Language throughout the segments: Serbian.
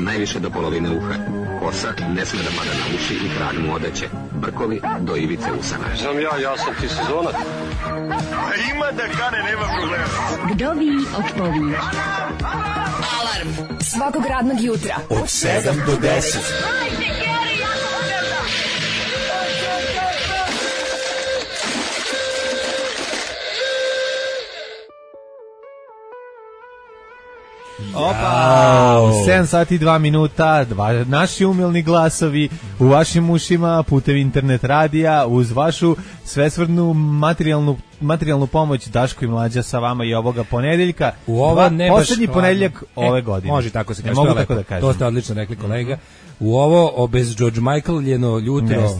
najviše do polovine uha. Kosa ne sme da pada na uši i krag mu odeće. Brkovi do ivice usana. Znam ja sam ti sezonac. Ima da kane, nema problema. Kdo vi odpoví? Alarm svakog radnog jutra od 7 do 10. Opa, 7 sati 2 minuta, naši umilni glasovi u vašim ušima putem internet radija uz vašu svesrdnu materijalnu pomoć. Daško i Mlađa sa vama i ovoga ponedeljka. U ovo ne poslednji ponedeljak ove godine. Može tako se kaže. Mogu tako da kažem. To ste odlično rekli, kolega. U ovo bez George Michael ljeno jutro.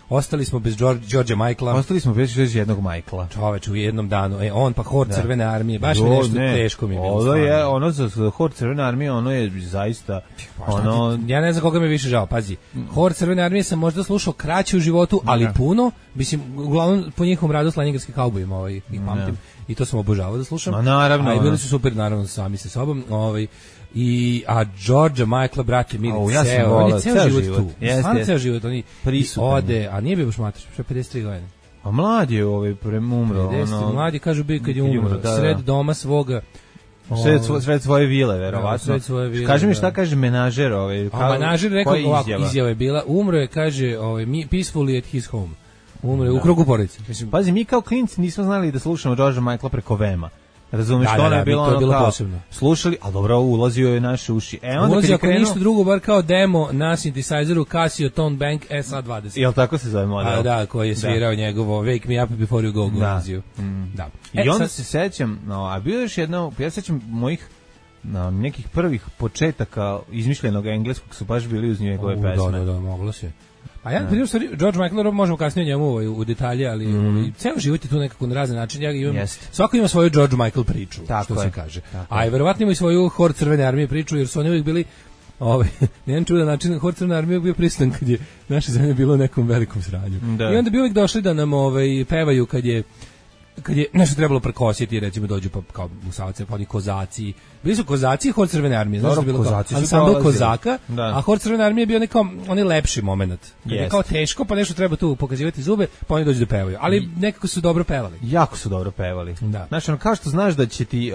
Ostali smo bez Georgea Michaela. Ostali smo bez jednog Michaela. Čoveč, u jednom danu. On pa hor Crvene armije. Baš mi nešto teško mi je bilo. Ono za hor Crvene armije, ono je zaista... Ja ne znam koga mi više žao. Pazi, hor Crvene armije sam možda slušao kraće u životu, ali puno. Mislim, uglavnom po njihovom radu s Leningradskim kaubojima ih pamtim. I to sam obožavao da slušam. Ma naravno. A i bili su super, naravno, sami sa sobom. A Georgea Michaela, brate, mili, on je ceo život tu. Stvarno ceo život, oni ode, a nije bio baš mater, što je 53 godine. A mlad je umro. Mladi kažu bi kad je umro, sred doma svoga. Sred svoje vile, verovatno. Kaži mi šta kaže menažer. Menažer rekao ovako, izjava je bila, umro je, kaže, peacefully at his home. Umro je u krugu porodice. Pazi, mi kao klinci nismo znali da slušamo Georgea Michaela preko Vema. Razumeš, to je bilo posebno. Slušali, ali dobro, ulazio je naše uši. Ulazio ako ništa drugo, bar kao demo na synthesizeru Casio Tone Bank SA-20. Jel tako se zove model? Da, koji je svirao njegovo Wake Me Up Before You Go ulazio. Da. I onda se sećam, a bio još jedno, ja sećam mojih nekih prvih početaka izmišljenog engleskog su baš bili uz njegove pesme. Da, moglo se. A ja, prije stvari, George Michael, možemo kasnije njemu u detalje, ali ceo život je tu nekako na razne načine. Svako ima svoju George Michael priču, što se kaže. A i verovatno ima i svoju hor Crvene armije priču, jer su oni uvijek bili, na jedan čudan način, hor Crvene armije bio prisutan kad je naša zemlja bilo u nekom velikom sranju. I onda bi uvijek došli da nam pevaju kad je nešto trebalo prekositi, recimo dođu pa kao Musavace, pa oni kozaci. Bili su kozaci i hor Crvene armije, znaš da je bilo kao ansambl kozaka, a hor Crvene armije je bio onaj lepši moment. Kad je kao teško, pa nešto treba tu pokazivati zube, pa oni dođu da pevaju. Ali nekako su dobro pevali. Jako su dobro pevali. Znaš, kao što znaš da će ti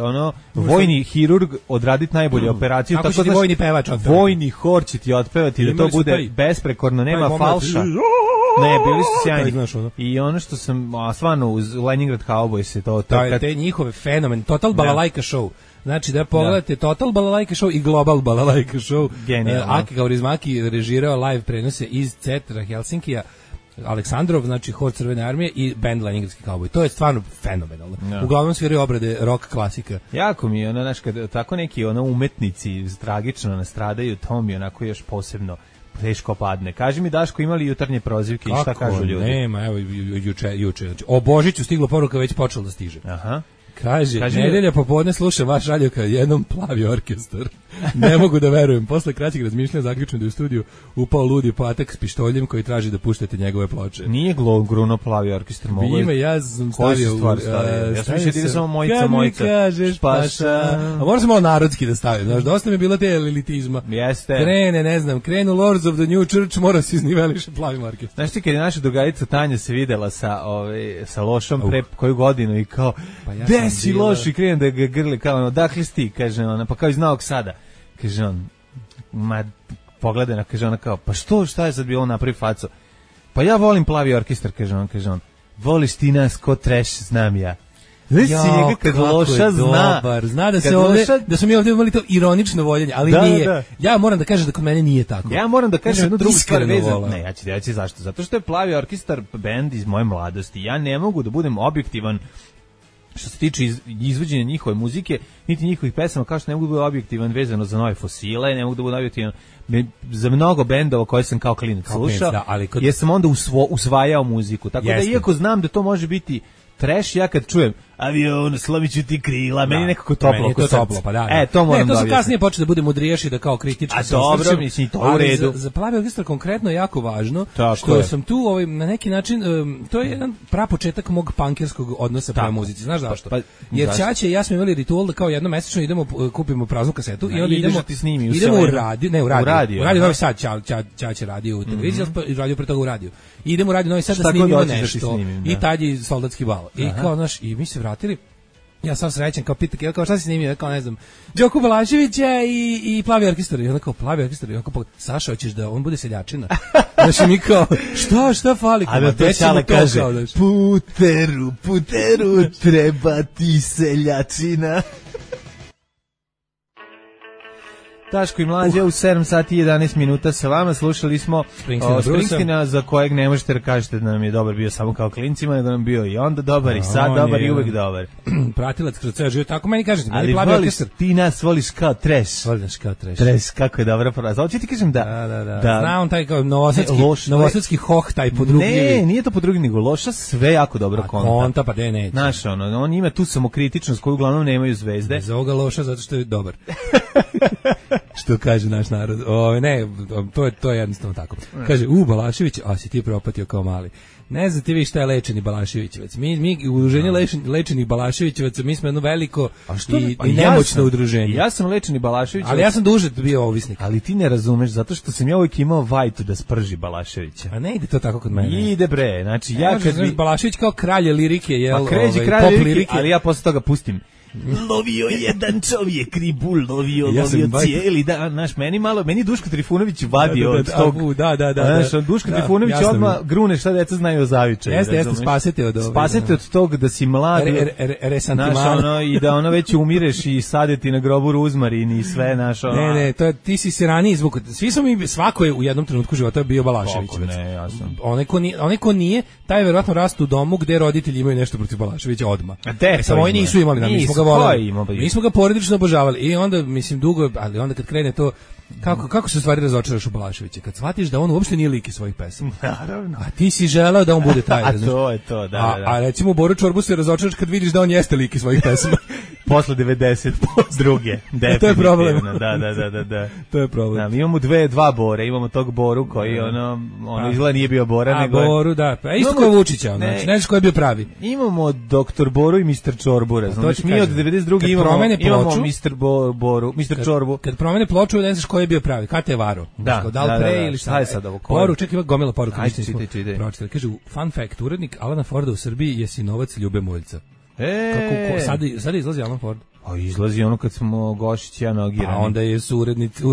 vojni hirurg odraditi najbolje operaciju, tako će ti vojni pevač otpevati. Vojni hor će ti otpevati da to bude besprekorno, nema falša. Ne, bili su sjajni. I ono što sam, stvarno uz Leningrad Cowboys se to... Te njihove fenomen, Total Balalajka Show. Znači da pogledate Total Balalajka Show i Global Balalajka Show. Aki Kaurismäki režirao live prenose iz centra Helsinkija, Aleksandrov, znači hor Crvene armije i band Leningradski Cowboy. To je stvarno fenomenalno. Uglavnom sviraju obrade rock klasika. Jako mi je, znaš, kad tako neki umetnici tragično nastradaju, to mi onako još posebno teško padne. Kaži mi, Daško, imali jutarnje prozivke i šta kažu ljudi? Nema, evo, juče. Znači, o Božiću stiglo poruka, već počelo da stiže. Aha. Kaže nedelja popodne slušam vaš radio kad jednom plavi orkestar. Ne mogu da verujem. Posle kraćeg razmišljanja zaključujem da je u studiju upao ludi patak s pištoljem koji traži da puštate njegove ploče. Nije Gruno plavi orkestar. Ime, ja sam stavio. Ja sam mislio da je samo Mojica. Kad mi kažeš paša. A moram se malo narodski da stavim. Znaš, dosta mi je bilo te elitizma. Jeste. Krenu Lords of the New Church, mora se izniveliše plavim orkestrom. Znaš ti kad je naša drugarica Tanja se videla sa Lošom pre koju godinu i kao si loš i krenem da ga grli, kao dakle si ti, kaže ona, pa kao iz Novog Sada, kaže on, pogledaj, kaže ona kao, pa šta je sad bilo napravi faco? Pa ja volim plavi orkestar, kaže on, voliš ti nas ko trash, znam ja. Znaš si njega kad Loša zna da se ovdje, da smo mi ovdje imali to ironično voljenje, ali nije. Ja moram da kažem da kod mene nije tako. Ja moram da kažem jednu drugu stvar vezanu. Ne, ja ću reći zašto. Zato što je plavi orkestar band iz moje mladosti. Ja ne mogu da budem objektivan što se tiče izvođenja njihove muzike, niti njihovih pesama, kao što ne mogu da bude objektivan vezano za Nove fosile, ne mogu da bude objektivan za mnogo bendova koje sam kao klinac slušao, jer sam onda usvajao muziku. Tako da, iako znam da to može biti trash, ja kad čujem avion, slomiću ti krila, meni nekako toplo. Meni je to toplo, pa da. To moram da to su kasnije počeli da bude mudriješi, da kao kritički. A dobro, mislim, to u redu. Za Plavi orkestar konkretno je jako važno, tako što je. sam tu na neki način, to je jedan prapočetak mog pankerskog odnosa prema muzici. Znaš zašto? Jer Ćaća i ja smo imali ritual da kao jednomesečno idemo, kupimo praznu kasetu i onda idemo u radio Novi Sad, Ćaća radio u televiziji, i radio pre toga u radiju. I idemo u radio Novi Sad da snimimo nešto. I tad je soldatski bal. I kao, znaš, i mi se vratili. Ja sam srećan, kao pita, kao šta si snimio, kao ne znam, Đoku Balaševića i Plavi orkestar. I onda kao, Plavi orkestar, i onda kao, Saša, hoćeš da on bude seljačina? Znači mi kao, šta fali? A da to Ćale kaže, puteru, treba ti seljačina. Daško i Mlađa u 7 sati i 11 minuta sa vama. Slušali smo Springstina, za kojeg ne možete da kažete da nam je dobar bio samo kao klincima, nego nam bio i onda dobar i sad dobar i uvek dobar. Pratilac kroz ceo život, tako meni kažete. Ali voliš, ti nas voliš kao trash. Voliš kao trash. Trash, kako je dobra fraza. Hoće ti kažem da. Znam taj kao novosadski hoh, taj podrugljivi. Ne, nije to podrugljivi, nego loša, sve jako dobro konta. Konta, pa ne. Znaš, on ima tu samokritičnost koju uglavnom nemaju zvezde. Za ovoga loša zato što je dobar. Što kaže naš narod. Ne, to je jednostavno tako. Kaže, Balašević, a si ti propatio kao mali. Ne znam ti vi šta je lečeni Balaševićevac. Mi u udruženju lečenih Balaševićevaca, mi smo jedno veliko i nemoćno udruženje. Ja sam lečeni Balaševićevac. Ali ja sam duže bio ovisnik. Ali ti ne razumeš, zato što sam ja uvijek imao vajtu da sprži Balaševića. A ne ide to tako kod mene. Ide bre, znači ja kad bi... Balašević kao kralj lirike, pa kređi kralj lirike, ali ja posle toga pustim. Lovio jedan čovjek ribu, lovio cijeli dan, znaš, meni Duško Trifunović vadio od tog, znaš, Duško Trifunović odmah grune šta deca znaju o zavičaju. Jeste, spasete od tog da si mlad, znaš, i da ono već umireš i sadeti na grobu ruzmarin i sve, znaš, Ne, ti si se ranije izvuk, svako je u jednom trenutku života bio Balašević. Ne, ja sam. Onaj ko nije, taj je verovatno rast u domu gde roditelji imaju nešto protiv Balaševića odmah. Samo oni nisu imali, mi smo ga voleli. Mi smo ga porodično obožavali i onda, mislim, dugo, ali onda kad krene to, kako se u stvari razočaraš u Balaševića? Kad shvatiš da on uopšte nije lik iz svojih pesama. Naravno. A ti si želeo da on bude taj. A to je to, da. A recimo u Boru Čorbu se razočaraš kad vidiš da on jeste lik iz svojih pesama. Posle 92. To je problem. Da. To je problem. Da, mi imamo dva Bore, imamo tog Boru koji ono izgleda nije bio Bora, nego Boru, da. Pa isto kao Vučića, znači, ne znaš ko je bio pravi. Imamo Dr. Boru i Mr. Čorbura, znači mi od 92. imamo Mr. Boru, Mr. Čorbu. Kad promene ploču, ne znaš ko je bio pravi. Kad je varo? Da li pre ili šta je sad ovo? Poru, čekaj, ima gomila poruka. Čitaj. Kaže, fun fact, urednik Alana Forda u Srbiji je sinovac Ljube Moljca. Sada izlazi Alan Ford. A izlazi ono kad smo Gošić i ja nogirani. A onda je urednici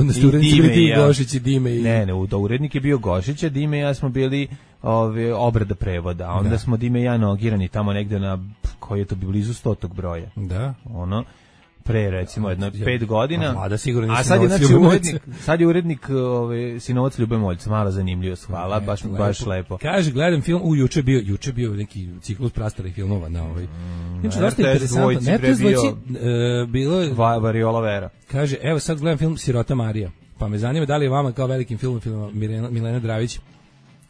ti Gošić i Dime. Ne, urednik je bio Gošić, a Dime i ja smo bili obrada prevoda. A onda smo Dime i ja nogirani tamo negde na, koji je to bio blizu 100. broja. Da. Ono, pre recimo 5 godina. A sad je urednik sinovac Ljube Moljca, malo zanimljivost, hvala, baš lepo. Kaže, gledam film, juče bio neki ciklus prastarih filmova na ovaj. Znači, dosta interesantno. RTS dvojci bilo je Variola Vera. Kaže, evo sad gledam film Sirota Marija, pa me zanima da li je vama kao velikim filmom Milena Dravić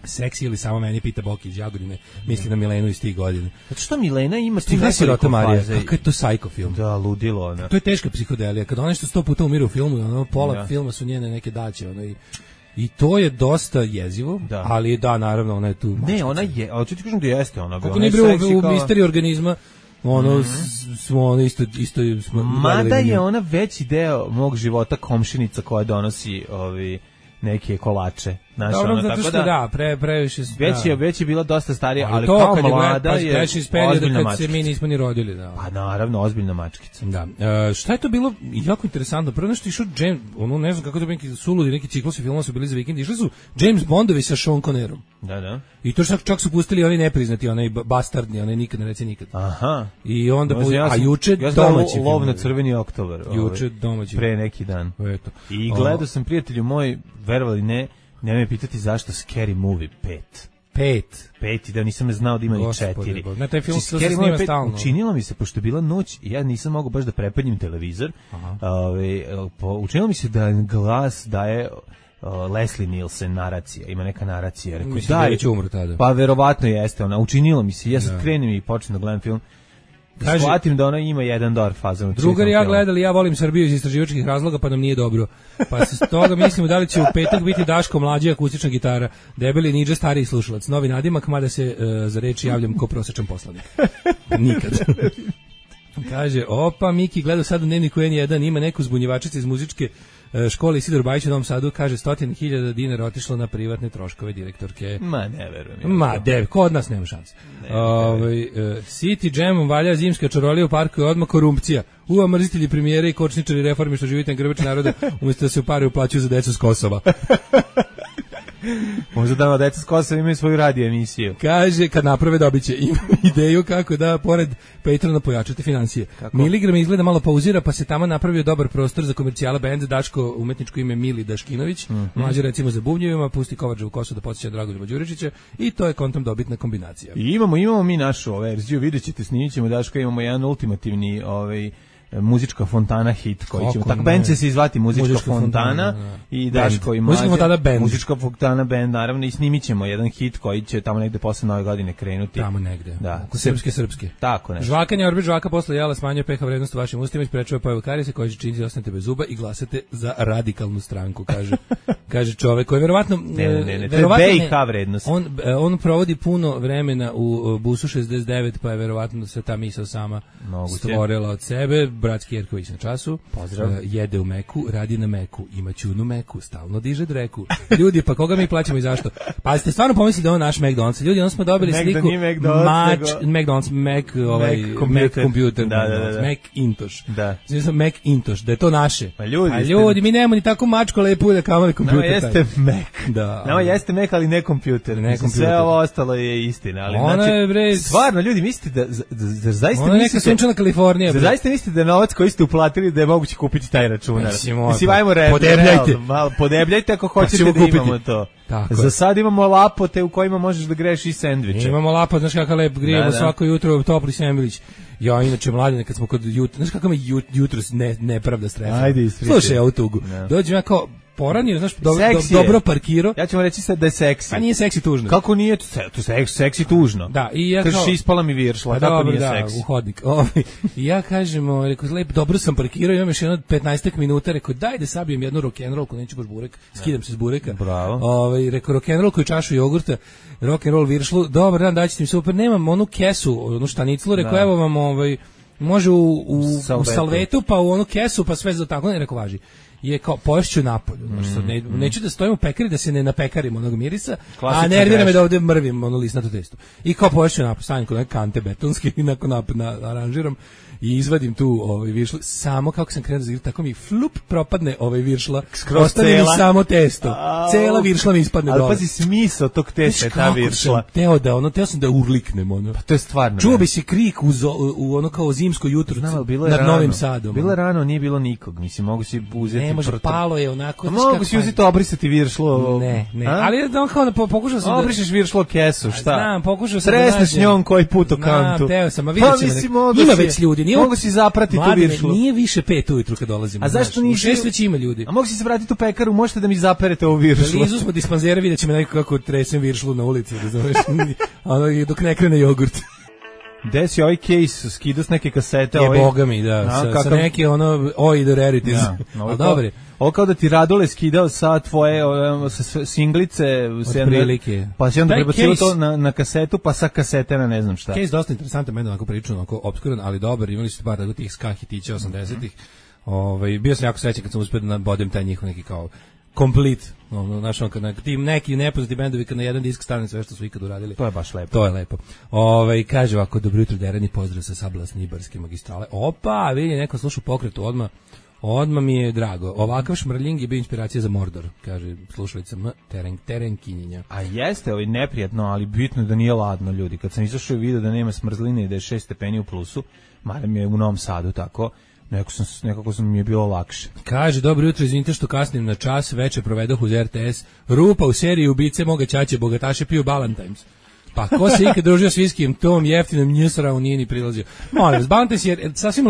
seksi ili samo meni, pita Boki iz Jagodine, misli na Milenu iz tih godina. Zato što Milena ima Sirota Marija, kako je to psycho film. Da, ludilo ona. To je teška psihodelija, kad ona nešto 100 puta umire u filmu, pola filma su njene neke daće, i to je dosta jezivo, ali da, naravno, ona je tu. Ne, ona je, ali ću ti kažem da jeste ona. Kako nije bilo u misteriji organizma, smo isto mada je ona veći deo mog života komšinica koja donosi neke kolače. Dobro, zato što previše... Već je bila dosta starija, ali kao mlada je ozbiljna mačkica. Se mi nismo ni rodili. Da. Pa naravno, ozbiljna mačkica. Da. Šta je to bilo jako interesantno? Prvo nešto išao James, ne znam kako to neki suludi, neki ciklusi filmova su bili za vikend, išli su James Bondovi sa Sean Connerom. Da. I to čak su pustili oni nepriznati, onaj bastardni, onaj nikad ne reci nikad. Aha. I onda, a juče domaći film. Lov na crveni oktobar. Juče domaći. Pre neki dan. Eto. I gledao sam, prijatelju moj, verovali ne, nemoj me pitati zašto Scary Movie 5 i da nisam znao da ima i 4. Na taj film se snima stalno. Učinilo mi se, pošto je bila noć i ja nisam mogao baš da prepadnim televizor, učinilo mi se da glas daje Leslie Nielsen naracija, ima neka naracija. Mislim da je već umro tada. Pa verovatno jeste ona, učinilo mi se, ja sad krenem i počnem da gledam film. Shvatim da ona ima jedan dobar fazon. Drugar ja gledali, ja volim Srbiju iz istraživačkih razloga, pa nam nije dobro. Pa se s toga mislimo da li će u petak biti Daško mlađi akustična gitara, debeli Niđa stariji slušalac, novi nadimak, mada se za reč javljam ko prosječan poslanik. Nikad. Kaže, opa, Miki gleda sad u dnevniku N1, ima neku zbunjevačicu iz muzičke škole Isidor Bajić u Novom Sadu, kaže 100.000 dinara otišlo na privatne troškove direktorke. Ma, ne verujem. Ma, kod nas nema šanse. City Jamom valja zimska čarolija u parku je odmah korupcija. Mrzitelji premijere i kočničari reforme što živite na grbači naroda, umjesto da se u pare uplaćuju za decu s Kosova. Možda da deca s Kosova imaju svoju radio emisiju. Kaže, kad naprave dobit će. Imam ideju kako da pored Patrona pojačate financije. Miligram izgleda malo pauzira, pa se tamo napravio dobar prostor za komercijala bend, Daško umetničko ime Mili Daškinović, mlađe recimo za bubnjevima, pusti Kovačevu kosu da podsjeća Dragoljuba Đuričića i to je kontom dobitna kombinacija. I imamo mi našu verziju, vidjet ćete, snimit ćemo, Daško, imamo jedan ultimativni muzička fontana hit koji ćemo, tako band će se izvati muzička fontana i Daško i Mlađe muzička fontana band, naravno, i snimit ćemo jedan hit koji će tamo negde posle Nove godine krenuti. Tamo negde, da. Oko srpske. Tako nešto. Žvakanje, orbit žvaka posle jela smanjuje pH vrednost u vašim ustima i sprečava pojavu karijesa koji će činiti da ostanete bez zuba i glasate za radikalnu stranku, kaže čovek koji verovatno ne, to je BiH vrednost. On provodi puno vremena u busu 69, pa je verovatno se ta misao sama stvorila od sebe. Bratski Jerković na času. Pozdrav. Jede u Meku, radi na Meku, ima ćunu Meku, stalno diže dreku. Ljudi, pa koga mi plaćamo i zašto? Pa ste stvarno pomislili da je on naš McDonald's. Ljudi, onda smo dobili sliku McDonald's, Mac computer, Macintosh. Znači Macintosh, da je to naše. Pa ljudi, mi nemamo ni tako mačko lepo da kamali kompjuter. Nama jeste Mac. Da. Nama jeste Mac, ali ne kompjuter. Sve ovo ostalo je istina. Ali, stvarno, ljudi, mislite da zaista ona neka sunčana Kalifornija. Zaista mislite da novac koji ste uplatili da je moguće kupiti taj računar. Mislim, ajmo podebljajte ako hoćete da imamo to. Za sad imamo lapote u kojima možeš da greješ i sendviče. Imamo lapot, znaš kakav lep, grijemo svako jutro topli sendvič. Ja, inače, mladine, kad smo kod jutra, znaš kakav me jutro nepravda stresa. Ajde, ispričaj. Slušaj, ja u tugu. Dođem ja kao poranio, znaš, dobro parkirao. Ja ću vam reći sad da je seksi. A nije seksi tužno. Kako nije to seksi tužno? Da, i ja kažeš ispala mi viršla, tako nije seksi. U hodnik. I ja kažem, rekao, lep, dobro sam parkirao, imam još jedno 15 minuta, rekao, daj da sabijem jednu rock'n'roll, ko neću baš burek, skidam se s bureka. Bravo. Rekao, rock'n'roll koju čašu jogurta, rock'n'roll viršlu, dobar dan, daćete mi super, nemam onu kesu, onu štaniclu, rekao, evo vam, može u salvetu, pa u onu kesu, pa sve za tako, ne, rekao, važi. Je kao poješću napolju, neću da stojim u pekari da se ne napekarim onog mirisa, a nervira me da ovdje mrvim ono lisnato testo. I kao poješću napolju, stavim kod neke kante betonske i aranžiram i izvadim tu viršlu, samo kako sam krenuo da igram, tako mi flup propadne viršla, ostane mi samo testo, cela viršla mi ispadne dole. Ali pazi, smisao tog testa je ta viršla. Teo sam da urliknem ono. Pa to je stvarno. Čuo bi se krik u ono kao zimsko jutro nad Novim Sadom. Bilo je rano, nije bilo nikog, mislim, mogu si uzeti. Ne može, palo je onako. Mogu si uzeti obrisati viršlo. Ne, ali kao pokušao sam da obrišeš viršlo kesu, šta? Znam, pokušao sam da nađem njom koji put u kantu. Teo sam, a vidimo. Ima već ljudi. Mogu si zaprati tu viršlu. Nije više 5 ujutru kad dolazimo. A zašto nije? 6 već ima ljudi. A mogu si se vratiti u pekaru, možete da mi zaperete ovu viršlu. Blizu smo dispanzera, vidjet ćemo neko kako tresem viršlu na ulici, razumeš? Dok ne krene jogurt. Gde si ovaj case skidao s neke kasete? Boga mi, da. Sa neki Oi the Rarities. Dobre. Ovo kao da ti Radole skidao sa tvoje singlice. Otprilike. Pa si onda prebacio to na kasetu, pa sa kasete na ne znam šta. Case dosta interesantan, meni onako priču, onako obskuran, ali dobar. Imali su par tih ska hitića 80-ih. Bio sam jako srećan kad sam uspio da bodem taj njihov neki kao complete, znaš, kad ti neki nepoznati bendovi kad na jedan disk stane sve što su ikad uradili. To je baš lepo. To je lepo. Kaže ovako, dobro jutro, derani pozdrav sa Sablasne Ibarske magistrale. Opa, vidi, neko sluša Pokretu odmah mi je drago. Ovakav šmrljing je bio inspiracija za Mordor, kaže slušalica Terenkinjenja. A jeste, neprijatno, ali bitno da nije ladno, ljudi. Kad sam izašao i vidio da nema smrzline i da je 6 stepeni u plusu, marem je u Novom Sadu tako, nekako sam mi je bilo lakše. Kaže, dobro jutro, izvinite što kasnim na čas, veče provedoh uz RTS, rupa u seriji ubice moga ćaće, bogataše piju Ballantines. Pa ko se ikad družio s viskijem, tom jeftinom njusravu nije ni prilazio. Molim vas, Ballantines je sasvim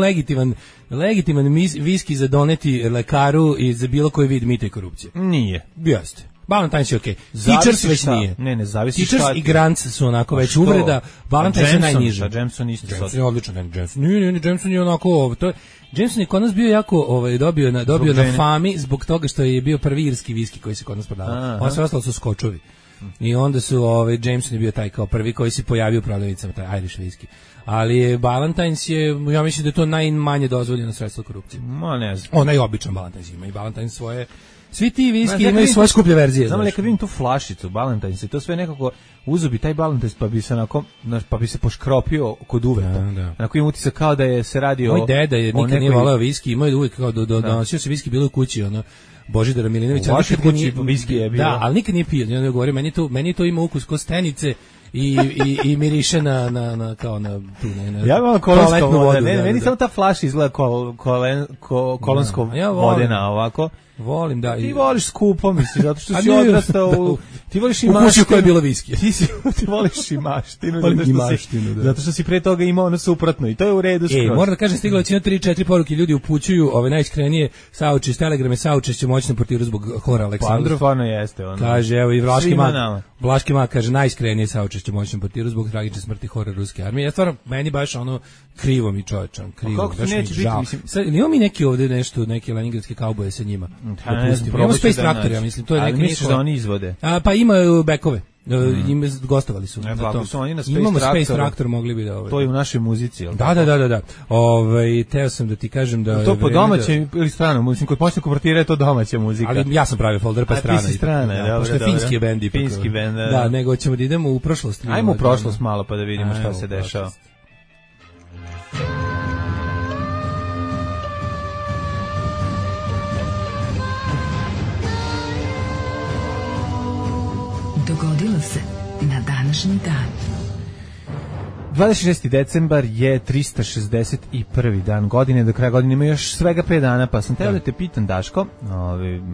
legitiman viski za doneti lekaru i za bilo koji vid mita i korupcije. Nije. Jeste. Valentine's je okej. Teachers već nije. Ne, zavisi Teachers šta. i Grants su onako već uvreda. Valentine's je najniže. Jameson isto. Jameson je odličan, Jameson. Nije, Jameson je onako, to je Jameson je kod nas bio jako dobio na fami zbog toga što je bio prvi irski viski koji se kod nas prodavao. Ono sve ostalo su skočovi. I onda su Jameson je bio taj kao prvi koji se pojavio u prodavnicama, taj Irish viski. Ali je Valentine's je, ja mislim da je to najmanje dozvoljeno sredstvo korupcije. Ma ne znam. Onaj običan Valentine's ima i Valentine's svoje. Svi ti viski imaju svoje skuplje verzije. Znam li kad vidim tu flašicu Valentine's i to sve nekako uzubi taj Valentine's pa bi se onako, pa bi se poškropio kod uveta. Onako im utisak kao da je se radi Moj deda je nikad nije voleo viski, imao je uvijek kao donosio se viski bilo u kući, ono Božidara Milinovića. U vašoj kući viski je bio. Da, ali nikad nije pio. Ja govorim, meni to ima ukus ko stenice. I miriše na kao na tu ne. Ja imam kolonsku vodu. Meni samo ta flaša izgleda kolonsko vodena ovako. Volim da. Ti voliš skupo, misliš, zato što si odrastao u ti voliš i maštinu. Koja je bila viski. Ti voliš i maštinu, zato što si pre toga imao ono suprotno i to je u redu skroz. Moram da kažem, stiglo je 3-4 poruke, ljudi upućuju ove najiskrenije saučešće, telegrame saučešće moćnom portiru zbog Hora Aleksandrov. Pa stvarno jeste ono. Kaže, evo i Vlaški mak kaže najiskrenije saučešće moćnom portiru zbog tragične smrti Hora ruske armije. Ja stvarno meni baš ono krivo mi čovječan, krivo. Baš mi žao. Sad imamo mi neki ovde nešto, neke leningradske kauboje sa njima. Imamo Space Tractor, ja mislim, to je neki. Misliš da oni izvode? Pa imaju bekove. Gostovali su. Imamo Space Tractor, mogli bi da to je u našoj muzici, jel? Da. Teo sam da ti kažem da to po domaćem ili stranom, mislim kod moćnog portira je to domaća muzika. Ali ja sam pravio folder pa strana. Ti si strana, pošto je finski bend ipak. Finski bend. Da, nego ćemo da idemo u prošlost. Ajmo u prošlost malo pa da vidimo šta se dešava. Dogodilo se na današnji dan. 26. decembar je 361. dan godine, do kraja godine ima još svega 5 dana, pa sam teo da te pitam, Daško,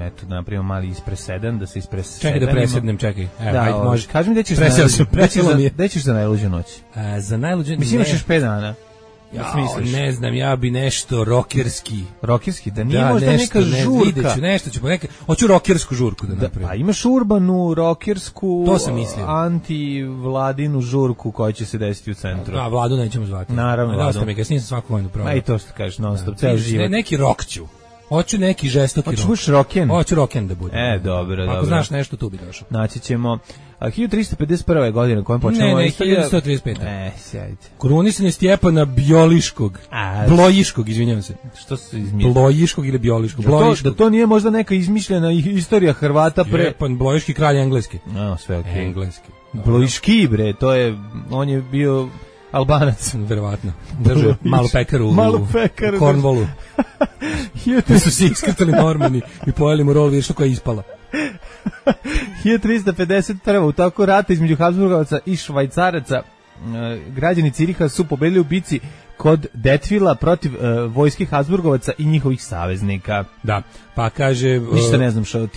eto da napravimo mali ispresedan, da se ispresedanimo. Čekaj da presednem, čekaj. Evo, ajde, može. Kaži mi gde ćeš za najluđu noć? Za najluđu noć? Mislim, imaš još 5 dana. Ne znam, ja bi nešto rokerski. Rokerski, da nije možda neka žurka. Videću, nešto ću, hoću rokersku žurku da napravim. Pa imaš urbanu, rokersku, to sam mislio. Anti-vladinu žurku koja će se desiti u centru. Da, Vladu nećemo zvati. Naravno, Vladu. Dosta mi ga, nisam svaku vojnu provao. Ma i to što kažeš, non stop, ceo život. Neki rok ću. Hoću neki žestoki rok. Hoćeš roken? Hoću roken da bude. Dobro. Ako znaš nešto, tu bi došao. Naći ćemo 1351. godine kojom počnemo... Ne, 1135. Sjajte. Krunisanje Stjepana Blojiškog, izvinjavam se. Što se izmišlja? Blojiškog ili Bioliškog? Da to nije možda neka izmišljena istorija Hrvata pre... Stjepan Blojiški, kralj engleski. Sve okej. Engleski. Blojiški, bre, on je bio... Albanac. Verovatno. Držao malu pekaru u Cornwallu. Tu su se iskrtali Normani i pojeli mu rol virša koja je ispala. 1351. u toku rata između Habsburgovaca i Švajcaraca građani Ciriha su pobedili u bici kod Detvila protiv vojske Habsburgovaca i njihovih saveznika. Da, pa kaže... Ništa ne znam što o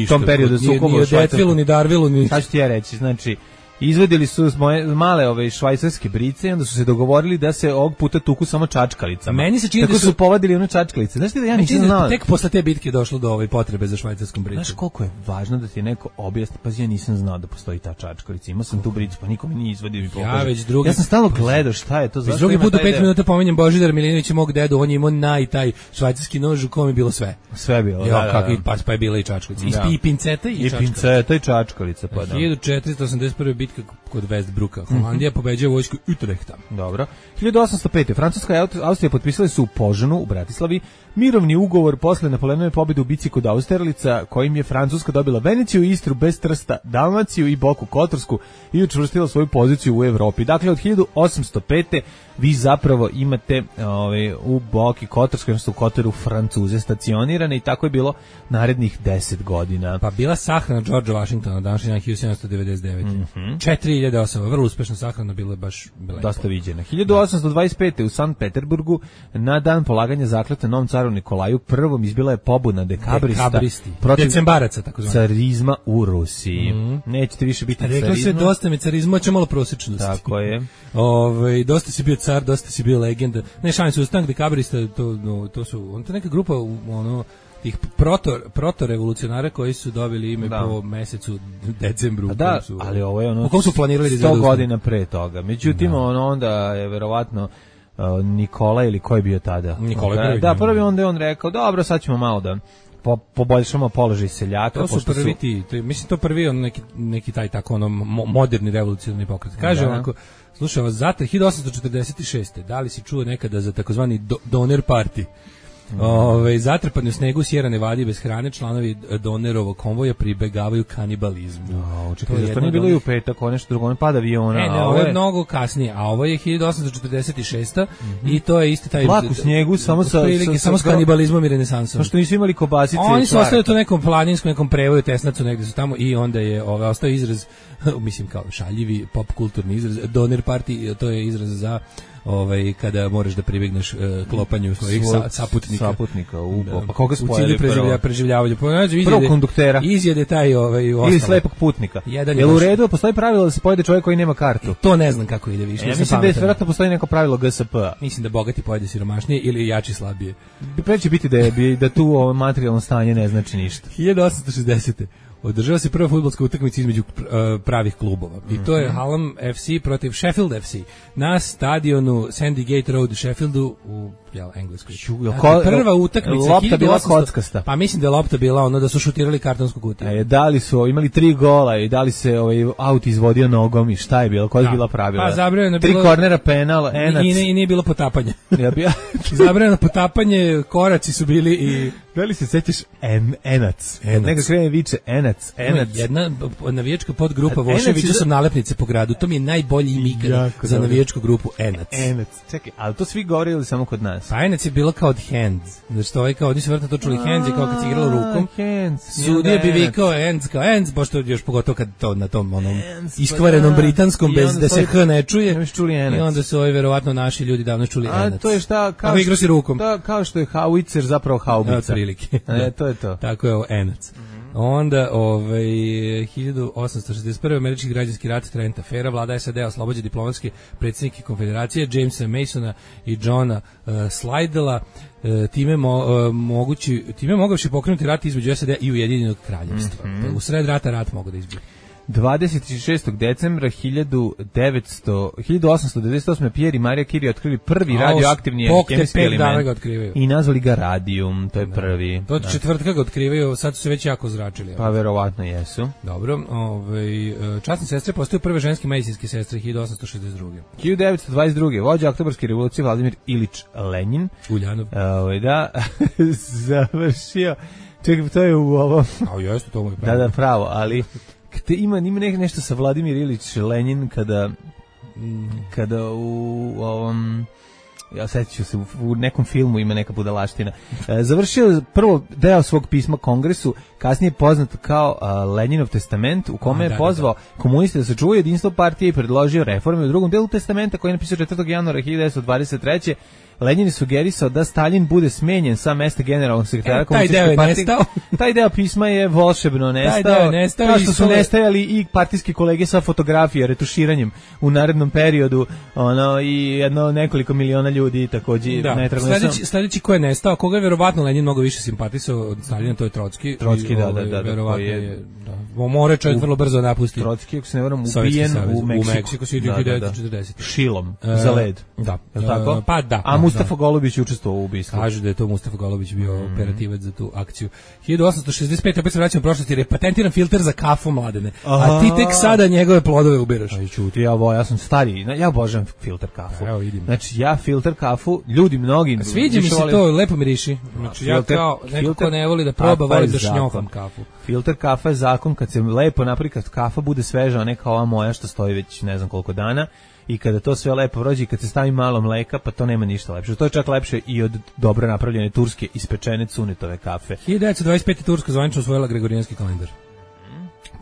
tom periodu sukoba u Švajcarsku. Ni o Detvilu, ni Darvilu, ni... Šta ću ti ja reći, znači... Izvedili su male švajcarske brice i onda su se dogovorili da se ovog puta tuku samo čačkalicama. Meni se čini da su povadili one čačkalice. Znaš ti da ja nisam znao? Tek posle te bitke došlo do ove potrebe za švajcarskom bricom. Znaš koliko je važno da ti neko objasni? Pa ja nisam znao da postoji ta čačkalica. Imao sam tu bricu, pa niko mi nije izvadio i pokazao. Ja sam stalno gledao šta je to. Drugi put u 5 minuta pominjem Božidara Milinovića, mog dedu, on je imao taj švajcarski nož u kom je bilo sve. Sve bilo, pa je bila i čačkalica. I pinceta i čačkalica. I pinceta i čačkalica, pa da. 1481. bitka kod Westbrucka. Holandija pobeđuje vojsku Utrechta. Dobro. 1805. Francuska i Austrija potpisali su u Požanu u Bratislavi mirovni ugovor posle Napoleonove pobjede u bici kod Austerlica, kojim je Francuska dobila Veneciju, Istru bez Trsta, Dalmaciju i Boku Kotorsku i učvrstila svoju poziciju u Evropi. Dakle, od 1805. vi zapravo imate u Boki Kotorskoj, odnosno u Kotoru, Francuze stacionirane i tako je bilo narednih 10 godina. Pa bila sahrana Georgea Washingtona, današnji dan 1799. 4000 osoba, vrlo uspešna sahrana, bila je baš dosta viđena. 1825. u Sankt Peterburgu na dan polaganja zakletve novom caru Nikolaju I izbila je pobuna dekabristi protiv decembaraca, tako zvano, carizma u Rusiji. Nećete više biti carizma. Rekla se dosta mi carizma, će malo prosječnosti. Tako je. Dosta si bio car, dosta si bio legenda. Ne, šalim se, ustanak dekabrista, to su, on to neka grupa, tih proto-revolucionara koji su dobili ime po mesecu decembru. Da, ali ovo je ono 100 godina pre toga. Međutim, onda je verovatno Nikola ili ko je bio tada? Nikola prvi. Da, prvi onda je on rekao, dobro, sad ćemo malo da poboljšamo položaj seljaka. To su prvi mislim to prvi on neki taj tako ono moderni revolucionarni pokret. Kaže onako, slušaj, Zatra 1846. Da li si čuo nekada za takozvani Donner Party? Zatrpani u snegu Sierra Nevada bez hrane, članovi Donnerovog konvoja pribegavaju kanibalizmu. To nije bilo i u petak, nešto drugo, on pada aviona. Ovo je mnogo kasnije, a ovo je 1846. I to je isti taj... Vlak u snijegu, samo s kanibalizmom i renesansom. Samo što nisu imali kobasice. Oni su ostali to nekom planinskom, nekom prevoju, Tesnacu, negde su tamo i onda je ostao izraz, mislim kao šaljivi pop kulturni izraz, Donner Party, to je izraz za kada moraš da pribegneš klopanju svojih saputnika. Pa koga spojili prvo? Preživljavanju. Prvo konduktera. Izjede taj ili slepog putnika. Jel u redu postoji pravilo da se pojede čovjek koji nema kartu? To ne znam kako ide više. Ja mislim da je vjerojatno postoji neko pravilo GSP-a. Mislim da bogati pojede siromašnije ili jači slabije. Preće biti da tu materijalno stanje ne znači ništa. 1860. Održava se prva fudbalska utakmica između pravih klubova. I to je Hallam FC protiv Sheffield FC na stadionu Sandy Gate Road u Sheffieldu u Engleskoj. Prva utakmica. Lopta bila kockasta. Pa mislim da je lopta bila ono da su šutirali kartonsku kutiju. Da li su imali 3 gola i da li se aut izvodio nogom i šta je bilo? Koja je bila pravila? Pa zabranjeno bilo 3 kornera, penal, enac. I nije bilo potapanja. Zabranjeno potapanje, koraci su bili i... Da li se sećaš enac? Neka krene viče enac. Jedna navijačka podgrupa Voše, vidio sam nalepnice po gradu. To mi je najbolji ime za navijačku grupu Enac. Čekaj, ali to svi govore ili samo kod nas? Pa Enac je bilo kao od Hands. Znači kao oni su vrtno to čuli Hands je kao kad se igralo rukom. Sudija bi vikao Hands kao Hands, pošto još pogotovo kad to na tom onom iskvarenom britanskom bez da se H ne čuje. I onda su verovatno naši ljudi davno čuli Enac. A to je šta? Kao igrao si rukom. Kao što je haubicer zapravo haubica. To je to. Tako je ovo Enac. Onda 1861. američki građanski rat Trent afera, vlada SAD oslobađa diplomatske predsjednike konfederacije Jamesa Masona i Johna Slidella, time mogavši pokrenuti rat između SAD i Ujedinjenog kraljevstva. U sred rata rat mogu da izbije. 26. decembra 1898. Pierre i Maria Curie otkrili prvi radioaktivni hemijski element i nazvali ga radijum, to je prvi. To četvrtka ga otkrivaju, sad su se već jako zračili. Pa verovatno jesu. Dobro, časne sestre postaju prve ženske medicinske sestre 1862. 1922. vođa Oktobarske revolucije Vladimir Ilić Lenjin. Uljanov. Da, završio. Čekaj, to je u ovo. Jeste, to mu je pravo. Da, pravo, ali... Ima nešto sa Vladimir Ilić Lenjin kada u ovom, ja sećam se, u nekom filmu ima neka budalaština. Završio prvo deo svog pisma Kongresu, kasnije poznat kao Lenjinov testament, u kome je pozvao komuniste da sačuvaju jedinstvo partije i predložio reforme. U drugom delu testamenta, koji je napisao 4. januara 1923. Lenin je sugerisao da Stalin bude smenjen sa mesta generalnog sekretara komunističke partije. Taj deo pisma je volšebno nestao. Kao što su nestajali i partijski kolege sa fotografije, retuširanjem u narednom periodu, i nekoliko miliona ljudi takođe. Sledeći ko je nestao, koga je verovatno Lenin mnogo više simpatisao od Stalina, to je Trotski. Verovatno je. More čovjek vrlo brzo napusti. Trotski, ako se ne varam, ubijen u Meksiku. 1940. Šilom, za led. Da. Tako? Pa da. A Mustafa Golubić je učestvovao u ubistvu. Kažu da je to Mustafa Golubić bio operativac za tu akciju. 1865. opet se vraćamo u prošlost jer je patentiran filter za kafu, Mladene. A ti tek sada njegove plodove ubiraš. Aj čuti, ja sam stariji. Ja obožavam filter kafu. Evo vidim. Znači ja filter kafu, ljudi mnogi. Sviđa mi se to, lepo miriši. Znači ja kao neko ko ne voli da proba, volim da šnjofam kafu. Filter kafa je zakon kad se lepo napravi, kad kafa bude sveža, a ne kao ova moja što stoji već ne znam koliko dana. I kada to sve lepo prođe i kad se stavi malo mleka, pa to nema ništa lepše. To je čak lepše i od dobro napravljene turske ispečene cunetove kafe. 1925. Turska zvanično usvojila gregorijanski kalendar.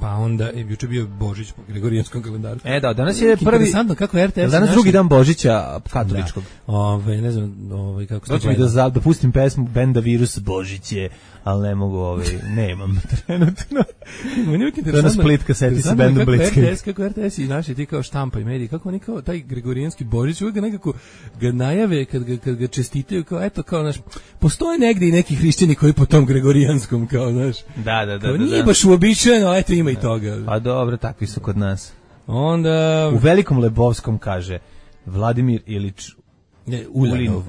Pa onda juče bio Božić po Gregorijanskom kalendaru. Da, danas je prvi. Interesantno kako RTS. Danas drugi dan Božića katoličkog. Ne znam, kako se zove. Da pustim pesmu benda Virus Božić je, ali ne mogu, nemam trenutno. Da nas Plitka seti se bendom Blitzkrieg. Kako RTS i naši ti kao štampa i mediji, kako oni kao taj Gregorijanski Božić uvijek nekako ga najave kad ga čestitaju kao eto kao naš postoje negde i neki hrišćani koji po tom Gregorijanskom kao znaš. Da. Nije baš uobičajeno, ali eto ima i toga. Pa dobro, takvi su kod nas. Onda u Velikom Lebovskom kaže Vladimir Ilić Uljanov.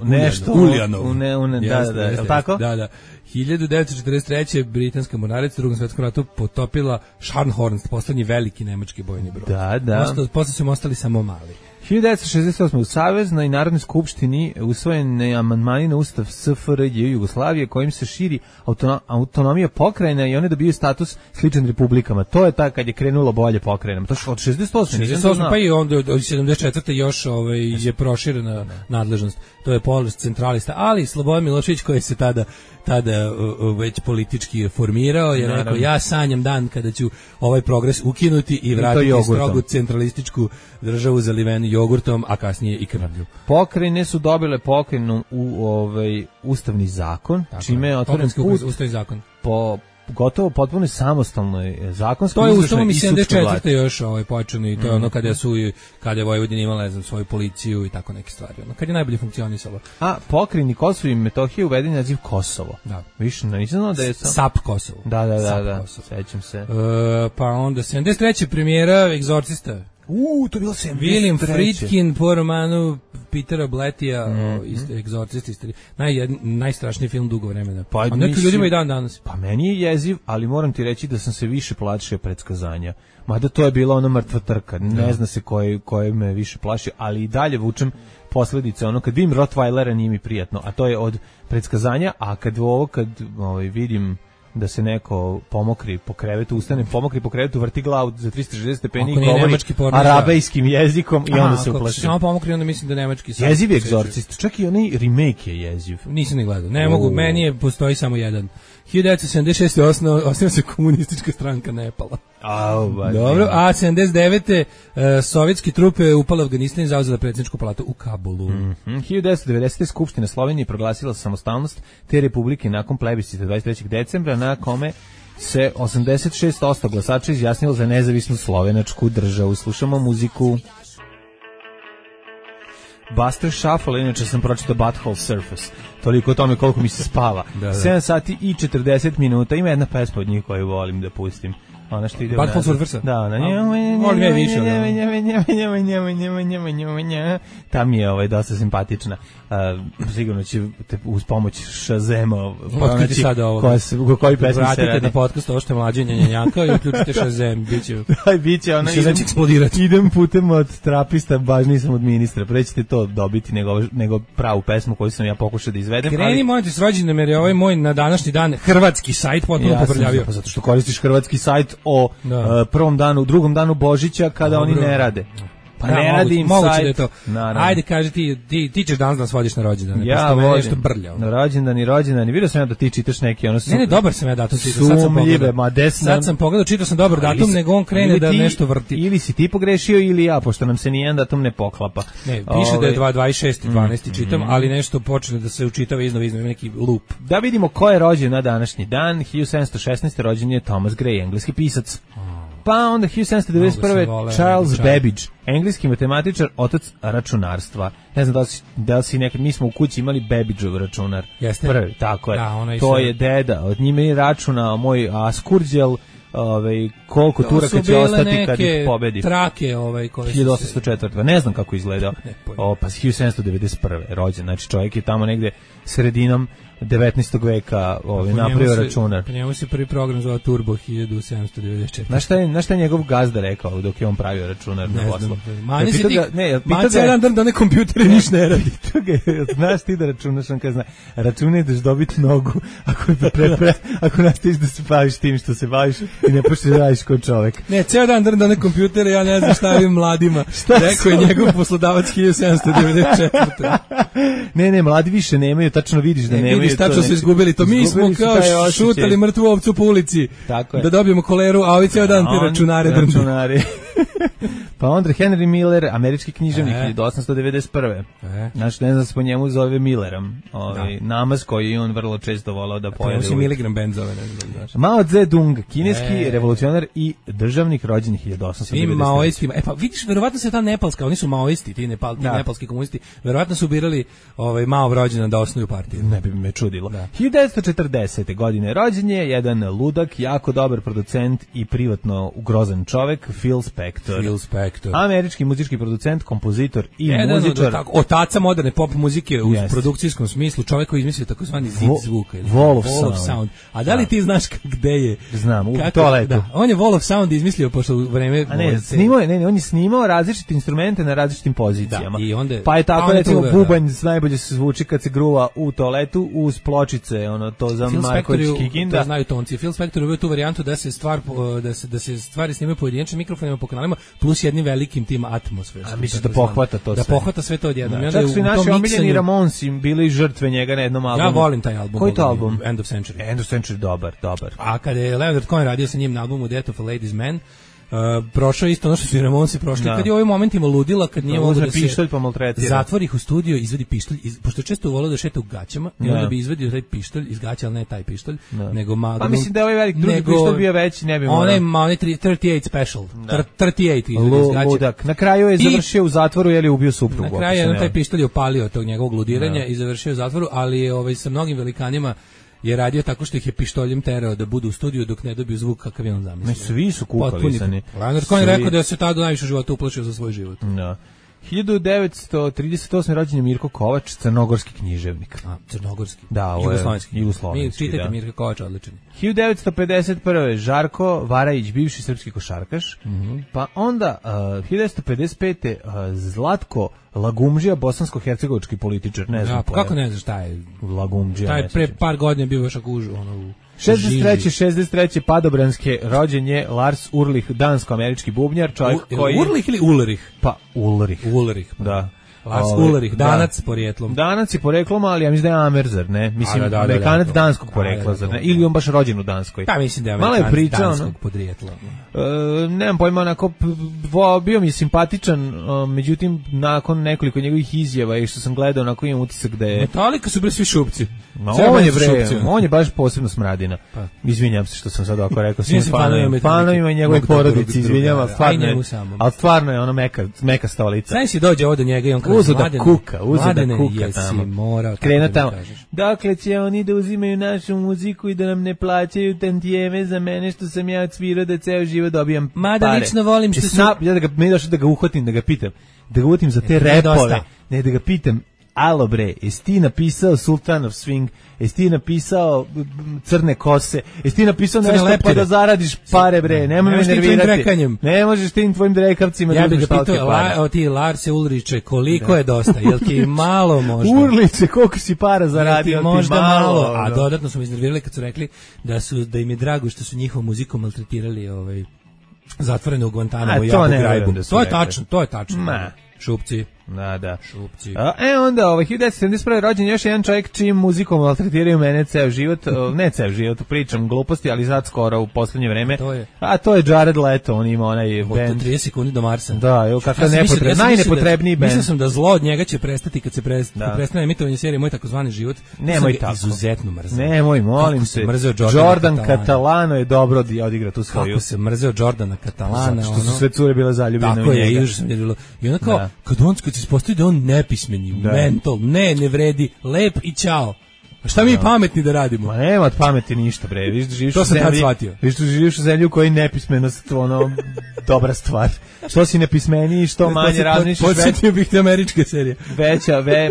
Da, je li tako? Da. 1943. britanska mornarica u Drugom svetskom ratu potopila Scharnhorst, poslednji veliki nemački bojni brod. Da. Posle su ostali samo mali. 1968. u Saveznoj Narodnoj skupštini usvojene amandmani na Ustav SFRJ Jugoslavije kojim se širi autonomija pokrajina i one dobiju status sličan republikama. To je kad je krenulo bolje pokrajinama. To je od 68. Pa i onda od 74. još je proširena nadležnost. To je polos centralista, ali Slobodan Milošević koji se tada već politički formirao je rekao ja sanjam dan kada ću ovaj progres ukinuti i vratiti strogu centralističku državu zalivenu jogurtom, a kasnije i krvlju. Pokrajine su dobile pokrajinu u ustavni zakon, čime je otvoren put ustavni zakon po gotovo potpuno samostalnoj zakonskoj. To je ustavom i 74. još počeno i to je ono kada je Vojvodina imala svoju policiju i tako neke stvari. Kad je najbolje funkcionisalo. A pokrajini Kosovo i Metohija uveden naziv Kosovo. Da. Više nisam znao da je SAP Kosovo. Da. Sećam se. Pa onda 73. premijera Egzorcista. To je bilo 73. William Friedkin po romanu Petera Blatija, Egzorcist, najstrašniji film dugo vremena. A neki ljudima i danas. Pa meni je jeziv, ali moram ti reći da sam se više plašio predskazanja. Mada to je bila ona mrtva trka. Ne zna se koje me više plašio, ali i dalje vučem posledice. Kad vidim Rottweilera nije mi prijatno, a to je od predskazanja, a kad vidim da se neko pomokri po krevetu, pomokri po krevetu, vrti glavu za 360 stepeni i govori arabejskim jezikom i onda se uplaši. Samo pomokri, onda mislim da nemački. Jeziv je Egzorcist, čak i onaj remake je jeziv. Nisam ni gledao, ne mogu, meni postoji samo jedan. 1976. osniva se komunistička stranka Nepala. Dobro, a 79. sovjetski trupe upale u Afganistan i zauzela predsjedničku palatu u Kabulu. 1990. Skupština Slovenije proglasila samostalnost te republike nakon plebiscita 23. decembra na kome se 86% glasača izjasnilo za nezavisnu slovenačku državu. Slušamo muziku. Buster Shuffle, inače sam pročitao Butthole Surface. Toliko o tome koliko mi se spava. 7 sati i 40 minuta. Ima jedna pesma od njih koju volim da pustim. Ona što ide Butthole Surface? Da, ona tam je dosta simpatična. Sigurno će te uz pomoć Shazema pronaći koji pesmi se radi. Vratite na podcast ovo što je mlađe njenjanka i uključite Shazam. Biće ona. Shazam će eksplodirati. Idem putem od trapista, baš nisam od ministra. Prećete to dobiti nego pravu pesmu koju sam ja pokušao da izvedem. Kreni mojte s rođendan, jer je ovaj moj na današnji dan hrvatski sajt potpuno poprljavio. Zato što koristiš hrvatski sajt o prvom danu, drugom danu Božića kada oni ne rade. Pa ne radim sajt. Da je to. Ajde, kaži ti ćeš danas nas vodiš na rođendan. Ja volim nešto brlja. Na rođendan. Vidio sam ja da ti čitaš neki ono Ne, dobar sam ja datum čitao. Sad sam pogledao, čitao sam dobar datum, nego on krene da nešto vrti. Ili si ti pogrešio ili ja, pošto nam se nijedan datum ne poklapa. Ne, piše da je 26.12. čitam, ali nešto počne da se učitava iznova neki loop. Da vidimo ko je rođen na današnji dan. 1716. rođen je Thomas Gray, engleski pisac. Pa onda 1791. Charles Babbage, engleski matematičar, otac računarstva. Ne znam da li si nekad, mi smo u kući imali Babbageov računar. Jeste? Prvi, tako je. To je deda, od njime je računao moj Askurđel, koliko Turaka će ostati kad ih pobedi. Trake, 1804. Ne znam kako izgledao. Pa 1791. rođen, znači čovjek je tamo negde sredinom 19. veka napravio računar. Po njemu se prvi program zove Turbo 1794. Znaš šta je njegov gazda rekao dok je on pravio računar na poslu? Manje si ti, manje jedan dan da ne kompjutere niš ne radi. Znaš ti da računaš, on kada zna, računaj daš dobiti nogu ako nastaviš da se baviš tim što se baviš, i ne počneš da radiš kao čovek. Ne, ceo dan drnda na kompjutere, ja ne znam šta ovim mladima. Rekao je njegov poslodavac 1794. Ne, mladi više nemaju, tačno vidiš da nemaju. Vidiš, tačno su izgubili to. Mi smo kao šutali mrtvu ovcu po ulici da dobijemo koleru, a ovi ceo dan ti računari. Pa onda Henry Miller, američki književnik, 1891. Znači, ne znam se po njemu zove Millerom. Namaz koji on vrlo često volao da pojede. To si miligram bend zove, ne znam. Mao Zedong, kineski revolucionar i državnik rođen 1893. Svi maoistima. Pa vidiš, verovatno se ta nepalska, oni su maoisti, ti nepalski komunisti, verovatno su birali Mao rođena da osnuju partiju. Ne bi me čudilo. 1940. godine rođen je jedan ludak, jako dobar producent i privatno grozan čovek, Phil Spector. Američki muzički producent, kompozitor i muzičar. Otaca moderne pop muzike u produkcijskom smislu, čovjek koji izmislio takozvani zid zvuka. Wall of Sound. A da li ti znaš gde je? Znam, u toaletu. Da, on je Wall of Sound izmislio pošto u vreme... On je snimao različite instrumente na različitim pozicijama. Da, i onda, pa je tako, recimo, bubanj najbolje se zvuči kad se gruva u toaletu uz pločice, to za Marković Kikinda. To znaju tonci. Phil Spector uveo tu varijantu da se stvari snimaju pojedinačnim mikrofonima po kanalima, plus jednim velikim tim Atmos. A misliš da pohvata to sve? Da pohvata sve to odjednom. Čak su i naši omiljeni Ramonsi bili žrtve njega na jednom albumu. Ja volim taj album. Koji to album? End of Century. End of Century, dobar. A kada je Leonard Cohen radio sa njim na albumu Death of a Ladies Man, prošao isto ono što su i Ramonsi prošli, kad je u ovim momentima ludila, kad nije mogao da se pištolj pa maltretira. Zatvori ih u studio, izvadi pištolj, pošto često volio da šeta u gaćama, i onda bi izvadio taj pištolj iz gaća, ali ne taj pištolj, nego Magnum. Pa mislim da je ovaj velik drugi pištolj bio veći, ne bi morao. Onaj 38 special, 38 izvadio iz gaća. Ludak. Na kraju je završio u zatvoru jer je ubio suprugu. Na kraju je taj pištolj opalio tog njegovog ludiranja i završio u zatvoru, ali je sa mnogim velikanima je radio tako što ih je pištoljem terao da budu u studiju dok ne dobiju zvuk kakav je on zamislio. Svi su kukalisani. Leonard Cohen rekao da se tada najviše života uplašio za svoj život. Da. 1938. rođen je Mirko Kovač, crnogorski književnik. Crnogorski? Da, jugoslovenski. Mi čitajte Mirka Kovača, odličan. 1951. Žarko Varajić, bivši srpski košarkaš. Pa onda 1955. Zlatko Lagumdžija, bosansko-hercegovački političar, ne znam. Pa kako ne znaš šta je Lagumdžija? Taj pre par godina bio još u 63. Padobranske rođen je Lars Ulrich, dansko-američki bubnjar, čovjek koji... Ulrich ili Ulrich? Pa Ulrich. Ulrich, da. Lars Ulrich, Danac porijeklom. Danac je poreklom, ali ja mislim da je Amerzar, ne? Mislim, Amerikanac danskog porekla, zar ne? Ili on baš rođen u Danskoj. Da, mislim da je Amerikanac danskog podrijetla. Nemam pojma, onako, bio mi je simpatičan, međutim, nakon nekoliko njegovih izjava i što sam gledao, onako imam utisak da je... Metallica su bre svi šupci. On je baš posebno smradina. Izvinjam se što sam sad ovako rekao svim fanovima i njegove porodici, izvinjam, ali stvarno je ono meka stolica. Znaš si dođe ovdje njega i on kaže, uzo da kuka tamo. Krena tamo. Dakle će oni da uzimaju našu muziku i da nam ne plaćaju tantijeme za mene što sam ja odsvirao da ceo život dobijam pare. Mada lično volim što su... Ja me došao da ga uhvatim, da ga pitam. Da ga uhvatim za te repove. Ne, da ga pitam. Alo bre, jesi ti napisao Sultan of Swing, jesi ti napisao Crne kose, jesi ti napisao nešto pa da zaradiš pare bre, nemoj me nervirati. Ne možeš tim tvojim drekavcima da uzmeš talke pare. Ja bih ti Larse Ulriče, koliko je dosta, jel ti malo možda? Urliče, koliko si para zaradio, jel ti možda malo? A dodatno su me iznervirali kad su rekli da im je drago što su njihovom muzikom maltretirali zatvorene u Guantanamo i Abu Ghraib. To je tačno. Šupci. Da. Šupci. Onda 1971. rođen još jedan čovjek čijim muzikom maltretiraju mene ceo život, ne ceo život, pričam gluposti, ali sad skoro u poslednje vreme. To je Jared Leto, on ima onaj band. 30 sekundi do Marsa. Da, kakav najnepotrebniji band. Mislim sam da zlo od njega će prestati kad se prestane emitovanje serije Moj takozvani život. Nemoj tako. Izuzetno mrzeo. Nemoj, molim se. Jordan Catalano je dobro odigra tu svoju. Kako se mrzeo Jordana Catalana. Što su sve cure bile zaljubljene u njega. Tako je, još sam je bilo. I onda kao, kad se ispostavi da on nepismeni, mental, ne vredi, lep i čao. A šta mi pametni da radimo? Ma nema od pameti ništa, bre. Živiš to sam tad shvatio. Živiš u zemlji u kojoj nepismenost dobra stvar. Što si nepismeniji, što manje razmišljaš. Podsjetio bih te američke serije.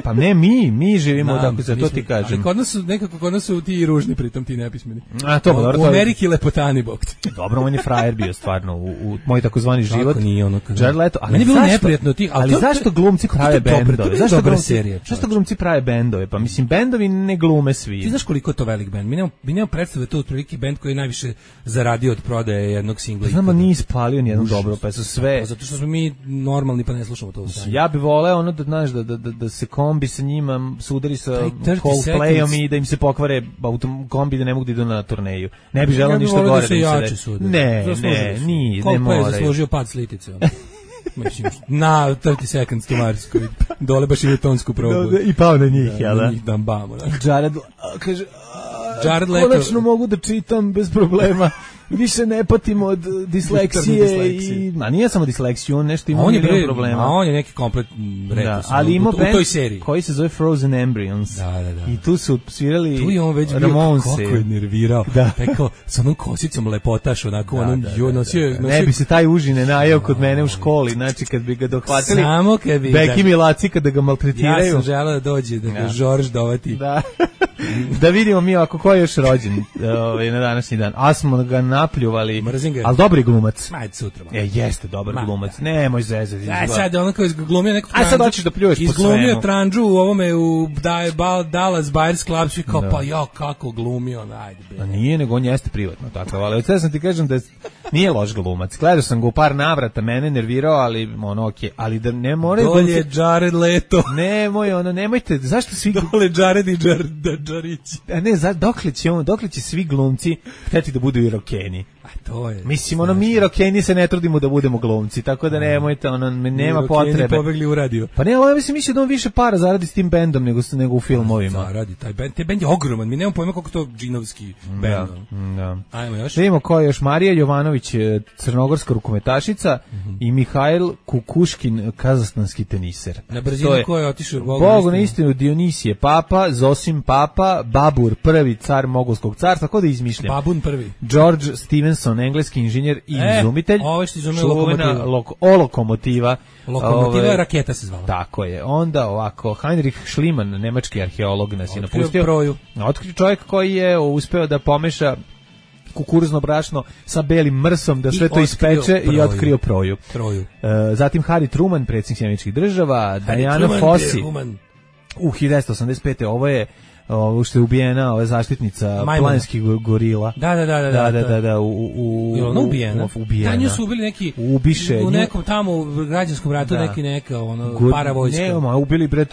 Pa ne, mi živimo odakle, za to ti kažem. Ali kod nas su ti ružni, pritom ti nepismeni. U Ameriki lepotani, bog ti. Dobro, on je frajer bio stvarno u moj takozvani život. Kako nije ono? Jared Leto. Meni je bilo neprijatno tih. Ali zašto glumci prave bendove? Zašto glumci prave bendove? Pa mislim, bendovi ne glume. glume svi. Ti znaš koliko je to velik bend? Mi nemamo predstave, to je otprilike bend koji je najviše zaradio od prodaje jednog singla. Znamo, nije ispalio nijednu dobro pesmu, sve. Zato što smo mi normalni pa ne slušamo to. Ja bih voleo ono da znaš da se kombi sa njima sudari sa Coldplayom i da im se pokvare kombi da ne mogu da idu na turneju. Ne bih želeo ništa gore da im se desi. Ne Coldplay je zaslužio pad s litice. Mislim, na 30 seconds to Mars, koji dole baš ide tonsku probu. I pao na njih, jel da? Na njih dambamo. Jared kaže, Jared Leto. Konačno mogu da čitam bez problema. Više ne patim od disleksije i ma nije samo disleksiju, on nešto ima milion problema. A on je neki komplet retus. Ali ima u toj seriji koji se zove Frozen Embryons. Da. I tu su svirali tu je on već bio kako je nervirao. Tako sa onom kosicom lepotaš onako onom nosio. Ne bi se taj užine najeo kod mene u školi, znači kad bi ga dohvatili. Samo kad bi Beki Milaci kada ga maltretiraju. Ja sam želeo da dođe da ga Žorž dovati. Da vidimo mi ako ko je još rođen na današnji dan. A smo ga napljuvali. Ali dobri glumac. Ajde sutra. Jeste dobar glumac. Nemoj zezati. Sad on kao izglumio neku tranđu. Sad hoćeš da pljuješ po svemu. Izglumio tranđu u ovome u Dallas Buyers Club, svi kao pa ja kako glumio, ajde bre. Nije, nego on jeste privatno takav, ali sad sam ti kažem da nije loš glumac. Gledao sam ga u par navrata, mene nervirao, ali ono okej, ali da ne moraju dole je Jared Leto. Nemojte, zašto svi dole Jared i Đarić. A ne, dokle će svi glumci hteti da budu i rokeni. A to je. Mislim, mi rokeni se ne trudimo da budemo glumci, tako da nemojte, nema potrebe. Rokeni pobegli u radio. Pa ne, ali mislim da on više para zaradi s tim bendom nego u filmovima. Zaradi, taj bend je ogroman, mi nemamo pojma koliko to džinovski bend. Da. Ajmo još. Vidimo ko je još. Marija Jovanović, crnogorska rukometašica i Mihajl Kukuškin, kazahstanski teniser. Na brzinu ko je otišao Bogu na istinu, Dionisije Papa, Zosim Papa, Babur prvi car Mogolskog carstva, tako da izmišljam. Babun prvi. George Stevenson, engleski inženjer i izumitelj. Ovo što izumio lokomotiva. Lokomotiva raketa se zvala. Tako je. Onda ovako, Heinrich Schliemann, nemački arheolog nas je napustio. Otkrio čovjek koji je uspeo da pomeša kukuruzno brašno sa belim mrsom, da sve to ispeče i otkrio proju. Zatim Harry Truman, predsjednik Sjedinjenih Država, Diana Fossey. U 1985. ovo je što je ubijena, ova zaštitnica planinskih gorila. Da. Ona ubijena. Da, nju su ubili neki u nekom tamo u građanskom ratu neka paravojska. Ne, ubili bre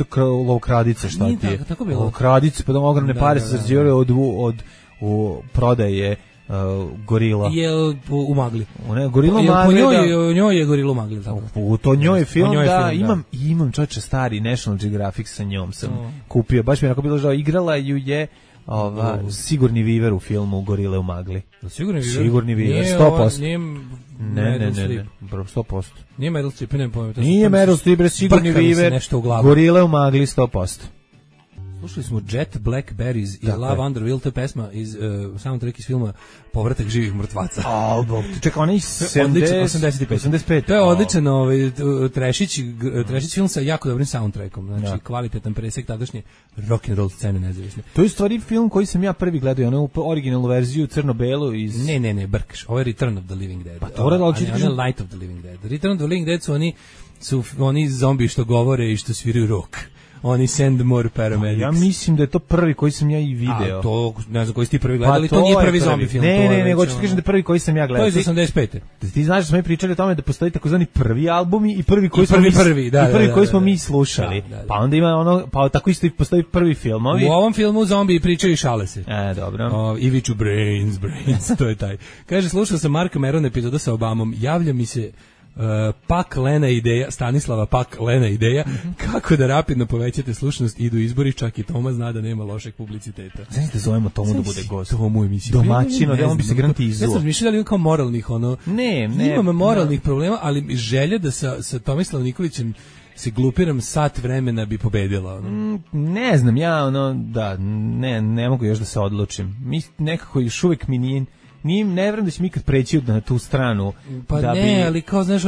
lovkradice, šta ti je? Lovkradice, pa da ogromne pare se zarađivale od prodaje gorila. Je u magli. Gorila magli, da. Njoj je gorila u magli. U to njoj je film, da. Imam čovječe stari National Geographic sa njom sam kupio. Baš mi je onako bilo žao. Igrala ju je Sigurni Viver u filmu Gorile u magli. Sigurni Viver, 100%. Ne, 100%. Nije Meryl Streep, nema pojma. Nije Meryl Streep, Sigurni Viver, Gorile u magli, 100%. Slušali smo Jet Blackberries i Love Under Will, to je pesma iz soundtrack iz filma Povratak živih mrtvaca. Čekaj, ona je 85. To je odličan trešić film sa jako dobrim soundtrackom, znači kvalitetan presek tadašnje rock'n'roll scene nezavisne. To je stvari film koji sam ja prvi gledao, onu originalnu verziju crno-belu iz... Ne, brkaš, ovo je Return of the Living Dead. Pa to je Light of the Living Dead. Return of the Living Dead su oni zombi što govore i što sviraju rock. Oni send more paramedics. Ja mislim da je to prvi koji sam ja i video. A to, ne znam koji si ti prvi gledali, to nije prvi zombi film. Ne, hoću ti kažem da je prvi koji sam ja gledao. To je iz 85. Ti znaš da smo mi pričali o tome da postoji takozvani prvi albumi i prvi koji smo mi slušali. Pa onda ima pa tako isto postoji prvi filmovi. U ovom filmu zombi pričaju i šale se. Dobro. I viču brains, to je taj. Kaže, slušao sam Marka Merona epizoda sa Obamom, javlja mi se Pak Lena ideja, Stanislava Pak Lena ideja, kako da rapidno povećate slušanost, idu izbori, čak i Toma zna da nema lošeg publiciteta. Znači da zovemo Tomu da bude gost. Tomu emisiju. Domaćino, da on bi se garanti izuo. Ja sam razmišljala da ima kao moralnih, imam moralnih problema, ali želja da sa Tomislavom Nikolićem se glupiram sat vremena bi pobedila. Ne znam, ja ne mogu još da se odlučim. Mi nekako još uvijek mi nije ne vjerujem da će mi ikad preći na tu stranu. Pa da ne, ali kao znaš,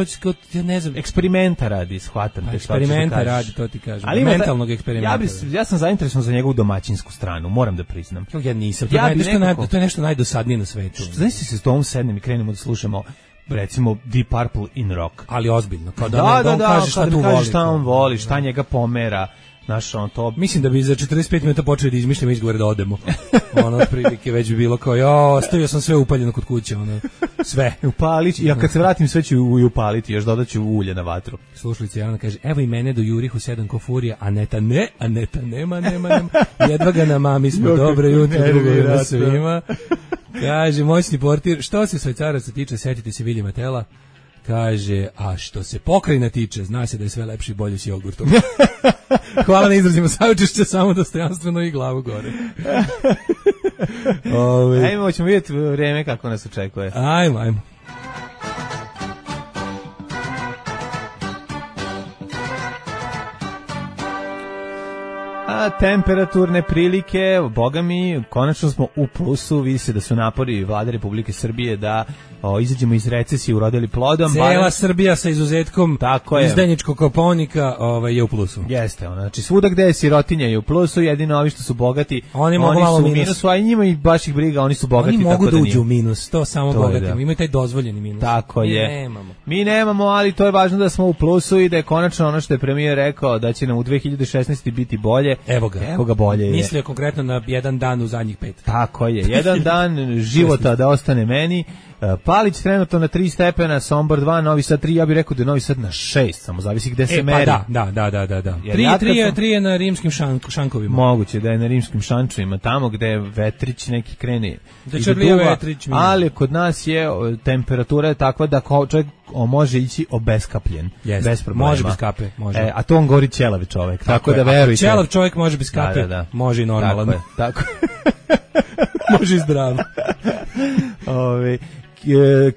ja ne znam. Eksperimenta radi, shvatam te. Eksperimenta radi, to ti kažem. Ali mentalnog eksperimenta. Ja sam zainteresovan za njegovu domaćinsku stranu, moram da priznam. Ja nisam. To je nešto najdosadnije na svetu. Znaš se s tom sednem i krenemo da slušamo recimo Deep Purple in rock. Ali ozbiljno. Kao da on kaže šta tu voli. Šta on voli, šta njega pomera. Naš on to. Mislim da bi za 45 minuta počeli da izmišljamo izgovore da odemo. Ono otprilike već bi bilo kao ja, ostavio sam sve upaljeno kod kuće, ono sve. Upalić, ja kad se vratim sve ću upaliti, još dodaću ulje na vatru. Slušalica Jelena kaže: "Evo i mene do Jurihu 7 ko furija, Aneta nema. Jedva ga na mami smo, dobro jutro, drugo svima." Kaže moćni portir: "Što se Švajcaraca tiče, setite se Viljama Tela." Kaže, a što se Pokrajina tiče, zna se da je sve lepši i bolje s jogurtom. Hvala na izrazima saučešća, samo dostojanstveno i glavu gore. Ajmo, ćemo vidjeti vreme kako nas očekuje. Ajmo. A temperaturne prilike, boga mi, konačno smo u plusu, vidi se da su napori Vlade Republike Srbije da izađemo iz recesije urodili plodom. Cijela Srbija sa izuzetkom izdajničkog Kopaonika je u plusu. Jeste, znači svuda gde je sirotinja je u plusu, jedino ovi što su bogati, oni su u minusu, a i njima i baš ih briga, oni su bogati. Oni mogu da uđu u minus, to samo bogatima, imaju taj dozvoljeni minus. Tako je. Mi nemamo, ali to je važno da smo u plusu i da je konačno ono što je premijer rekao, da će nam u 2016. biti bolje. Evo ga bolje je. Mislio konkretno na jedan dan u zadnjih 5. Tako je, jedan dan života da ostane meni. Palić trenutno na 3 stepena, Sombor 2, Novi Sad 3, ja bih rekao da je Novi Sad na 6, samo zavisi gde se meri. Da. 3 je na rimskim šankovima. Moguće da je na rimskim šančevima, tamo gde je vetrić neki krene. Da črlija vetrić. Ali kod nas je temperatura je takva da čovjek može ići obeskapljen, bez problema. Može bez kape, može. A to on govori ćelavi čovjek, tako da verujte. Ćelav čovjek može bez kape, može i normalan. Tako. Može i zdrav.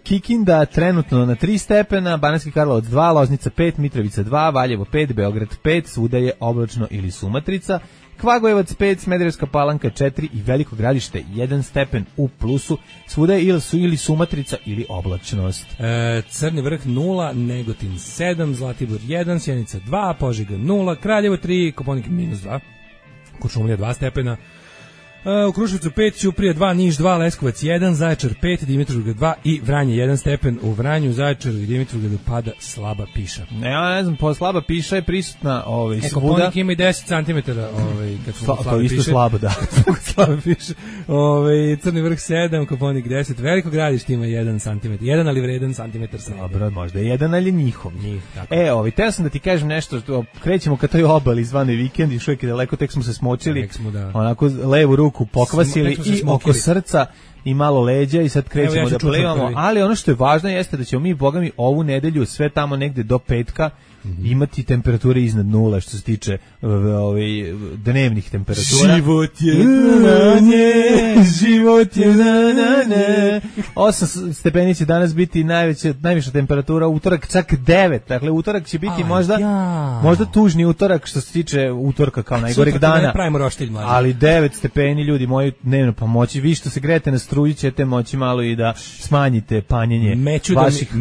Kikinda trenutno na 3 stepena, Banatski Karlovac 2, Loznica 5, Mitrovica 2, Valjevo 5, Beograd 5, svuda je oblačno ili sumatrica, Kvagojevac 5, Smederevska Palanka 4 i Veliko Gradište 1 stepen u plusu, svuda je ili sumatrica ili oblačnost. Crni vrh 0, Negotin 7, Zlatibor 1, Sjenica 2, Požega 0, Kraljevo 3, Kopaonik -2, Kuršumlija 2 stepena, u Kruševcu 5, Ćuprija 2, Niš 2, Leskovac 1, Zaječar 5, Dimitrovgrad 2 i Vranje 1 stepen. U Vranju, Zaječaru i Dimitrovgradu pada slaba piša. Ja ne znam, slaba piša je prisutna svuda. Kopaonik ima i 10 cm. Kad smo to isto slabo, da. Slaba piša. Crni vrh 7, Kopaonik 10, Veliko Gradište ima 1 cm. 1 ali vredan centimetar sa. Dobro, možda je 1 ali njihov. Teo sam da ti kažem nešto, krećemo ka toj obali zvane vikend i što je daleko, tek smo se smočili, onako levu ruku pokvasili i oko srca i malo leđa i sad krećemo da plivamo, ali ono što je važno jeste da ćemo mi, bogami, ovu nedelju sve tamo negde do petka imati temperature iznad 0 što se tiče dnevnih temperatura. Život je na 8 stepeni će danas biti najviša temperatura, utorak čak 9, dakle utorak će biti možda tužni utorak što se tiče utorka kao najgoreg dana, ali 9 stepeni, ljudi moji, dnevno, pa moći vi što se grejete na struju ćete moći malo i da smanjite panjenje vaših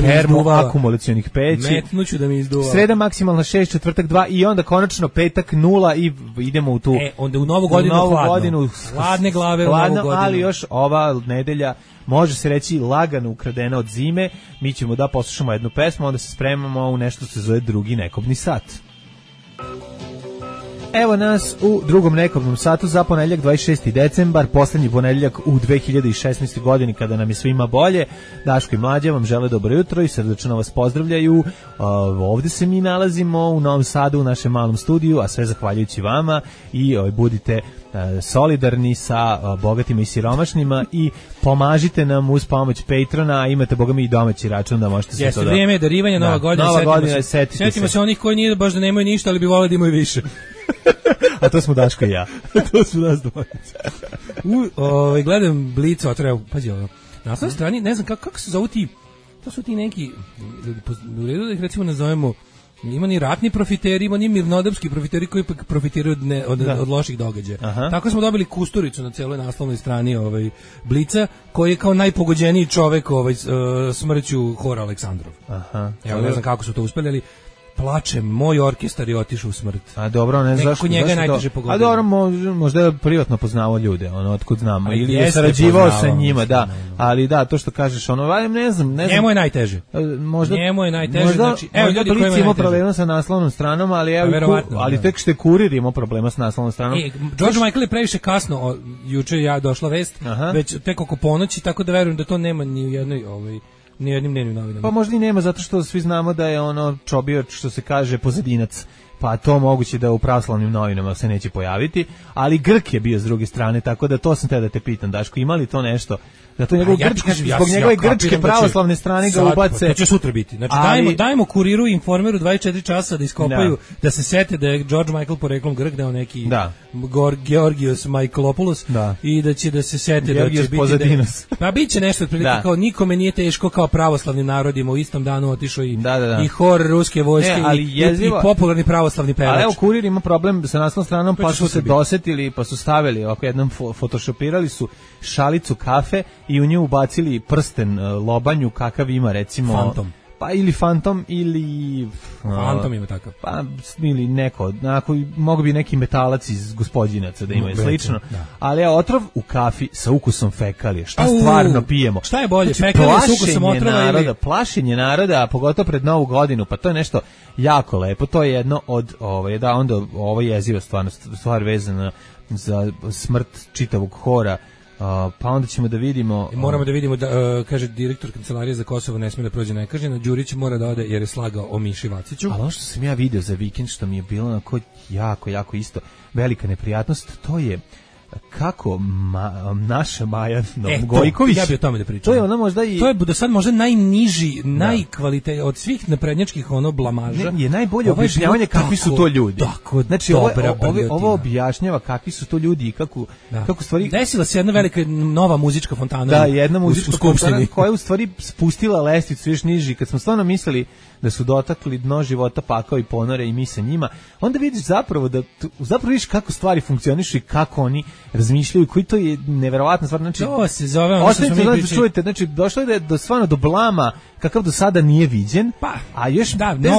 termoakumulacionih peći. Da mi izduva. Sreda maksimalna 6, četvrtak 2 i onda konačno petak 0 i idemo u tu. Onda u novu godinu hladne glave, ali još ova nedelja može se reći lagano ukradena od zime. Mi ćemo da poslušamo jednu pesmu, onda se spremamo u nešto što se zove drugi nekobni sat. Evo nas u drugom nekobnom satu za ponedjeljak 26. decembar, poslednji ponedjeljak u 2016. godini kada nam je svima bolje. Daško i Mlađa vam žele dobro jutro i srdačno vas pozdravljaju. Ovde se mi nalazimo u Novom Sadu u našem malom studiju, a sve zahvaljujući vama i budite solidarni sa bogatima i siromašnima i pomažite nam uz pomoć Patrona, a imate bogami i domaći račun da možete sve to da... Vrijeme je darivanja, Nova godina, setimo se onih koji nije baš da nemaju ništa, ali bi voleli da imaju više. A to smo Daško i ja. To su nas dvojica. Gledam Blica, pazi ovo. Na osnovnoj strani, ne znam kako se zovu ti, to su ti neki, u redu da ih recimo nazovemo, ima ni ratni profiteri, ima ni mirnodopski profiteri koji profitiraju od loših događaja. Aha. Tako smo dobili Kusturicu na celoj naslovnoj strani Blica, koji je kao najpogođeniji čovek smrću Hora Aleksandrov. Aha. Evo, ne znam kako su to uspeli, ali plačem, moj orkestar je otišao u smrt. A dobro, ne znaš kako njega najteže pogodilo. A dobro, možda je privatno poznavao ljude, otkud znamo, ili je sarađivao sa njima, da. Ali da, to što kažeš, ne znam. Njemu je najteže. Njemu je najteže, znači, evo ljudi koji imaju problema sa naslovnom stranom, ali ali tek što je Kurir imao problema sa naslovnom stranom. George Michael je previše kasno, juče ja došla vest, već tek oko ponoći, tako da verujem da to nema ni u jednoj ni jednim dnevnim novinama. Pa možda i nema, zato što svi znamo da je čobio, što se kaže, pozadinac. Pa to moguće da u pravoslavnim novinama se neće pojaviti, ali Grk je bio s druge strane, tako da to sam te da te pitam, Daško, ima li to nešto? Da to njegov zbog njegove grčke pravoslavne strane ga ubace. To će sutra biti. Znači dajmo Kuriru i Informeru 24 časa da iskopaju, da se sete da je George Michael poreklom Grk, da je neki Georgios Michaelopoulos i da će da se sete da će biti. Pa biće nešto otprilike kao nikome nije teško kao pravoslavnim narodima u istom danu otišao i hor ruske vojske i popularni pravoslavni pevač. Ali evo Kurir ima problem sa naslovnom stranom, pa su se dosetili, pa su stavili ovako jednom photoshopirali su šalicu kafe i u nju ubacili prsten lobanju kakav ima recimo Fantom. Pa ili Fantom ili Fantom ima takav. Pa ili neko, mogu bi neki metalac iz Gospodinaca da imaju slično. Ali je otrov u kafi sa ukusom fekalije. Šta stvarno pijemo? Šta je bolje, fekalije s ukusom otrova ili plašenje naroda, a pogotovo pred Novu godinu, pa to je nešto jako lepo. To je jedno od ovo jeziva stvar vezana za smrt čitavog hora. Pa onda ćemo da vidimo... Moramo da vidimo da, kaže direktor Kancelarije za Kosovo ne smije da prođe nekažnjeno, Đurić mora da ode jer je slagao o Miši Vaciću. Ali ono što sam ja video za vikend, što mi je bilo onako jako isto velika neprijatnost, to je kako naša Maja Gojković, ja bih o tome da pričam. To je ona možda i to je do sad možda najniži, najkvalitetniji od svih naprednjačkih blamaža. Je najbolje objašnjavanje kakvi su to ljudi. Znači ovo objašnjava kakvi su to ljudi i kako stvari. Desila se jedna velika nova muzička fontana. Da, jedna muzička fontana koja je u stvari spustila lestvicu još niži. Kad smo stvarno mislili da su dotakli dno života, pakao i ponore i mi sa njima, onda vidiš zapravo vidiš kako stvari funkcionišu i kako oni razmišljaju, koji to je neverovatna stvar. Znači, to se zove ono što smo mi pričali. Čujete, znači, došlo je do blama kakav do sada nije viđen, a još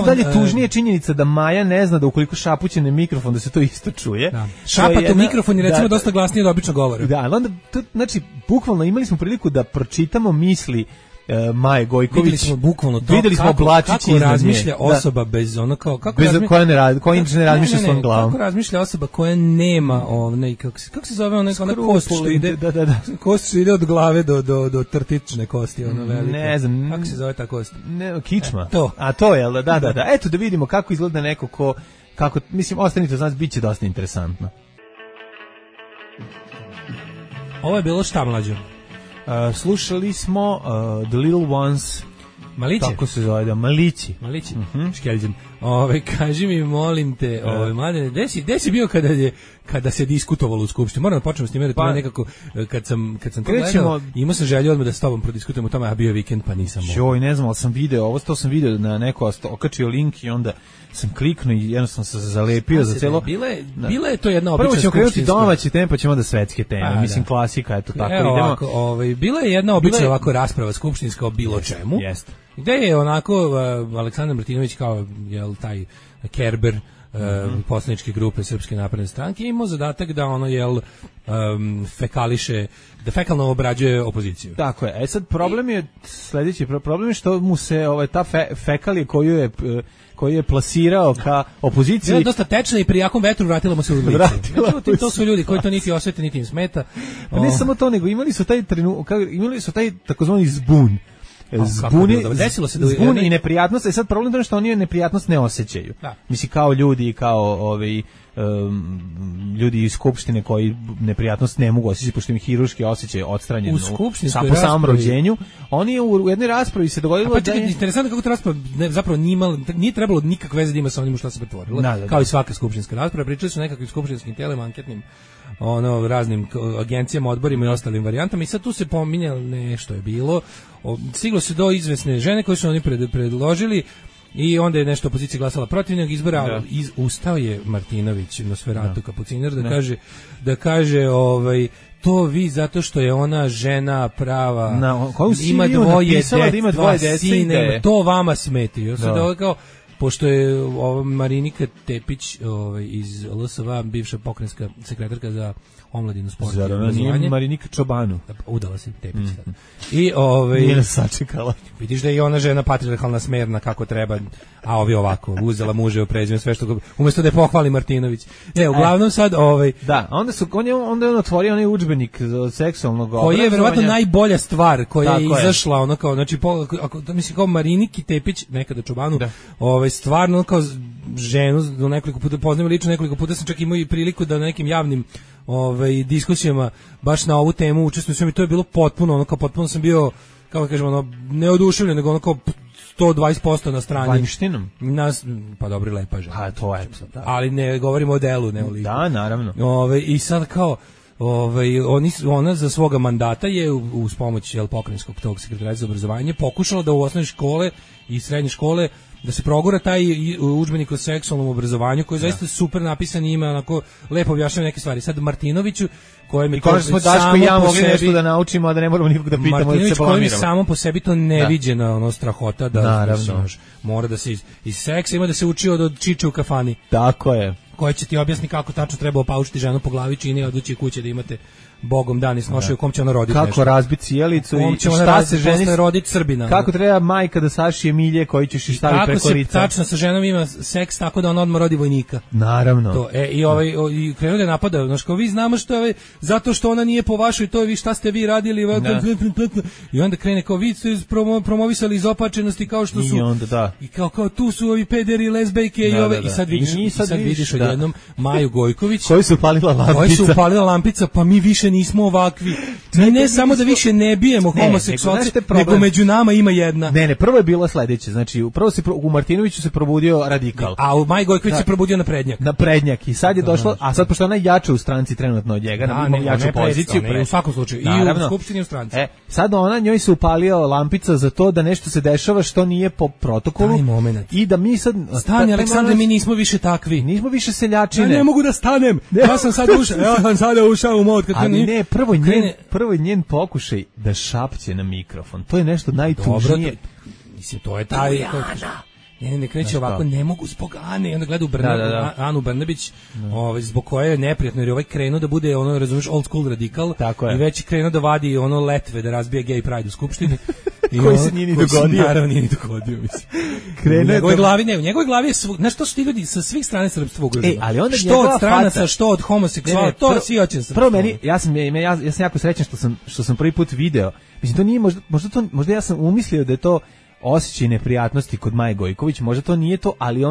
dalje tužnije činjenica da Maja ne zna da ukoliko šapuće na mikrofon da se to isto čuje. Šapat u mikrofon je recimo dosta glasnije od običnog govora. Da, ali onda, znači, bukvalno imali smo priliku da pročitamo misli Maje Gojković. Videli smo bukvalno to. Videli smo Blačić kako razmišlja osoba bez ono kao koja ne razmišlja svojom glavom. Kako razmišlja osoba koja nema kako se zove ona kost što ide. Kost što ide od glave do trtične kosti, ona velika. Ne znam. Kako se zove ta kost? Ne, kičma. A to je, da. Eto da vidimo kako izgleda neko kako, mislim, ostanite, znači biće dosta interesantno. Ovo je bilo šta, mlađo? Slušali smo The Little Ones. Maliće? Tako se zove, Malići. Škeljđem. Kaži mi, molim te, mladene, gde si bio kada se diskutovalo u Skupštini? Moram da počnemo s time, to je nekako, kad sam to gledao, imao sam želju odmah da s tobom prodiskutujemo o tome, a bio je vikend, pa nisam mogao. Joj, ne znam, ali sam video, to sam video na neko okačio link i onda sam kliknuo i jednostavno sam se zalepio za celo. Bila je to jedna obična skupštinska. Prvo ćemo krenuti domaće teme, pa ćemo onda svetske teme. Mislim, klasika, eto tako idemo. Bila je jedna obična ovako rasprava skupštinska o bilo čemu. Jeste. Gde je onako Aleksandar Martinović kao taj Kerber poslaničke grupe Srpske napredne stranke imao zadatak da fekališe, da fekalno obrađuje opoziciju. Tako je. Sad problem je sledeći, problem je što mu se ta fekalije koju je plasirao ka opoziciji. Bila dosta tečna i pri jakom vetru vratila mu se u lice. Međutim, to su ljudi koji to niti osjete, niti im smeta. Pa ne samo to, nego imali su taj takozvani zbun. Zbun i neprijatnost, i sad problem je što oni neprijatnost ne osjećaju. Mislim, kao ljudi, kao ljudi iz Skupštine koji neprijatnost ne mogu osjećati, pošto im hiruški osjećaj odstranjen po samom rođenju. Oni u jednoj raspravi se dogodilo da je... Interesantno kako ta rasprava zapravo nije trebalo nikakve veze da ima sa onim što se pretvorilo. Kao i svaka skupštinska rasprava. Pričali su nekakvim skupštinskim tijelima, anketnim raznim agencijama, odborima i ostalim varijantama i sad tu se pominjalo nešto je bilo. Stiglo se do izvesne žene koje su oni predložili i onda je nešto opozicija glasala protiv njeg izbora. Ustao je Martinović, Nosferatu Kapucinar, da kaže to vi zato što je ona žena prava, ima dvoje dece, to vama smeti. pošto je Marinika Tepić iz LSV, bivša pokrajinska sekretarka za omladinu, sport i obrazovanje. Nije Marinika Čobanu. Udala se Tepić. I nije nas sačekala. Vidiš da je i ona žena patrijarhalna, smerna kako treba, a ovi ovako, uzela muže u prezime, sve što umesto da je pohvali Martinović. Uglavnom sad da, onda je on otvorio onaj udžbenik od seksualnog obrazovanja. Koji je verovatno najbolja stvar koja je izašla, ono kao, znači, mislim kao Mariniki Tepić, nekada Čobanu, stvarno kao ženu, nekoliko puta poznajem lično, nekoliko puta sam čak imao i priliku da na nekim javnim diskusijama baš na ovu temu učestvujem i to je bilo potpuno, ono kao potpuno sam bio, kako kažemo, ono, neoduševljen, nego ono kao 120% na strani. Vanjštinom? Pa dobro, lepa žena. A to je. Da. Ali ne govorimo o delu, ne o liku. Da, naravno. I sad kao, ona za svoga mandata je uz pomoć pokrajinskog tog sekretara za obrazovanje pokušala da u osnovne škole i srednje škole da se progura taj udžbenik o seksualnom obrazovanju koji je zaista super napisan i ima onako lepo objašnjava neke stvari. Sad Martinoviću kojem je to smo Daško i ja mogli nešto da naučimo, a da ne moramo nikog da pitamo da se blamiramo. Kojem je samo po sebi to neviđena strahota da mora da se iz seksa ima da se uči od čiče u kafani. Tako je. Koja će ti objasni kako tačno treba opaučiti ženu po glavi, čini odluči kuće da imate Bogom dan i snošaju u kom će ona roditi kako nešto. Razbiti cijelicu i šta se ženi roditi Srbina. Kako treba majka da sašije milje koji ćeš staviti preko lica. Kako se tačno sa ženom ima seks tako da ona odmah rodi vojnika. Naravno. To, i krenuo da je napada, znači kao vi znamo što je, zato što ona nije po vašoj, to je vi šta ste vi radili. I onda krene kao vi ste promovisali izopačenosti kao što su. I onda da. I kao tu su ovi pederi, lezbejke i ove. I sad vidiš odjednom Maju Gojković. Koji su upalila lampica, pa mi više nismo ovakvi. Mi ne samo da više ne bijemo homoseksualce, nego među nama ima jedna. Ne, prvo je bilo sledeće, znači prvo se u Martinoviću se probudio radikal. A u Maj Gojković se probudio naprednjak. Naprednjak i sad je došlo, a sad pošto ona jače u stranci trenutno od njega, ima jaču poziciju. U svakom slučaju, i u skupštini i u stranci. Sad njoj se upalio lampica za to da nešto se dešava što nije po protokolu. Taj moment. I da mi sad... Stani, Aleksandre, mi nismo više takvi. Nismo više seljačine. Ja ne mogu da stanem. Ja sam sad ušao u mod. Ali ne, prvo je njen pokušaj da šapće na mikrofon. To je nešto najtužnije. Mislim, to je taj... Ne kreće ovako, ne mogu zbog Ane. I onda gleda Anu Brnabić, zbog koje je neprijatno, jer je krenuo da bude, razumiješ, old school radikal. I već je krenuo da vadi letve, da razbija gay pride u skupštini. Koji se nije ni dogodio. Naravno nije ni dogodio, mislim. U njegovoj glavi je, znaš, to su ti ljudi sa svih strane srpstva ugroženo. Što od stranaca, što od homoseksuala, to svi hoće srpstvo. Prvo meni, ja sam jako srećan što sam prvi put video. Mislim, to nije, možda ja sam umislio da je to osjećaj neprijatnosti kod Maje Gojković, možda to nije to, ali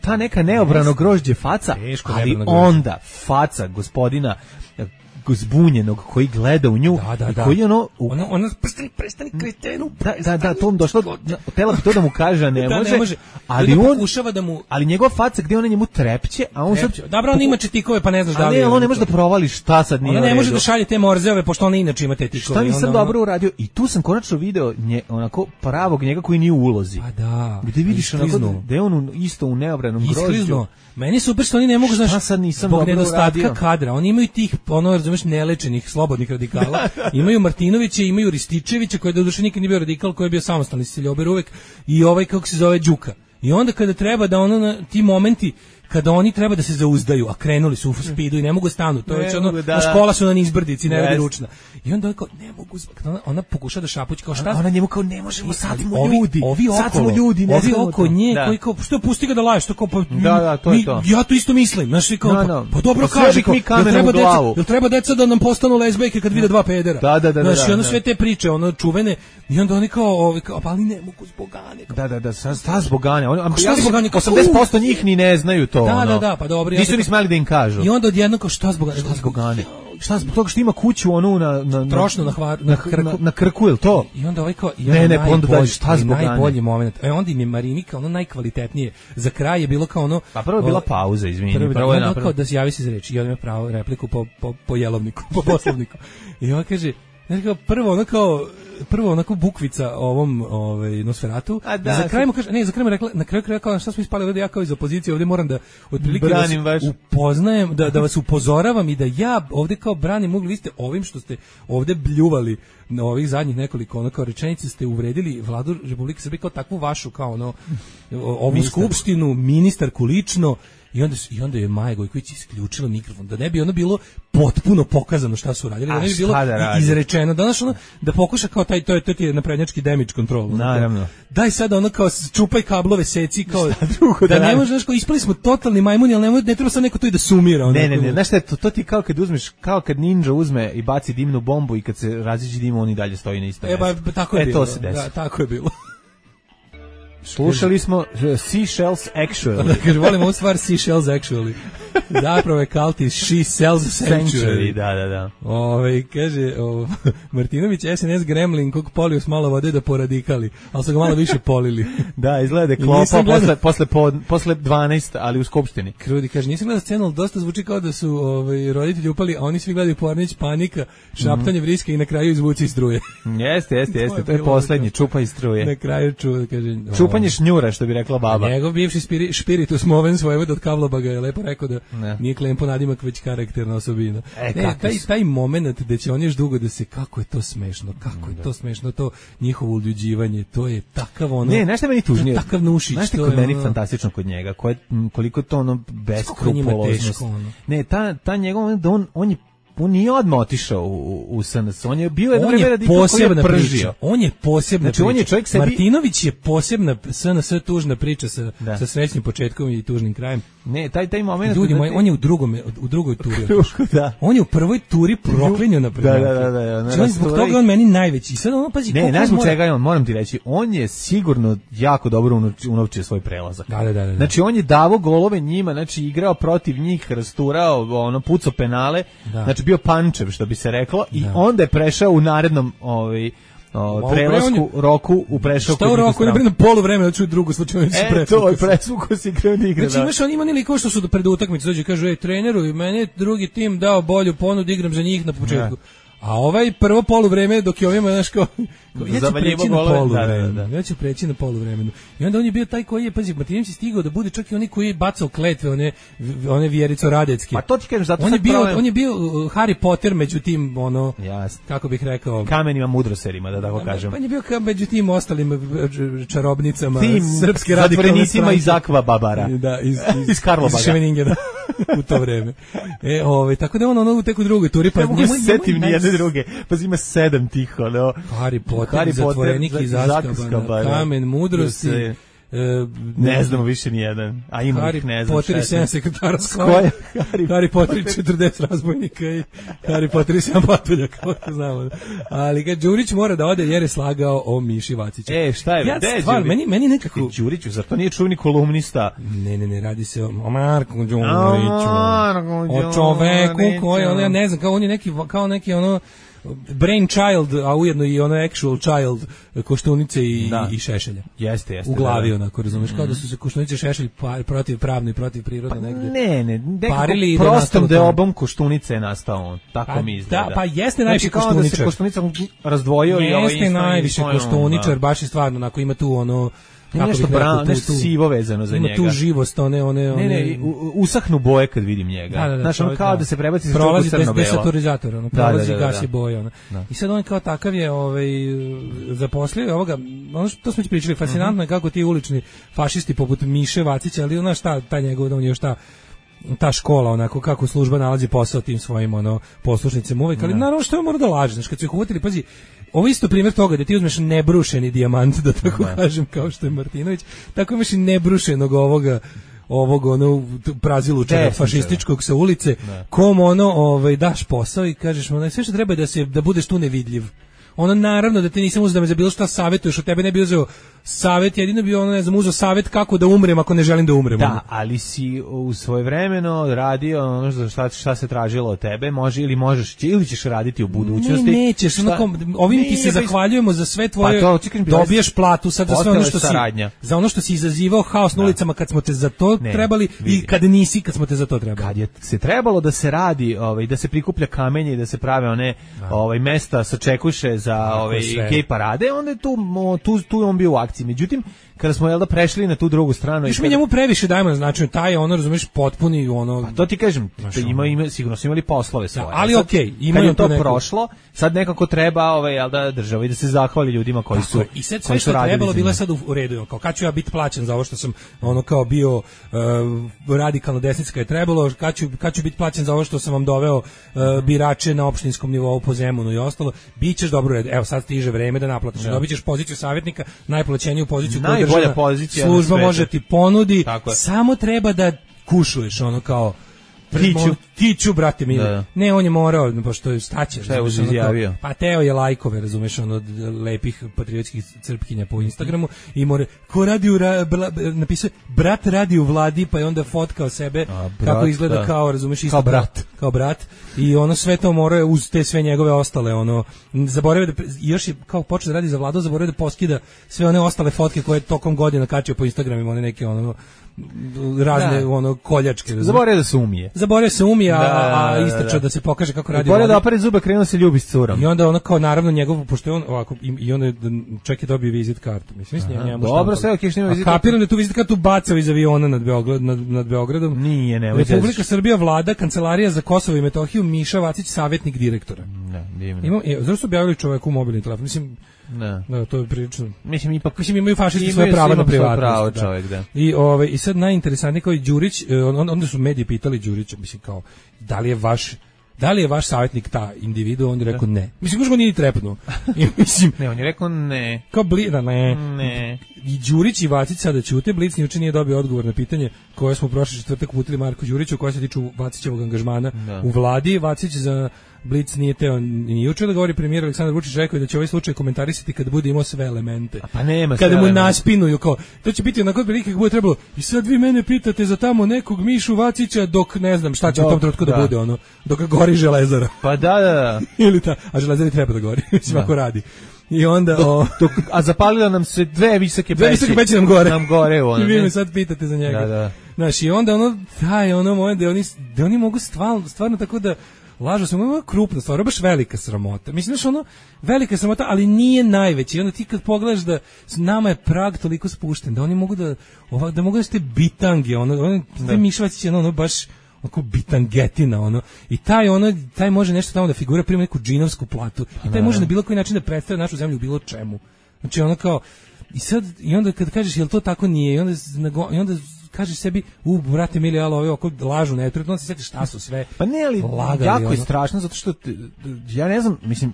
ta neka neobrano grožđe faca, ali onda faca gospodina zbunjenog koji gleda u nju i koji ona prestani kretenu. Da, to mu došlo, tela bi to da mu kaže, a ne može, ali on pokušava da mu, ali njegova faca gde ona njemu trepće, a on sad dobro, on ima četikove, pa ne znaš da li on ne može da provali šta sad nije. Ona ne može da šalje te morzeove, pošto ona inače ima te tikove. Šta nisam dobro uradio, i tu sam konačno video onako pravog njega koji nije u ulozi. Pa da. Gde vidiš onako da je on isto u neobranom grožđu. Meni super što oni ne mogu, znaš, zbog nedostatka kadra. Oni imaju tih, razumeš, nelečenih, slobodnih radikala. Imaju Martinovića, imaju Rističevića, koji doduše nikad nije bio radikal, koji je bio samostalni siljober uvek, i kako se zove, Đuka. I onda kada treba da ti momenti kada oni treba da se zauzdaju, a krenuli su u speedu i ne mogu stanu, to je već škola su na nizbrdici, ne radi ručna. I onda kao, ne mogu, ona pokuša da šapući kao šta? Ona njemu kao, ne možemo, sad smo ljudi, ovi oko nje, koji kao, što pusti ga da laje, što kao, pa, to je to. Ja to isto mislim, znaš, kao, pa dobro kaži, jel treba deca da nam postanu lezbejke kad vide dva pedera? Znaš, i onda sve te priče, čuvene, i onda oni kao, ali ne mogu zbog Ane. Da, šta zbog Ane? 80% njih ni ne znaju to. Da, pa dobro. Nisu ni smeli da im kažu. I onda odjedno kao, šta zbog Ane? Šta zbog toga što ima kuću trošnu na Krku, je li to? I onda kao, najbolji moment. Onda im je Marinika, najkvalitetnije. Za kraj je bilo kao Pa prvo je bila pauza, izvini. Prvo je napravio. Kao da se javi se za reč. I on ima pravo repliku po jelovniku, po poslovniku. I on kaže, prvo onako bukvica ovom Nosferatu. Za kraj mu kaže, za kraj mu rekla, na kraju kao šta smo ispali ovde, ja kao iz opozicije ovde moram da otprilike upoznajem, da vas upozoravam i da ja ovde kao branim ugli, vi ste ovim što ste ovde bljuvali na ovih zadnjih nekoliko kao rečenice ste uvredili vladu Republike Srbije kao takvu vašu kao ovu skupštinu, ministarku lično. I onda je Maja Gojković isključila mikrofon, da ne bi ono bilo potpuno pokazano šta su radili, da ne bi bilo izrečeno. Danas da pokuša kao to je naprednjački damage control. Naravno. Daj sada ono kao čupaj kablove, seci kao da ne može, znaš, kao ispali smo totalni majmuni, ali ne treba sad neko to i da sumira. Ne, znaš šta je to ti kao kad uzmeš, kao kad ninja uzme i baci dimnu bombu i kad se raziđe dim, on i dalje stoji na istom mjestu. Tako je bilo. To se desi. Da, tako je bilo. Slušali smo Seashells Actually. Da, kaže, volimo ovu stvar Seashells Actually. Zapravo je Kalti She Sells Sanctuary. Da. Kaže, Martinović SNS Gremlin kog polio s malo vode da poradikali, ali su ga malo više polili. Da, izgleda da je klopa posle 12, ali u skupštini. Krudi, kaže, nisam gledao scenu, ali dosta zvuči kao da su roditelji upali, a oni svi gledaju Pornić, panika, šaptanje vriske i na kraju izvuci iz struje. Jeste, to je poslednji, čupa iz struje. Na kraju kaže... Čupanje šnjura, što bi rekla baba. Njegov bivši spiritus movens Vojvod od Kavlobaga je lepo rekao da nije klempo nadimak, već karakterna osobina. Taj moment da će on još dugo da se, kako je to smešno, to njihovo uljuđivanje, to je takav ono... Ne, znaš šta meni tužnije? Takav nušić. Znaš šta kod meni fantastično kod njega? Koliko to ono beskrupuloznost. Ne, ta njegov, da on nije odmah otišao u SNS, on je bio jedno vreme radikal koji je pržio. On je posebna priča. On je čovjek sebi... Martinović je posebna SNS tužna priča sa srećnim početkom i tužnim krajem. Ne, taj moment... Ljudi moji, on je u drugoj turi. Da. On je u prvoj turi proklinio na prvoj. Da. Zbog toga on meni najveći. Sad ono, pazi, ne, znaš mu čega je on, moram ti reći, on je sigurno jako dobro unovčio svoj prelazak. Da. Znači, on je davo golove njima, znači igrao protiv njih, rasturao, pucao penale, znači bio pančev, što bi se reklo, i onda je prešao u narednom prelasku roku u prešao kod njih. Šta u roku? Ne brinem poluvreme da ću drugu slučajnicu presvuku. To je presvuku si kreo da igra. Znači imaš on ima niliko što su pred utakmicu dođu i kažu, treneru, i meni je drugi tim dao bolju ponudu, igram za njih na početku. A ovaj prvo poluvreme dok je ovima, znaš, kao ja ću preći na poluvremenu. Ja ću preći na poluvremenu. I onda on je bio taj koji je, pazi, Martinović je stigao da bude čak i oni koji je bacao kletve, one Vjerico Radecki. Pa to ti kažem, zato on je bio Harry Potter među tim, kako bih rekao, kamenima mudroserima, da tako kažem. Pa on je bio među tim ostalim čarobnicama srpske radikalne stranke. Iz Akva Babara. Da, iz Karlobaga. Iz Ševeningena u to vreme. Tako da on u teku drugoj turi, pa njemu setim ni jedne druge. Pa ima 7 tih, Harry Potter, zatvorenik iz Azkabana, Kamen mudrosti, ne znamo više ni jedan, a ima ih ne znam. Harry Potter i 7 sekretara Skoja, Harry Potter i 40 razbojnika i Harry Potter i 7 patulja, kao to znamo. Ali kad Đurić mora da ode jer je slagao o Miši Vaciću. Šta je? Stvar, meni nekako... Đuriću, zar to nije čuveni kolumnista? Ne, radi se o Marku Đuriću, o čoveku koji, ja ne znam, kao neki brainchild, a ujedno i actual child Koštunice i Šešelja. Jeste. U glavi onako, razumeš, kao da su se Koštunice i Šešelj protiv pravno i protiv prirodno negde. Ne, parili prostom deobom Koštunice je nastao on, tako mi izgleda. Pa jeste najviše Koštuničar. Znači kao da se Koštunica razdvojio i jeste najviše Koštuničar, baš je stvarno, onako ima tu nešto sivo vezano za njega. Ima tu živost, Ne, usahnu boje kad vidim njega. Znaš, ono kao da se prebaci za čupu crno-belo. Desaturizator, prolazi gasi boje. I sad on kao takav je zaposlio ovoga, ono što smo pričali, fascinantno je kako ti ulični fašisti poput Miše Vacića, ali ona šta, taj njegov, on je šta, ta škola, onako, kako služba nalazi posao tim svojim, poslušnicima uvek, ali naravno što je mora da laže, znaš, kad su ih uhvatili, pazi, ovo isto primjer toga da ti uzmeš nebrušeni dijamant, da tako kažem, kao što je Martinović, tako imaš i nebrušenog ovog prazilučara fašističkog sa ulice, kom daš posao i kažeš mu, sve što treba je da budeš tu nevidljiv. Naravno da te nisam uzeo da me za bilo šta savjetuješ, od tebe ne bi uzeo savet, jedino bi ono, ne znam, uzeo savet kako da umrem ako ne želim da umrem. Da, ali si u svojevremeno radio ono šta se tražilo od tebe, može ili možeš, ili ćeš raditi u budućnosti. Ne, nećeš, ovim ti se zahvaljujemo za sve tvoje, dobiješ platu sad za sve ono što si, za ono što si izazivao haos na ulicama kad smo te za to trebali i kad nisi, kad smo te za to trebali. Kad je se trebalo da se radi, da se prikuplja kamenje i da se prave one mesta sačekuše za gej parade, onda je tu on bio u akciji. Međutim, kada smo prešli na tu drugu stranu, mi njemu previše dajemo na značenju, taj ono, razumeš, potpuni ono. Pa to ti kažem, sigurno su imali poslove svoje. Ali okej, imaju to prošlo, sad nekako treba država i da se zahvali ljudima koji su. I sad sve što trebalo bilo sad u redu, kao kad ću ja biti plaćen za ovo što sam ono kao bio radikalna desnica je trebalo, kad ću biti plaćen za ovo što sam vam doveo birače na opštinskom nivou po Zemunu i ostalo, bićeš dobro red. Evo sad stiže vreme da naplatiš. Dobićeš poziciju savjetnika, najplaćeniju poziciju koju služba može ti ponudi, samo treba da kušuješ ono kao tiću brate mili. Ne, on je morao, pošto staće. Šta je izjavio? Pa teo je lajkove, razumeš, ono od lepih patriotskih crpkinja po Instagramu i ko radi napisao brat radi u vladi, pa je onda fotkao sebe kako izgleda kao, razumeš, isto kao brat i ono sve to mora uz te sve njegove ostale, ono zaboravio da još je kao počeo da radi za vladu, zaboravio da poskida sve one ostale fotke koje tokom godina kačio po Instagramima, one neke ono razne ono koljačke. Zaboravio da se umije, a istračao da se pokaže kako radi. Zaboravio da opere zube, krenuo se ljubi s curom. I onda ono kao naravno njegov, pošto je on ovako i onda čak je dobio vizit kartu. Mislim njemu dobro, sve okej, što ima vizit kartu. Kapiram da tu vizit kartu bacao iz aviona nad Beogradom. Nije, ne. Republika Srbija, vlada, kancelarija za Kosovo i Metohiju, Miša Vacić, savjetnik direktora. Ne, divno. Zašto su objavili čoveku mobilni telefon? Mislim, da, to je prilično. Mislim imaju fašisti svoje pravo na privatnost. Čovjek, da. I sad najinteresantnije kao i Đurić, onda su mediji pitali Đurića, mislim kao, da li je vaš savjetnik ta individu, on je rekao ne. Mislim, možda nije trepnuo. Ne, on je rekao ne. Kao ne. I Đurić i Vacić sada ćute, Blic juče nije dobio odgovor na pitanje koje smo prošli četvrtak uputili Marku Đuriću, koje se tiču Vacićevog angažmana u vladi. Vacić za Blic nije teo ni juče da govori, premijer Aleksandar Vučić rekao da će ovaj slučaj komentarisati kada bude imao sve elemente. Pa nema kada mu naspinuju kao, to će biti onako prilike kako bude trebalo. I sad vi mene pitate za tamo nekog Mišu Vacića dok ne znam šta će u tom trenutku da bude ono, dok gori Železara. Pa da. Ili a Železari treba da gori, mislim ako radi. I onda a zapalila nam se dve visoke peći nam gore ono. I vi me sad pitate za njega. Da. Znaš, i onda moment da oni mogu stvarno tako da lažu se, ono je krupna stvar, baš velika sramota. Mislim, znaš, ono, velika sramota, ali nije najveći. I onda ti kad pogledaš da nama je prag toliko spušten, da oni mogu da mogu da ste bitange, te Mišvacić je ono baš onako bitangetina, ono, i taj može nešto tamo da figura, prima neku džinovsku platu, i taj može na bilo koji način da predstavlja našu zemlju u bilo čemu. Znači, ono kao, i onda kad kažeš, jel to tako nije, i onda kažeš sebi, brate mili, ali oko lažu netretno, se sjetiš šta su sve. Pa ne, ali lagali, jako je strašno, zato što ja ne znam, mislim,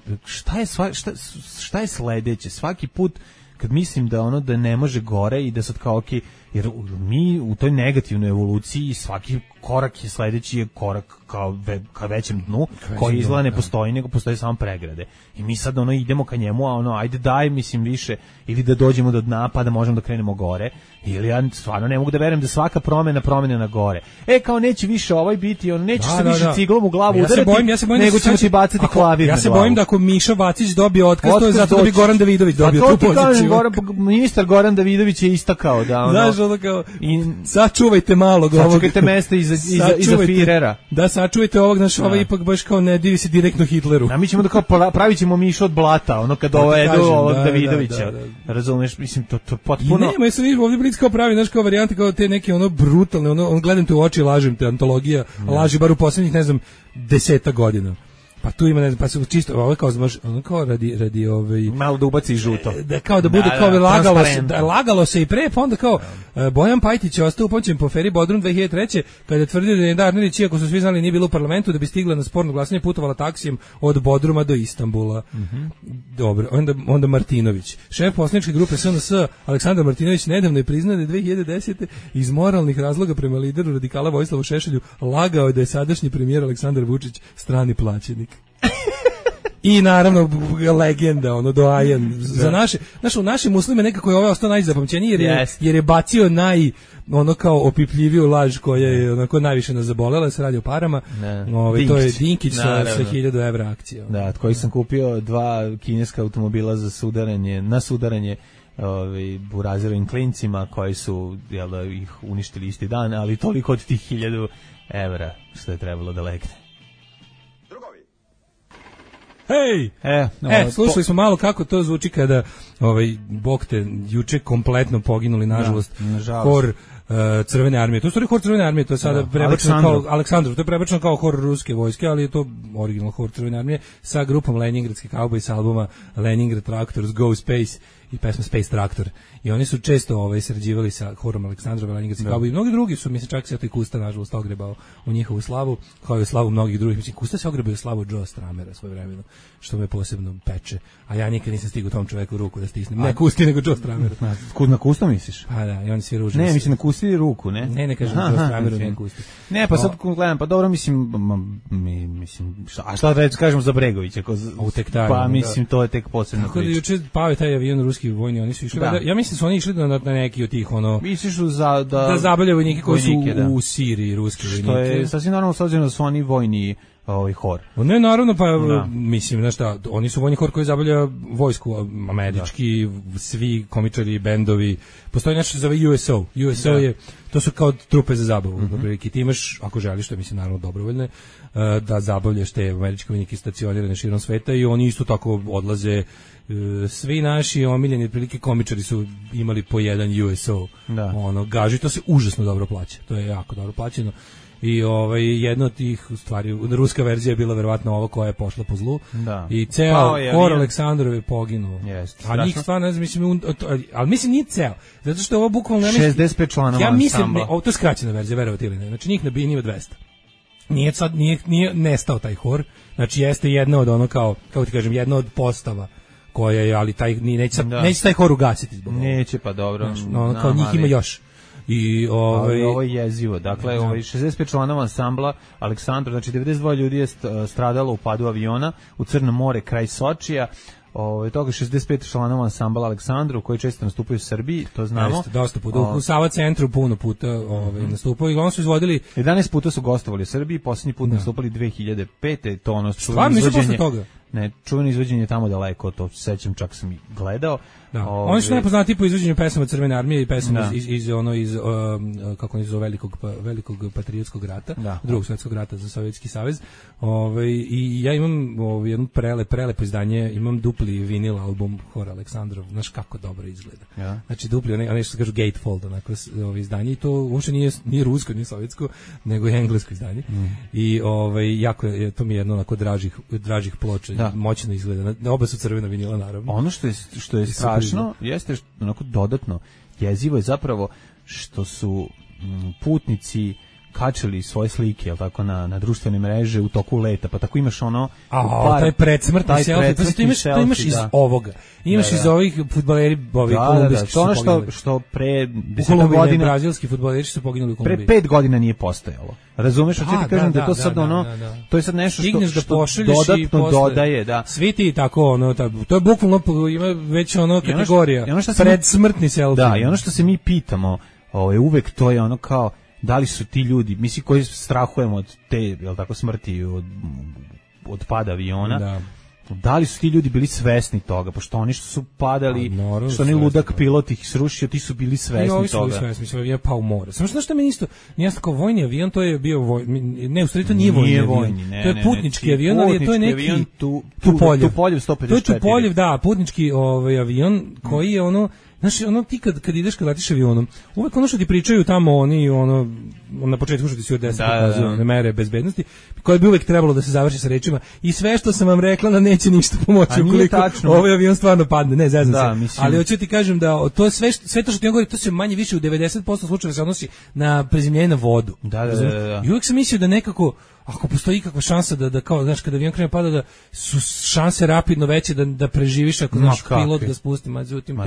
šta je sledeće? Svaki put kad mislim da ne može gore i da sad kao okej, jer mi u toj negativnoj evoluciji svaki korak je sledeći je korak ka većem dnu, koji izgleda ne postoji, nego postoje samo pregrade. I mi sad idemo ka njemu, a ajde daj, mislim, više, ili da dođemo do dna pa da možemo da krenemo gore. Ili ja stvarno ne mogu da verujem da svaka promena na gore. Kao neće više biti, neće se više ciglom u glavu udarati, nego ćemo ti bacati klavir na glavu. Ja se bojim da ako Miša Vacić dobije otkaz, to je zato da bi Goran Davidović dobio tu poziciju. Ministar Goran Davidović je istakao da znaš, kao, sačuvajte malog ovog. Sačuvajte mesta iza Firera. Da, sačuvajte ovog, naš ovaj ipak baš kao ne divi se direktno Hitleru. A mi ćemo da kao pravit ćemo Mišu od blata, kad dovedu ovog Davidovića. Razumeš, mislim, to potpuno... I nema, jesu vidiš, ovdje Blic kao pravi, znaš, kao varijante, kao te neke brutalne, gledam te u oči, lažem te, antologija, laži bar u posljednjih, ne znam, 10 godina. Pa tu ima, ne znam, pa se čisto, ovo kao radi malo da ubaci žuto. Da kao da bude kao lagalo se i pre, pa onda kao Bojan Pajtić je ostao upoćen po Feri Bodrum 2003. kada je tvrdio da je Darnerić, iako su svi znali nije bilo u parlamentu, da bi stigla na sporno glasanje, putovala taksijem od Bodruma do Istanbula. Dobro, onda Martinović. Šef poslaničke grupe SNS Aleksandar Martinović nedavno je priznao da je 2010. iz moralnih razloga prema lideru radikala Vojislavu Šešelju lagao da je sadašnji premijer Aleksandar Vučić strani plaćenik. I naravno legenda, ono doajen za naše u našim muslime nekako je ovaj ostao najzapamćeniji jer je bacio ono kao opipljiviju laž koja je onako najviše nas zabolela, se radi o parama. To je Dinkić sa 1000 evra akcijom. Da, od kojih sam kupio 2 kineska automobila za sudaranje burazerovim klincima koji su ih uništili isti dan, ali toliko od tih 1000 evra što je trebalo da legne. Hej! Slušali smo malo kako to zvuči kada Bog te juče kompletno poginuli, nažalost, hor Crvene armije. To je stvari hor Crvene armije, to je sada prebačeno kao Aleksandrov, to je prebačeno kao hor ruske vojske, ali je to original hor Crvene armije sa grupom Leningradski kauboj sa albuma Leningrad Tractors Go Space i pesma Space Traktor. I oni su često sarađivali sa horom Aleksandrova, Leningradski kauboj i mnogi drugi su, mislim, čak se i Kusta nažalost ogrebao u njihovu slavu, kao i u slavu mnogih drugih. Mislim, Kusta se ogrebao u slavu Joe Stramera svojevremeno, što me posebno peče. A ja nikad nisam stigao tom čoveku ruku da stisnem. Ne Kusti, nego Joe Stramera. Na Kusto misliš? Pa da, i on svi ružni. Ne, mislim na Kusti ruku, ne? Ne kažem Joe Strameru, ne Kusti. Ne, pa sad gledam, pa dobro, mislim, a šta reći, kažemo za Bregovića? Pa mislim, to je tek posebno priča. Tako da juče pao je taj avion ruski vojni, oni su išli, ja mislim su oni išli na neki od tih, misliš da zabavljaju vojnike koji su u Siriji, ruski vojnike. Što je sasvim normalno s obzirom da su oni vojni hor. Ne, naravno, pa mislim, znaš šta, oni su vojni hor koji zabavlja vojsku, američki, svi komičari, bendovi, postoji nešto se zove USO. USO je, to su kao trupe za zabavu. Ti imaš, ako želiš, što je mislim naravno dobrovoljne, da zabavljaš te američke vojnike stacionirane širom sveta i oni isto tako odlaze. Svi naši omiljeni prilike komičari su imali po jedan USO. Gaži, to se užasno dobro plaća. To je jako dobro plaćeno. I jedna od tih stvari, ruska verzija je bila verovatno ova koja je pošla po zlu. I ceo hor Aleksandrov je poginuo. A njih stvarno, ne znam, mislim, ali mislim nije ceo. Zato što je ovo bukvalno... 65 članova ja mislim, to je skraćena verzija, verovati ili ne. Znači njih na bini ima 200. Nije nestao taj hor. Znači jeste jedna od kako ti kažem, jedna od postava koja je, ali neće taj hor ugasiti zbog ovoga. Neće, pa dobro. Kao njih ima još. I ovo je jezivo. Dakle, 65 članova ansambla Aleksandrov, znači 92 ljudi je stradalo u padu aviona u Crno more kraj Sočija. Toga 65 članova ansambla Aleksandrov koji često nastupaju u Srbiji, to znamo. Jeste, dosta puta. U Sava centru puno puta nastupaju i oni su izvodili 11 puta su gostovali u Srbiji, posljednji put nastupali 2005. To ono stvarno nisu posle toga. Ne, čuveno izvođenje tamo daleko, to sećam, čak sam i gledao. Oni su najpoznatiji po izvođenju pesama Crvene armije i pesama iz kako oni zove velikog patriotskog rata, drugog svjetskog rata za Sovjetski savez. I ja imam jedno prelepo izdanje, imam dupli vinil album hora Aleksandrov, znaš kako dobro izgleda. Znači dupli, onaj što se kažu gatefold, onako izdanje, i to uopšte nije rusko, nije sovjetsko, nego je englesko izdanje. I jako je, to mi je jedno onako dražih ploča, moćno izgleda. Oba su crvena vinila, naravno. Ono što je strašno jeste onako dodatno jezivo je zapravo što su putnici kačili svoje slike, jel tako, na društvene mreže u toku leta, pa tako imaš taj predsmrtni selfie, to imaš iz ovoga. Imaš iz ovih fudbaleri, kolumbijski to ono što pre 10 godina brazilski fudbaleri su poginuli u Kolumbiji. Pre 5 godina nije postojalo. Razumeš, hoćeš ti kažem da je to sad to je sad nešto što dodatno dodaje, da. Svi ti tako to je bukvalno ima već kategorija. Predsmrtni selfie. Da, i ono što se mi pitamo, uvek to je ono kao da li su ti ljudi, mislim koji strahujemo od te, jel tako, smrti od pada aviona, da li su ti ljudi bili svesni toga, pošto oni što su padali, što oni ludak pilot ih srušio, ti su bili svesni toga. Su bili svesni, mislim, avion pao u more. Samo što mi isto, nije tako vojni avion, to je bio ne, u stvari to nije vojni avion, to je putnički avion, ali to je neki Tupoljev 154. To je Tupoljev, da, putnički avion koji je znaš, ti kad ideš, kad letiš avionom, uvek što ti pričaju tamo oni, na početku što ti si od 10 pokazuju mere bezbednosti, koje bi uvek trebalo da se završi sa rečima i sve što sam vam rekla da neće ništa pomoći ukoliko ovaj avion stvarno padne, ne, zezam se. Ali hoću ti kažem da to sve to što ti on govori, to se manje više u 90% slučajeva se odnosi na prezemljenje na vodu. Da. I uvek sam mislio da nekako, ako postoji ikakva šansa da kao, znaš, kada avion krene pada, da su šanse rapidno veće da preživiš ako naš pilot da spusti, međutim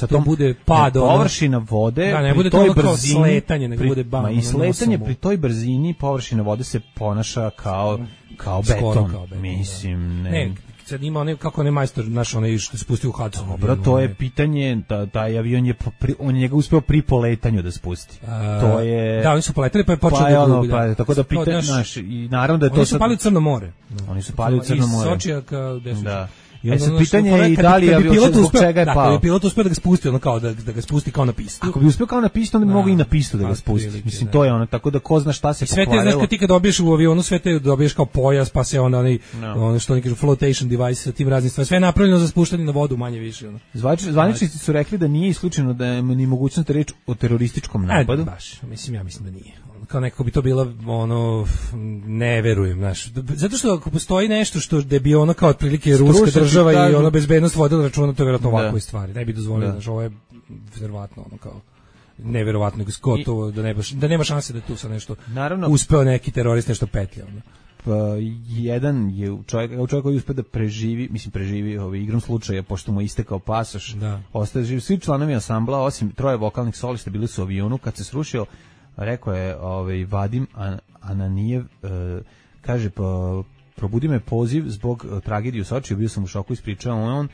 to bude pad. Površina vode, da, ne bude to kao sletanje, nego bude bam. I sletanje pri toj brzini, površina vode se ponaša kao beton. Mislim, ne. sad ima onaj, kako onaj majstor, naš onaj što se spustio u Hudson. Dobro, to je pitanje, taj avion je, on je njega uspeo pri poletanju da spusti. To je... Da, oni su poletali pa je počeo da gubi. Pa, tako da pitanje, znaš, i naravno da je to... Oni su pali u Crno more. Oni su pali u Crno more. Iz Sočija kao gde su... Da. Sad pitanje je i da li je avion zbog čega je pao. Kada bi pilot uspeo da ga spusti, ono kao da ga spusti kao na pistu. Ako bi uspeo kao na pistu, onda bi mogao i na pistu da ga spusti. Mislim, to je ono, tako da ko zna šta se pokvarilo. Sve te, znaš, kad ti kad dobiješ u avionu, sve te dobiješ kao pojas, pa se ono što oni kažu flotation device sa tim raznim stvarima. Sve je napravljeno za spuštanje na vodu, manje više. Zvaničnici su rekli da nije isključeno da je ni mogućnost reći o terorističkom napadu. Baš, ja mislim da nije. Kao nekako bi to bila, ono, ne verujem, znaš. Zato što ako postoji nešto što da bi ono kao otprilike ruska država i ono bezbednost vodila računa, to je vjerojatno ovakve stvari. Ne bi dozvolio, znaš, ovo je verovatno ono kao neverovatno gotovo da nema šanse da tu sa nešto uspeo neki terorist nešto petlja. Ono. Jedan je čovjek koji uspeo da preživi igrom slučaja, pošto mu je istekao pasoš, ostaje živ. Svi članovi ansambla, osim 3 vokalnih solista, bili su u avionu kad se srušio. Rekao je Vadim Ananijev, kaže, probudi me poziv zbog tragedije u Sočiju, bio sam u šoku, ispričao on,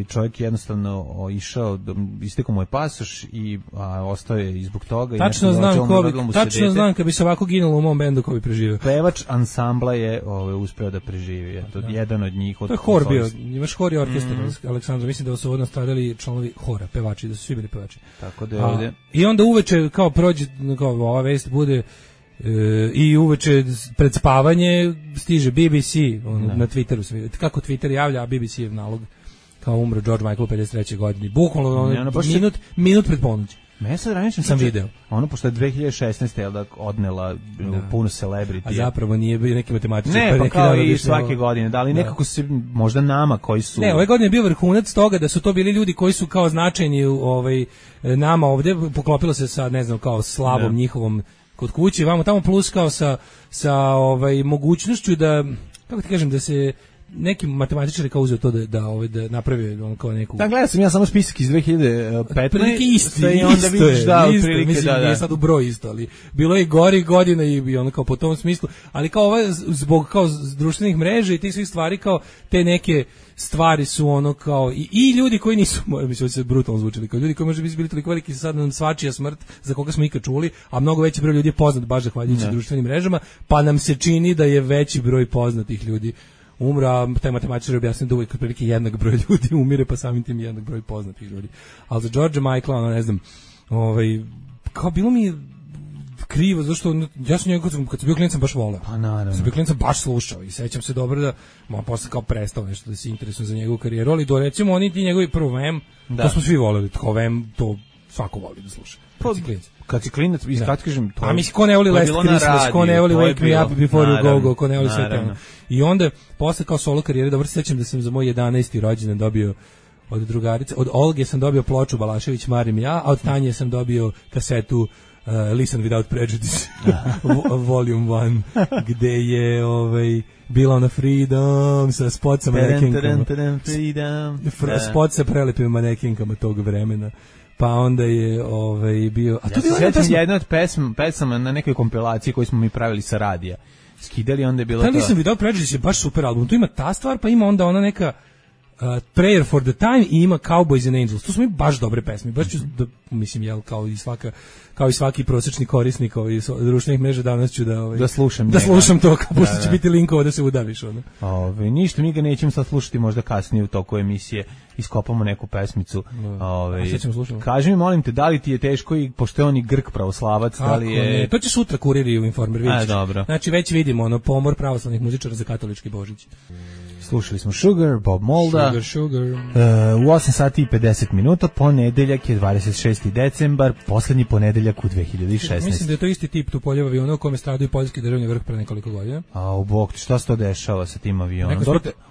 čovjek jednostavno išao, istekao mu je pasoš i ostao je i zbog toga. Tačno znam kad bi se ovako ginulo u mom bendu ko bi preživio. Pevač ansambla je uspeo da preživi, jedan od njih. To je hor bio, imaš hor i orkestar, Aleksandar, mislim da su odnos stradali članovi hora, pevači, da su svi bili pevači. Tako da je ovdje. I onda uveče kao prođe, kao ova vest bude, i uveče pred spavanje stiže BBC na Twitteru, kako Twitter javlja, a BBC je nalog kao umro George Michael u 53. godini. Bukvalno minut pred ponoć. Sad ranije sam video. Ono, pošto je 2016. odnela puno celebrity. A zapravo nije bio neki matematičar. Ne, pa kao i svake godine. Da li nekako se, možda nama koji su... Ne, ove godine je bio vrhunac toga da su to bili ljudi koji su kao značajni nama ovde. Poklopilo se sa, ne znam, kao slavom njihovom kod kuće. Vamo tamo plus kao sa mogućnošću da, kako ti kažem, da se... neki matematičari kao uzeo to da napravi on kao neku... Da, gledao sam ja samo spisak iz 2015. Otprilike isto i onda vidiš nije sad u broj isto, ali bilo je gori godina i ono kao po tom smislu, ali kao zbog kao društvenih mreža i tih svih stvari, kao te neke stvari su ono kao i ljudi koji nisu, mislim se brutalno zvučili, kao ljudi koji možda bi bili toliko veliki sad nam svačija smrt za koga smo ikad čuli, a mnogo veći broj ljudi je poznat baš zahvaljujući društvenim mrežama, pa nam se čini da je veći broj poznatih ljudi umra, a taj matematičar objasnio da uvijek otprilike jednak broj ljudi umire, pa samim tim jednak broj poznatih ljudi. Ali za George Michaela, ono, ne znam, kao bilo mi krivo, zašto ja sam njega kad sam bio klinac baš voleo. Pa naravno. Sam bio klinac baš slušao i sećam se dobro da posle kao prestao nešto da se interesujem za njegovu karijeru, ali do recimo oni ti njegovi prvo Vem, to smo svi voleli, tako Vem, to svako voli da sluša. Kad si klinac, kad kažem, to. A mislim, ko ne voli Last Christmas, ko ne voli Wake Me Up Before You Go, ko ne voli sve to. I onda, posle kao solo karijere, dobro se sećam da sam za moj 11. rođendan dobio od drugarice, od Olge sam dobio ploču Balašević Marim ja, a od Tanje sam dobio kasetu Listen Without Prejudice, Volume 1, gde je bila ona Freedom sa spot sa manekinkama. Spot sa prelepim manekinkama tog vremena. Pa onda je bio... A to je jedna od pesama na nekoj kompilaciji koju smo mi pravili sa radija. Skidali, onda je bilo to... Nisam video, Prejudice je baš super album. Tu ima ta stvar, pa ima onda ona neka Prayer for the Time i ima Cowboys and Angels. Tu su mi baš dobre pesme. Baš ću, mislim, kao i svaki prosječni korisnik društvenih mreža danas ću da slušam to, kao pošto će biti linkova da se udaviš. Ništa, mi ga nećemo sad slušati, možda kasnije u toku emisije iskopamo neku pesmicu. Kaži mi, molim te, da li ti je teško, i pošto je on i Grk pravoslavac, da li je... Ne, to će sutra Kurir i u Informer, vidjet ćeš. Dobro. Znači već vidimo pomor pravoslavnih muzičara za katolički Božić. Slušali smo Sugar, Bob Molda. Sugar. U 8 sati i 50 minuta, ponedeljak je 26. decembar, poslednji ponedeljak u 2016. Mislim da je to isti tip Tupoljeva aviona u kome stradao i poljski državni vrh pre nekoliko godina. A u bok, šta se to dešava sa tim avionom?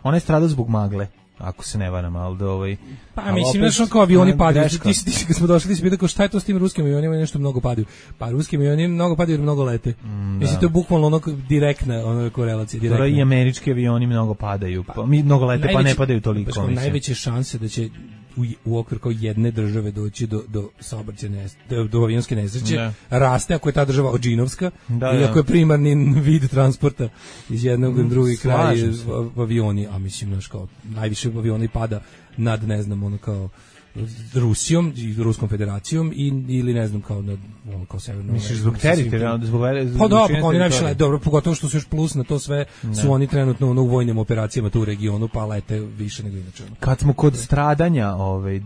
Ona je stradao zbog magle, ako se ne varam, ali Pa mislim, znaš, kao avioni padaju. Ti kad smo došli, ti si pitao šta je to s tim ruskim avionima, nešto mnogo padaju. Pa ruskim avionima mnogo padaju jer mnogo lete. Mislim, to je bukvalno direktna korelacija. Dobro, i američki avioni mnogo padaju. Mnogo lete, pa ne padaju toliko. Najveće šanse da će u okviru kao jedne države doći do saobraćajne, do avionske nesreće, raste ako je ta država odžinovska, ili ako je primarni vid transporta iz jednog u drugi kraj avioni, a mislim, znaš, kao najviše avioni pada nad, ne znam, ono kao Rusijom i Ruskom federacijom ili ne znam kao kao severno. Misliš zbog teritorijalnog zbog pa da, pa oni najviše dobro, pogotovo što su još plus na to sve su oni trenutno u vojnim operacijama tu u regionu, pa lete više nego inače. Kad smo kod stradanja,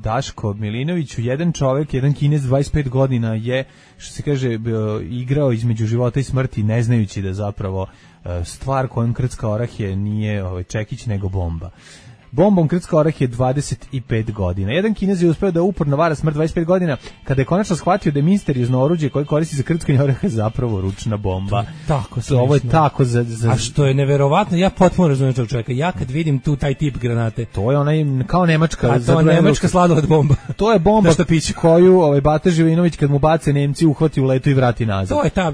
Daško Milinoviću, jedan čovjek, jedan Kinez 25 godina je, što se kaže, igrao između života i smrti ne znajući da zapravo stvar kojom krcka orah je nije čekić nego bomba. Bombom krcka orah je 25 godina. Jedan Kinez je uspeo da uporno vara smrt 25 godina kada je konačno shvatio da je misteriozno oruđe koje koristi za krckanje oraha zapravo ručna bomba. Tako se. Ovo je tako za... A što je neverovatno, ja potpuno razumijem tog čovjeka. Ja kad vidim tu taj tip granate. To je onaj kao nemačka. A to je nemačka sladoled bomba. To je bomba koju Bata Živinović kad mu bace Nemci uhvati u letu i vrati nazad. To je ta,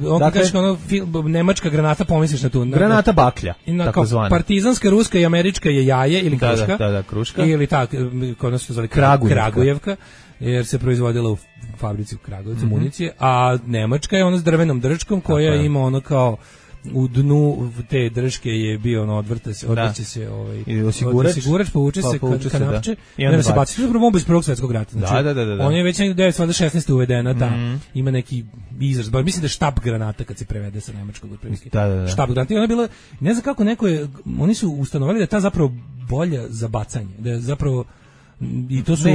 nemačka granata, pomisliš na tu. Granata baklja, takozvana. Partizanska, ruska i američka je jaje ili kruška. Da, kruška. Ili tako, kod nas se zove Kragujevka, jer se proizvodila u fabrici u Kragujevcu municije, a nemačka je ona s drvenom držkom koja ima ono kao u te držke je bio ono odvrće se osigurač, povuče se kanapče i onda se baci. To je bomba iz Prvog svjetskog rata. Znači, da. On je već 1916. uvedena, ima neki izraz, mislim da je štab granata kad se prevede sa nemačkog otprilike. Štab granata. I ona je bila, ne znam kako oni su ustanovili da je ta zapravo bolja za bacanje, da je zapravo i to su da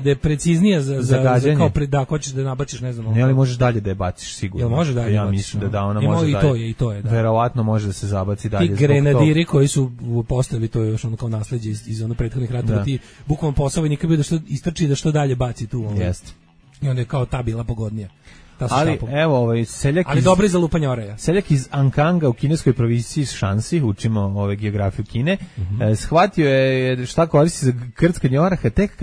je preciznija za kao da hoćeš da nabaciš, ne znam. Ne, ali možeš dalje da je baciš sigurno. Jel može dalje? Ja mislim da ona može dalje. I to je. Verovatno može da se zabaci dalje. Ti grenadiri koji su postavili, to je još ono kao nasleđe iz onog prethodnih ratova, ti bukvalno posao vojnika bio da što istrči da što dalje baci tu. Jeste. I onda je kao ta bila pogodnija. Ali evo seljak ali dobri za lupanje oraja. Seljak iz Ankanga u kineskoj provinciji Šansi, učimo geografiju Kine, shvatio je šta koristi za krckanje oraha tek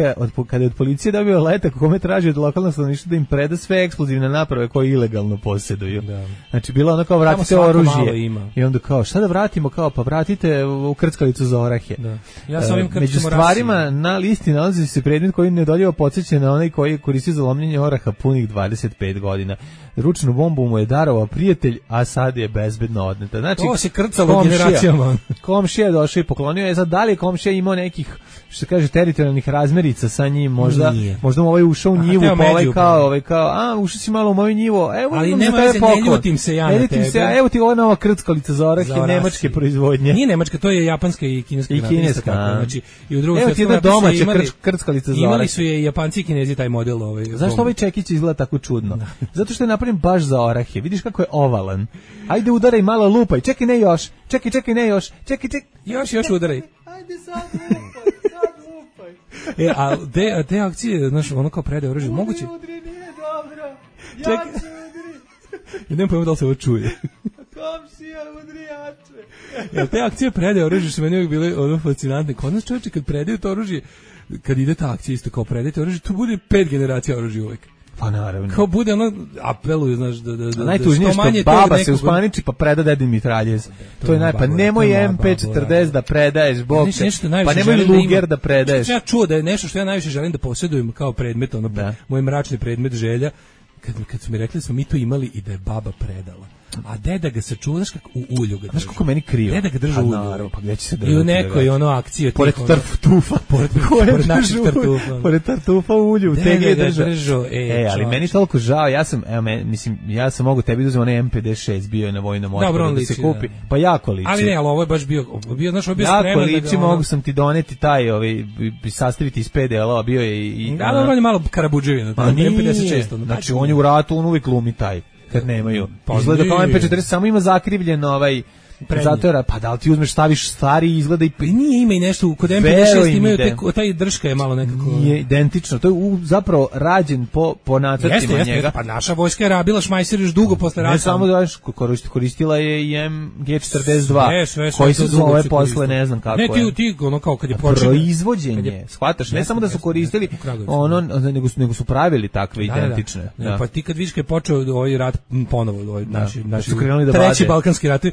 kada je od policije dobio letak u kome traži od lokalnog stanovništva da im preda sve eksplozivne naprave koje ilegalno posjeduju. Znači bilo ono kao vratite oružje i onda kao šta da vratimo, kao pa vratite u krckalicu za orahe. Ja sa ovim među stvarima na listi nalazi se predmet koji neodoljivo podsjeća na onaj koji koristi za lomljenje oraha punih 25 godina. Ručnu bombu mu je darovao prijatelj, a sad je bezbedno odneta. Znači, to se krcalo generacijama. Komšija je došao i poklonio je. Sad, da li je komšija imao nekih, što se kaže, teritorijalnih razmerica sa njim? Možda mu ušao u njivu, pa ušao si malo u moju njivu. Evo, ali nema veze, ne ljutim se ja na tebe. Evo ti ova nova krckalica za orahe nemačke proizvodnje. Nije nemačka, to je japanska i kineska. Znači, i u drugom evo ti jedna domaća krckalica za orahe. Imali su je Japanci i Kinezi taj model. Zašto ovaj čekić izgleda tako čudno? Zato što je napravljen baš za orahe. Vidiš kako je ovalan. Ajde udaraj malo, lupaj. Čekaj, ne još. Čekaj, ne još. Čekaj. Još udaraj. Ajde sad lupaj. A te akcije, znaš, ono kao predaje oružje, moguće? Udri, nije dobro. Ja se udri. Ja nemam pojma da li se ovo čuje. Komšija, udri jače. Te akcije predaje oružje su meni uvijek bile ono fascinantne. Kod nas čovječe kad predaju to oružje, kad ide ta akcija isto kao predajte oružje, tu bude 5 generacija oružja uvijek. Pa naravno. Kao bude ono, apeluju, znaš, da najtužnije što baba se uspaniči pa preda dedi mitraljez. To je pa nemoj MP40 da predaješ, bog te, pa nemoj Luger da predaješ. Ja čuo da je nešto što ja najviše želim da posjedujem kao predmet, ono, moj mračni predmet želja, kad su mi rekli da smo mi to imali i da je baba predala. A deda ga sačuva, znaš kako u ulju ga držu. Znaš kako meni krivo? Deda ga držu u ulju. Naravno, pa gdje će se držati? I u nekoj ono akciji. Pored tartufa. Pored naših tartufa. Pored tartufa u ulju. Deda ga držu. Ali meni toliko žao, ja sam mogu tebi uzeti onaj MP56, bio je na vojnom otporu da se kupi. Pa jako liči. Ali ne, ali ovo je baš bio spreman. Jako liči, mogu sam ti doneti taj, sastaviti iz 5 delova, bio je i... Da, on je malo karabudževina. MP56. Znači, on je u ratu, on uvijek glumi taj. Kad nemaju. Izgleda kao MP40, samo ima zakrivljen zato pa da li ti uzmeš, staviš stari izgleda i... Nije, ima i nešto, kod MP6 imaju taj držka je malo nekako... Nije identično, to je zapravo rađen po nacrtima njega. Jeste, pa naša vojska je rabila šmajser još dugo posle rata. Ne samo da koristila je i MG42, koji se zove posle, ne znam kako je. Ne, ti ono kao kad je počeo... Proizvođenje, shvataš, ne samo da su koristili, nego su pravili takve identične. Pa ti kad vidiš kad je počeo ovaj rat ponovo, naši treći balkanski rat,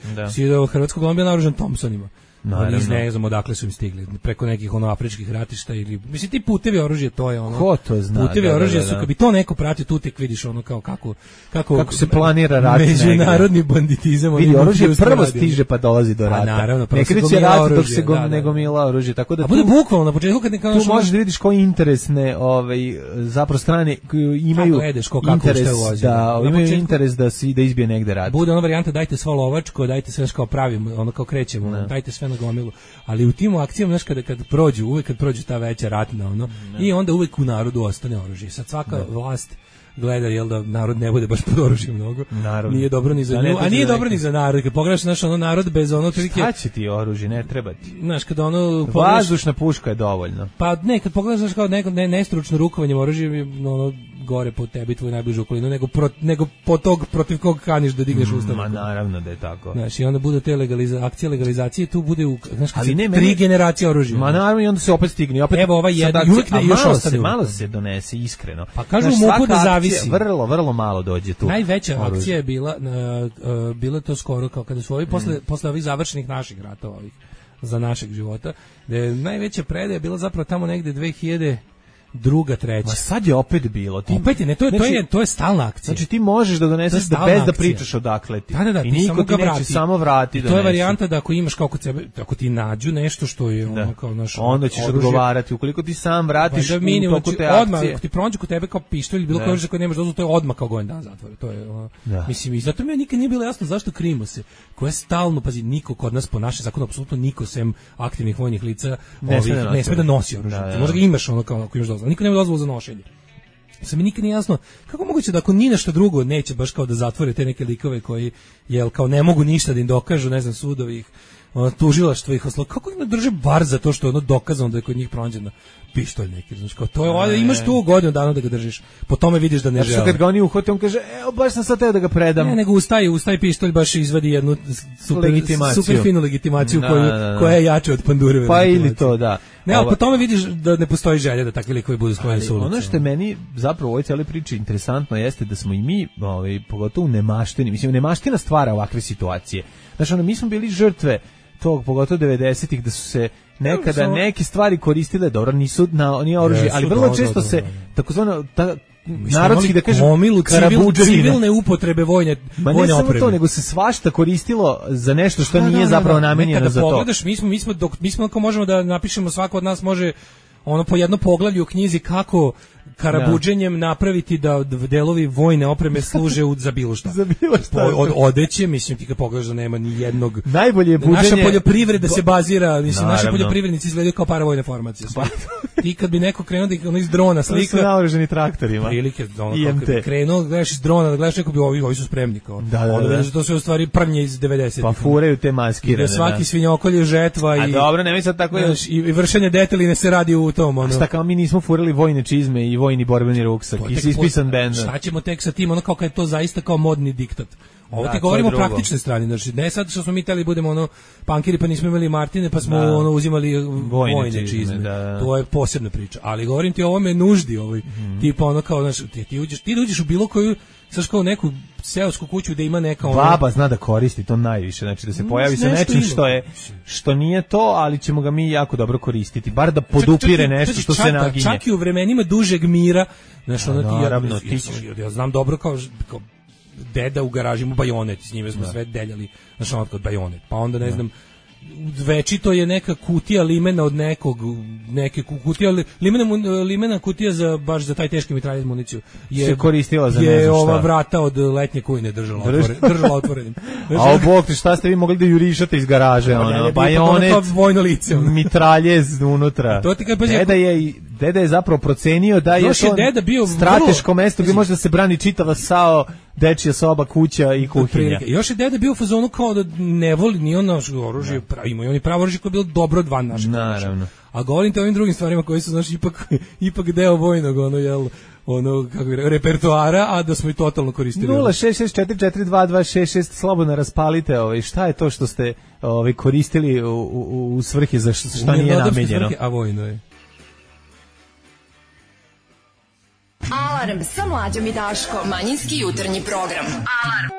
od hrvatskog on bio naoružan Thompsonima. Oni ne znam odakle su im stigli, preko nekih afričkih ratišta ili mislim ti putevi oružja, to je ono. Ko to zna? Putevi oružja su, kad bi to neko pratio, tu tek vidiš ono kao kako se planira rat, međunarodni banditizam. Vidi, oružje prvo stiže pa dolazi do rata. Naravno, ne kreće rat dok se nego mila oružje, tako da. A bude bukvalno na početku kad neka tu možeš da vidiš koje interesne zapravo strane imaju interes da izbije negde rat. Bude ona varijanta dajte svo lovačko, dajte sve kao pravimo, ono kao krećemo, dajte sve na gomilu. Ali u tim akcijama, znaš, kad prođu ta veća ratna, ono, i onda uvek u narodu ostane oružje. Sad svaka vlast gleda, jel da narod ne bude baš pod oružjem mnogo. Naravno. Nije dobro ni za nju, a nije dobro ni za narod. Kad pogledaš, znaš, ono, narod bez ono... Šta će ti oružje, ne treba ti? Znaš, kad ono... Vazdušna puška je dovoljno. Pa ne, kad pogledaš, znaš, kao nestručno rukovanjem oružjem, ono, gore po tebi, tvoju najbližu okolinu, nego po tog protiv kog kaniš da digneš ustav. Ma naravno da je tako. Znaš, i onda bude te akcije legalizacije, tu bude, znaš, kad tri generacije oružja. Ma naravno, i onda se opet stigne. Evo, ovaj jedan, još ostane. Malo se donese, iskreno. Pa kažu u MUP-u da zavisi. Vrlo malo dođe tu. Najveća akcija je bila to skoro, kao kada su ovi, posle ovih završenih naših ratova, ovih, za našeg života, da je najveća predaja bila zapravo tamo negde 2002, 2003. Ma sad je opet bilo. Opet je, ne, to je stalna akcija. Znači ti možeš da doneseš da bez da pričaš odakle ti. Da, i niko ti neće samo vrati. To je varijanta da ako imaš kao kod sebe, ako ti nađu nešto što je ono kao naš onda ćeš odgovarati. Ukoliko ti sam vratiš u toku te akcije. Odmah, ako ti pronađu kod tebe kao pištolj ili bilo koje oružje koje nemaš dozvolu, to je odmah kao godin dan zatvora. To je mislim, i zato mi nikad nije bilo jasno zašto krimo se. Ko je stalno, pazi, niko kod nas po našem zakonu, apsolutno niko sem aktivnih vojnih lica ne sme da nosi oružje. Možda ga imaš ono kao ako imaš dozvolu. Niko nema dozvolu za nošenje. Sad mi nikad nije jasno kako moguće da ako ni nešto drugo neće baš kao da zatvore te neke likove koji jel kao ne mogu ništa da im dokažu, ne znam, sudovi tužilaštvo ih oslo, kako im ne drže bar za to što je ono dokazano da je kod njih pronađeno pištolj neki, znači kao to je, imaš tu godinu dana da ga držiš, po tome vidiš da ne žele. Kad ga oni uhvate, on kaže, evo baš sam sad teo da ga predam. Ne, nego ustaje pištolj baš izvadi jednu super finu legitimaciju koja je jača od pandureve. Pa ili to, da. Ne, ali po tome vidiš da ne postoji želja da takvi likovi budu sklonjeni sa ulice. Ono što je meni zapravo u ovoj cijeloj priči interesantno jeste da smo i mi, pogotovo nemaštini, mislim, nemaština stvara ovakve situacije. Znači, mi smo bili žrtve tog, pogotovo 90-ih, da su se nekada neke stvari koristile, dobro, nije oružje, ali vrlo često se takozvano narodski, da kažem, civilne upotrebe vojne opreme. Ma ne samo to, nego se svašta koristilo za nešto što nije zapravo namenjeno za to. Kada pogledaš, mi smo ako možemo da napišemo, svako od nas može ono po jedno poglavlje u knjizi kako karabuđenjem napraviti da delovi vojne opreme služe za bilo šta. Od odeće, mislim, ti kad pogledaš da nema ni jednog... Najbolje je buđenje... Naša poljoprivreda se bazira, mislim, naši poljoprivrednici izgledaju kao paravojne formacije. Ti kad bi neko krenuo da ono iz drona slika... To su naoruženi traktorima. Prilike, krenuo, gledaš iz drona, da gledaš neko bi ovi su spremni. Onda vidiš da to su u stvari prnje iz 90. Pa furaju te maskirane. Svaki svinjokolj je žetva i... A dobro, ne mislim tako je... I vršenje deteline se radi u tom, ono... Šta kao mi nismo furali vojne čizme i vojni borbeni ruksak i ispisan bend. Šta ćemo tek sa tim, ono kao kad je to zaista kao modni diktat. Ovo ti govorimo o praktičnoj strani, znači ne sad što smo mi teli budemo ono pankiri pa nismo imali Martine pa smo ono uzimali vojne čizme. To je posebna priča, ali govorim ti o ovome nuždi ovoj. Tipa ono kao znači ti uđeš u bilo koju saš kao neku seosku kuću da ima neka ono... Baba zna da koristi to najviše, znači da se pojavi sa nečim što nije to, ali ćemo ga mi jako dobro koristiti, bar da podupire nešto što se naginje. Čak i u vremenima dužeg mira, znači ja znam dobro kao deda u garaži mu bajonet, s njime smo sve deljali, znači ono kod bajonet, pa onda ne znam, večito je neka kutija limena od neke kutija limena kutija za baš za taj teški mitraljez municiju se koristila za ne znam šta. Je ova vrata od letnje kujne držala otvorenim. A bog ti, šta ste vi mogli da jurišate iz garaže, ono bajonet, vojno lice, mitraljez unutra. Deda je zapravo procenio da je to strateško mesto gdje može da se brani čitava SAO, dečija soba, kuća i kuhinja. Još je deda bio u fazonu kao da ne voli ni ono oružje, imaju oni pravo oružje koje je bilo dobro van našeg. Naravno. A govorim te o ovim drugim stvarima koji su znači ipak deo vojnog repertoara, a da smo i totalno koristili. 066442266 slobodno raspalite, šta je to što ste koristili u svrhe za šta nije namenjeno. A vojno je. Alarm sa Mlađom i Daškom. Manjinski jutarnji program. Alarm.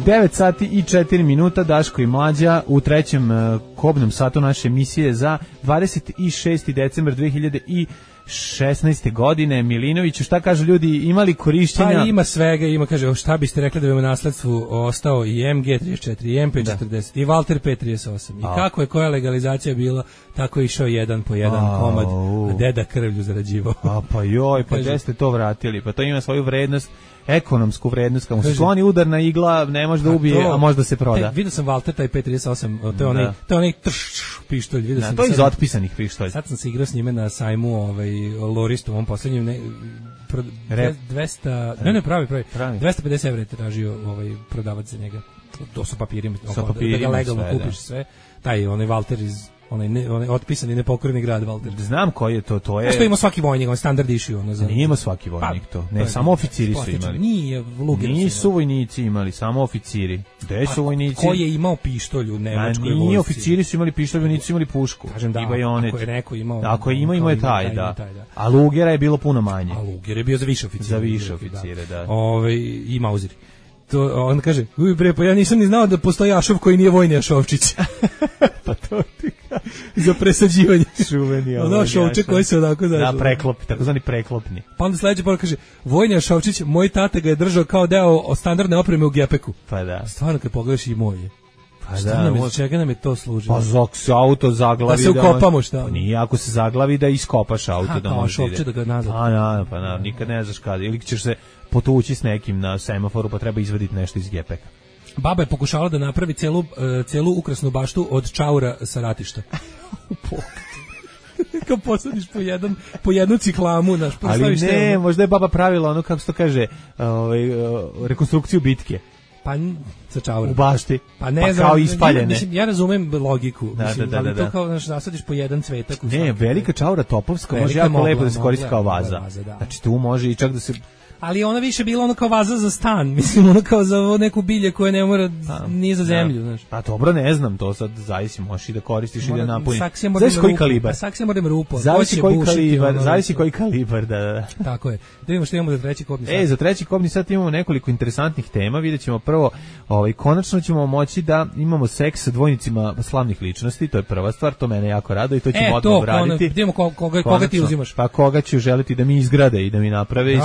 9 sati i 4 minuta, Daško i Mlađa u trećem kobnom satu naše emisije za 26. decembar 2016. godine. Milinoviću, šta kažu ljudi, imali korišćenja? Pa ima svega, ima, kaže, šta biste rekli da bi u nasledstvu ostao i MG34, i MP40, i Walter P38. I kako je koja legalizacija bila, tako je išao jedan po jedan komad, a deda krvlju zarađivao. Pa joj, pa gde ste to vratili? Pa to ima svoju vrednost, ekonomsku vrednost, kao se sloni udarna igla, ne može da ubije, a može da se proda. Vidio sam Walter taj P38, to je onaj pištolj, vidio sam. To je iz otpisanih pištolj. Sad sam se igrao s njime na sajmu, Loristu, u ovom poslednjem 200, ne pravi. 250 evra je tražio prodavac za njega. To su papirima, da ga legalno kupiš sve. Taj onaj Walter iz onaj otpisani nepokorni grad Walter. Znam koji je to je. Što ima svaki vojnik, on standard issue, Nije ima svaki vojnik to. Ne, samo oficiri su imali. Nisu vojnici imali, samo oficiri. Gde su vojnici? Ko je imao pištolj u nemačkoj vojsci? Nije, oficiri su imali pištolj, vojnici su imali pušku. Kažem da, ako je neko imao. Ako je imao je taj, da. A Lugera je bilo puno manje. A Luger je bio za više oficire. Za više oficire, da. I Mauzeri. To on kaže, pa ja nisam ni znao da postoji Ašov koji nije vojni Ašovčić. Pa to ti za presađivanje. Šuveni ono Ašovče koji se onako da preklop, takozvani preklopni. Pa onda sledeći poruka kaže, vojni Ašovčić, moj tata ga je držao kao deo standardne opreme u gepeku. Pa da. Stvarno kad pogledaš i moj je. Pa da, čega nam je to služilo? Pa se auto zaglavi. Da se ukopamo, šta? Pa nije, ako se zaglavi da iskopaš auto. Da možeš Ašovče da ga nazad. Pa nikad ne znaš kada. Ili ćeš se potući s nekim na semaforu, pa treba izvaditi nešto iz gepeka. Baba je pokušala da napravi celu ukrasnu baštu od čaura sa ratišta. Kao posadiš po jednu ciklamu, ali ne, možda je baba pravila ono, kako se to kaže, rekonstrukciju bitke. Pa sa čaurom. U bašti. Pa ne znam, kao ispaljene. Mislim, ja razumem logiku, ali to da. kao nasadiš po jedan cvetak. Ne, velika čaura topovska može jako lepo da se koristi kao vaza. Znači tu može i čak da se... Ali ona više bila ono kao vaza za stan, mislim, ono kao za neku bilje koje ne mora ni za zemlju, znaš. Pa dobro, ne znam, to sad zavisi, možeš i da koristiš i da napuniš. Zavisi koji kalibar. Saksija mora da rupo. Zavisi koji kalibar, da. Tako je. Da vidimo što imamo za treći kobni sat. Za treći kobni sat imamo nekoliko interesantnih tema, vidjet ćemo prvo, konačno ćemo moći da imamo seks sa dvojnicima slavnih ličnosti, to je prva stvar, to mene jako rado i to ćemo odmah obraditi. Vidimo koga ti uzimaš. Pa koga ću želiti da mi izgrade i da mi naprave.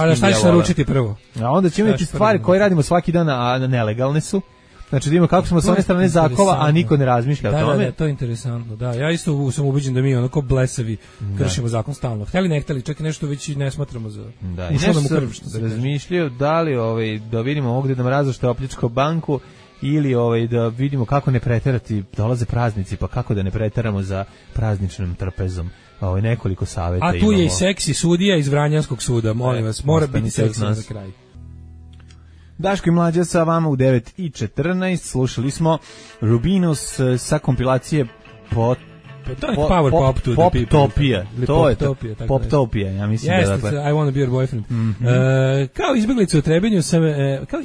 Prvo. A onda ćemo imati stvari koje radimo svaki dan, a nelegalne su. Znači da imamo kako smo s one strane zakova, a niko ne razmišlja o tome. Da, to je interesantno. Da, ja isto sam ubeđen da mi onako blesavi kršimo zakon stalno. Hteli ne hteli, čak i nešto već ne smatramo za. Da, i nešto razmišljaju da li da vidimo ovdje da nam različite opljačko banku ili da vidimo kako ne preterati, dolaze praznici, pa kako da ne preteramo za prazničnim trpezom. Nekoliko saveta imamo. A tu je i seksi sudija iz Vranjanskog suda, molim vas, mora biti seksi za kraj. Daško i Mlađa sa vama u 9:14, slušali smo Rubinus sa kompilacije Power Pop to the People. Poptopija, ja mislim da dakle. I want to be your boyfriend. Kao izbjeglica u Trebinju sam kao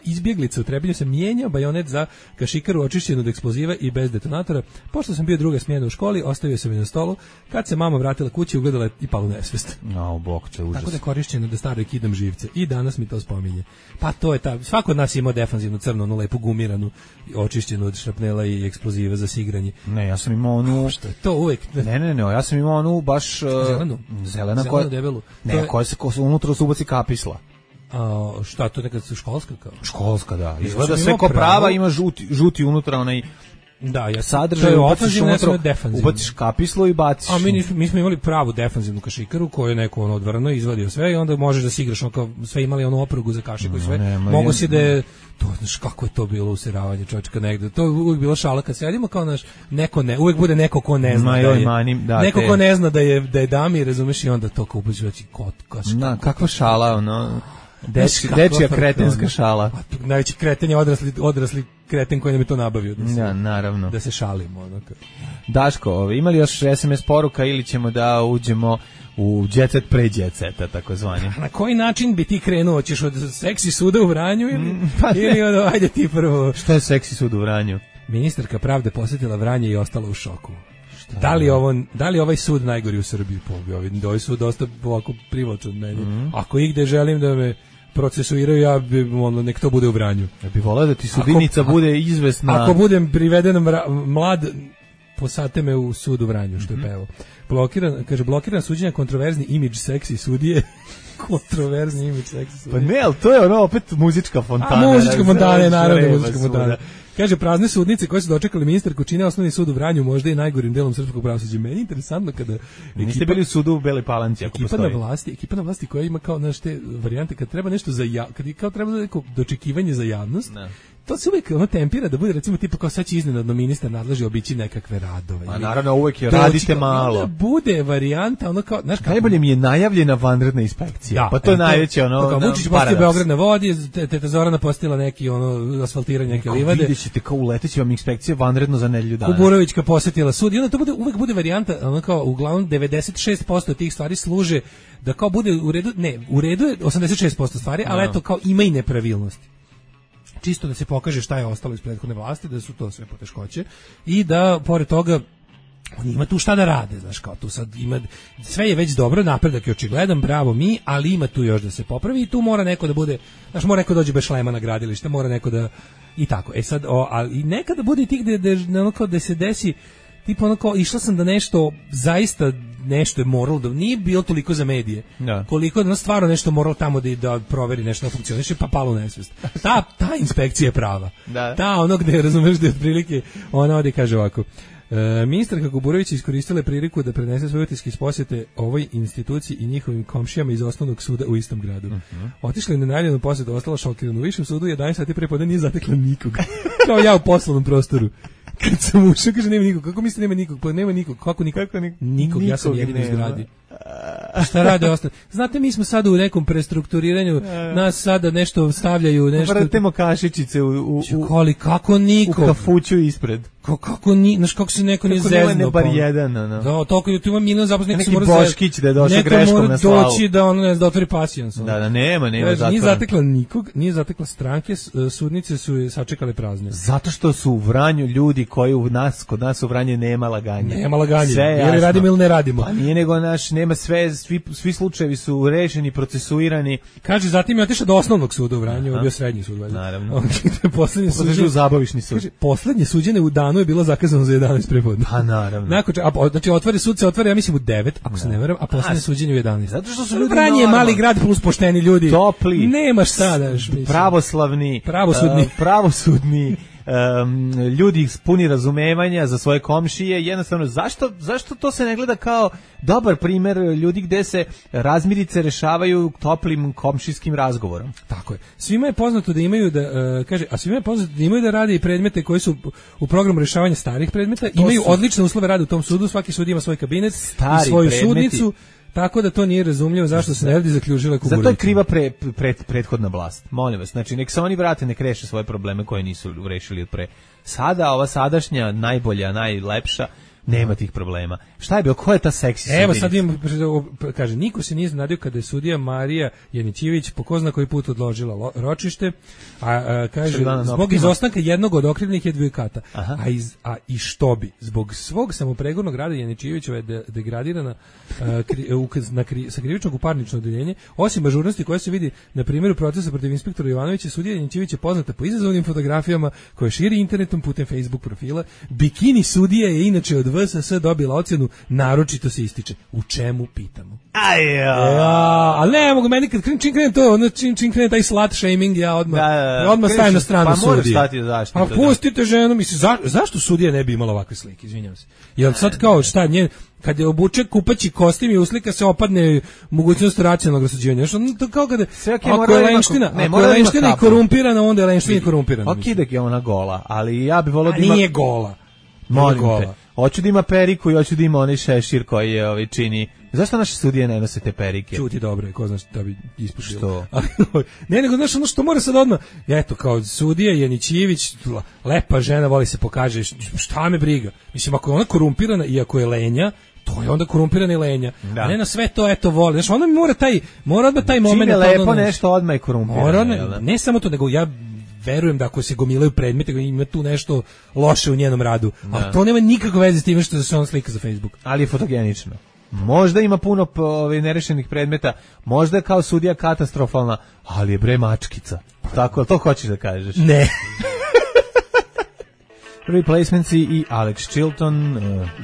izbjeglica u Trebinju sam mijenjao bajonet za kašikaru očišćenu od eksploziva i bez detonatora. Pošto sam bio druga smjena u školi, ostavio sam je na stolu. Kad se mama vratila kući, ugledala i pala u nesvest. Bokče, užas. Tako da je korišćeno da staro kidam živce. I danas mi to spominje. Pa to je svako od nas ima defanzivnu crnu, onu lepu gumiranu, očišćenu od šrapnela i eksploziva za sigranje. Ne, ja sam imao onu... Što je to uvek? Ne, ja sam imao onu baš... Zelena koja... debelu. Ne, koja se unutra se ubaci kapisla. Šta, to nekad su školska kao? Školska, da. Izgleda sve ko prava, ima žuti unutra onaj... Da, sadržaj, ubaciš kapislo i baciš. A mi smo imali pravu defanzivnu kašikaru koju je neko odvrno izvadio sve i onda možeš da si igraš sve imali onu oprugu za kašiku i sve. Mogu si da je to, znaš kako je to bilo useravanje čovječka negde. To je uvijek bila šala kad sedimo kao naš neko ne, uvijek bude neko ko ne zna neko ko ne zna da je dami, razumeš, i onda to kao ubaciš kakva šala, ono. Dečija kretenska šala. Najveći kreten je odrasli kreten koji nam je to nabavio. Naravno. Da se šalimo. Daško, imali još SMS poruka ili ćemo da uđemo u jet set pre jet seta, takozvani? Na koji način bi ti krenuo? Ćeš od seksi suda u Vranju ili ajde ti prvo? Što je seksi sud u Vranju? Ministarka pravde posjetila Vranje i ostala u šoku. Da li ovaj sud najgori u Srbiji? Ovaj sud dosta ovako privlačan od meni. Ako igde želim da me procesuiraju, ja bi nek to bude u Vranju. Ja bih voleo da ti sudionica bude izvesna. Ako budem priveden mlad, posate me u sud u Vranju, što je pevao. Blokiran suđenja, kontroverzni imidž seksi sudije. Kontroverzni imidž seksi sudije. Pa ne, ali to je ono opet muzička fontana. Muzička fontana, naravno, muzička fontana. Kaže, prazne sudnice koje su dočekali ministarku čine osnovni sud u Vranju, možda i najgorim delom srpskog pravosuđa. Meni je interesantno kada niste bili u sudu u Beloj Palanci, ako postoji. Ekipa na vlasti koja ima kao te varijante kad treba nešto kad kao treba neko dočekivanje za javnost. Ne. To se uvijek tempira da bude recimo tipa kao sad će iznenadno ministar nadleži obići nekakve radove. A naravno uvijek je radite malo. Da bude varijanta ono kao znaš najbolje mi je najavljena vanredna inspekcija. Da, pa to je najveće ono. Kao Vučić postavio Beograd na vodi, teta Zorana postavila neki ono asfaltiranje neke livade. Videćete kao uleteće vam inspekcija vanredno za nedelju dana. Kuburovićka posetila sud i onda to uvijek bude varijanta ono kao uglavnom 96% tih stvari služe da kao bude u redu, ne, u redu je 86% stvari, ali eto kao ima i nepravilnosti. Čisto da se pokaže šta je ostalo iz prethodne vlasti, da su to sve poteškoće i da pored toga on ima tu šta da rade, znaš, kao tu sad ima, sve je već dobro, napredak je očigledan, bravo mi, ali ima tu još da se popravi i tu mora neko da bude, znaš, mora neko dođe bez šlema na gradilište, mora neko da, i tako, sad, ali nekada bude tih da se desi, tipa ono kao, išla sam da nešto, zaista nešto je moralo da, nije bilo toliko za medije, koliko da stvarno nešto moralo tamo da proveri nešto da funkcioniše, pa palo nesvest. Ta inspekcija je prava. Ta ono gde, razumeš, da je otprilike, ona ovdje kaže ovako, ministarka Kuburović iskoristila priliku da prenese svoje utiske iz posjete ovoj instituciji i njihovim komšijama iz osnovnog suda u istom gradu. Otišla je na najavljenu posjetu, ostala šokirana. U višem sudu 11 sati pre podne nije zatekla nikog. Kao ja u poslovnom prostoru. Kad sam ušao, kaže nema nikog. Kako mislite nema nikog? Pa nema nikog. Kako nikog? Nikog, ja sam jedini u zgradi. Šta rade ostali? Znate, mi smo sada u nekom prestrukturiranju, nas sada nešto stavljaju, nešto... Vratimo kašičice kako nikog? U kafuću ispred. Kako se neko nije zezno? Kako nema bar jedan, Da, toliko tu ima milion zaposlenih. Neki Boškić da je došao greškom na slavu. Neko mora doći da ono ne da otvori pasijans. Da, nema zatvora. Nije zatekla nikog, nije zatekla stranke, sudnice su je sačekale prazne. Zato što su u Vranju ljudi koji kod nas u Vranju nema laganja. Nema laganja, ili radimo ili ne radimo. Pa nije nego nema sve, svi slučajevi su rešeni, procesuirani. Kaže, zatim je otišao do osnovnog suda u Vranju, bio srednji sud. Naravno. Poslednje suđenje u zabavišni sud. Kaže, poslednje suđenje u danu je bilo zakazano za 11 prepodne. Pa naravno. Znači otvori sud se otvori, ja mislim u 9, ako se ne varam, a poslednje suđenje u 11. Zato što su ljudi Vranje je mali grad plus pošteni ljudi. Topli. Nemaš šta daš, mislim. Pravosudni. Ljudi puni razumevanja za svoje komšije, jednostavno zašto to se ne gleda kao dobar primjer ljudi gde se razmirice rešavaju toplim komšijskim razgovorom. Tako je. Svima je poznato da imaju svima je poznato da imaju da rade i predmete koji su u programu rešavanja starih predmeta, imaju odlične uslove rada u tom sudu, svaki sud ima svoj kabinet i svoju sudnicu. Tako da to nije razumljivo zašto se ne radi zaključila Kuburović. Zato je kriva prethodna vlast. Molim vas, znači nek se oni vrate, nek reše svoje probleme koje nisu rešili od pre. Sada ova sadašnja najbolja, najlepša nema tih problema. Šta je bilo? Ko je ta seksi sudija? Evo sad imam, kaže, niko se nije iznenadio kada je sudija Marija Janićivić po ko zna koji put odložila ročište, a kaže, zbog izostanka jednog od okrivljenih advokata. I što bi? Zbog svog samopregornog rada Janićivićeva je degradirana sa krivičnog u parnično odeljenje, osim ažurnosti koja se vidi na primjeru procesa protiv inspektora Jovanovića, sudija Janićivić je poznata po izazovnim fotografijama koje širi internetom putem Facebook profila. Bikini sudija je inače od VSS dobila ocjenu naročito se ističe. U čemu pitamo? Ali ne mogu, meni kad čim krene to, čim krene taj slut shaming, ja odmah stavim na stranu sudije. Pa moraš stati u zaštitu. A pustite ženu, mislim, zašto sudija ne bi imala ovakve slike, izvinjam se. Jel sad kao šta njen, kad je obuče kupaći kostim i uslika se opadne mogućnost racionalnog rasuđivanja. To kao kada, ako je lenština i korumpirana, onda je lenština i korumpirana. Ok, da je ona gola, ali ja bi volio da ima... Nije gola. Molim te. Hoću da ima periku i hoću da ima onaj šešir koji je čini. Zašto naše sudije ne nose te perike? Čuti dobro, ko znaš da bi ispušio. Što? Ne, nego znaš ono što mora sad odmah. Eto, kao sudija Janićivić, lepa žena, voli se pokaže, šta me briga. Mislim, ako je ona korumpirana i ako je lenja, to je onda korumpirani lenja. Da. A ne na sve to, eto, voli. Znaš, onda mi mora odmah taj moment. Čim je lepo nešto, odmah je korumpirano. Ne samo to, nego ja verujem da ako se gomilaju predmete, ima tu nešto loše u njenom radu. Ali to nema nikakve veze s tim što se on slika za Facebook. Ali je fotogenično. možda ima puno nerešenih predmeta, možda je kao sudija katastrofalna, ali je bre mačkica. Tako, to hoćeš da kažeš? Ne. Replacementsi i Alex Chilton,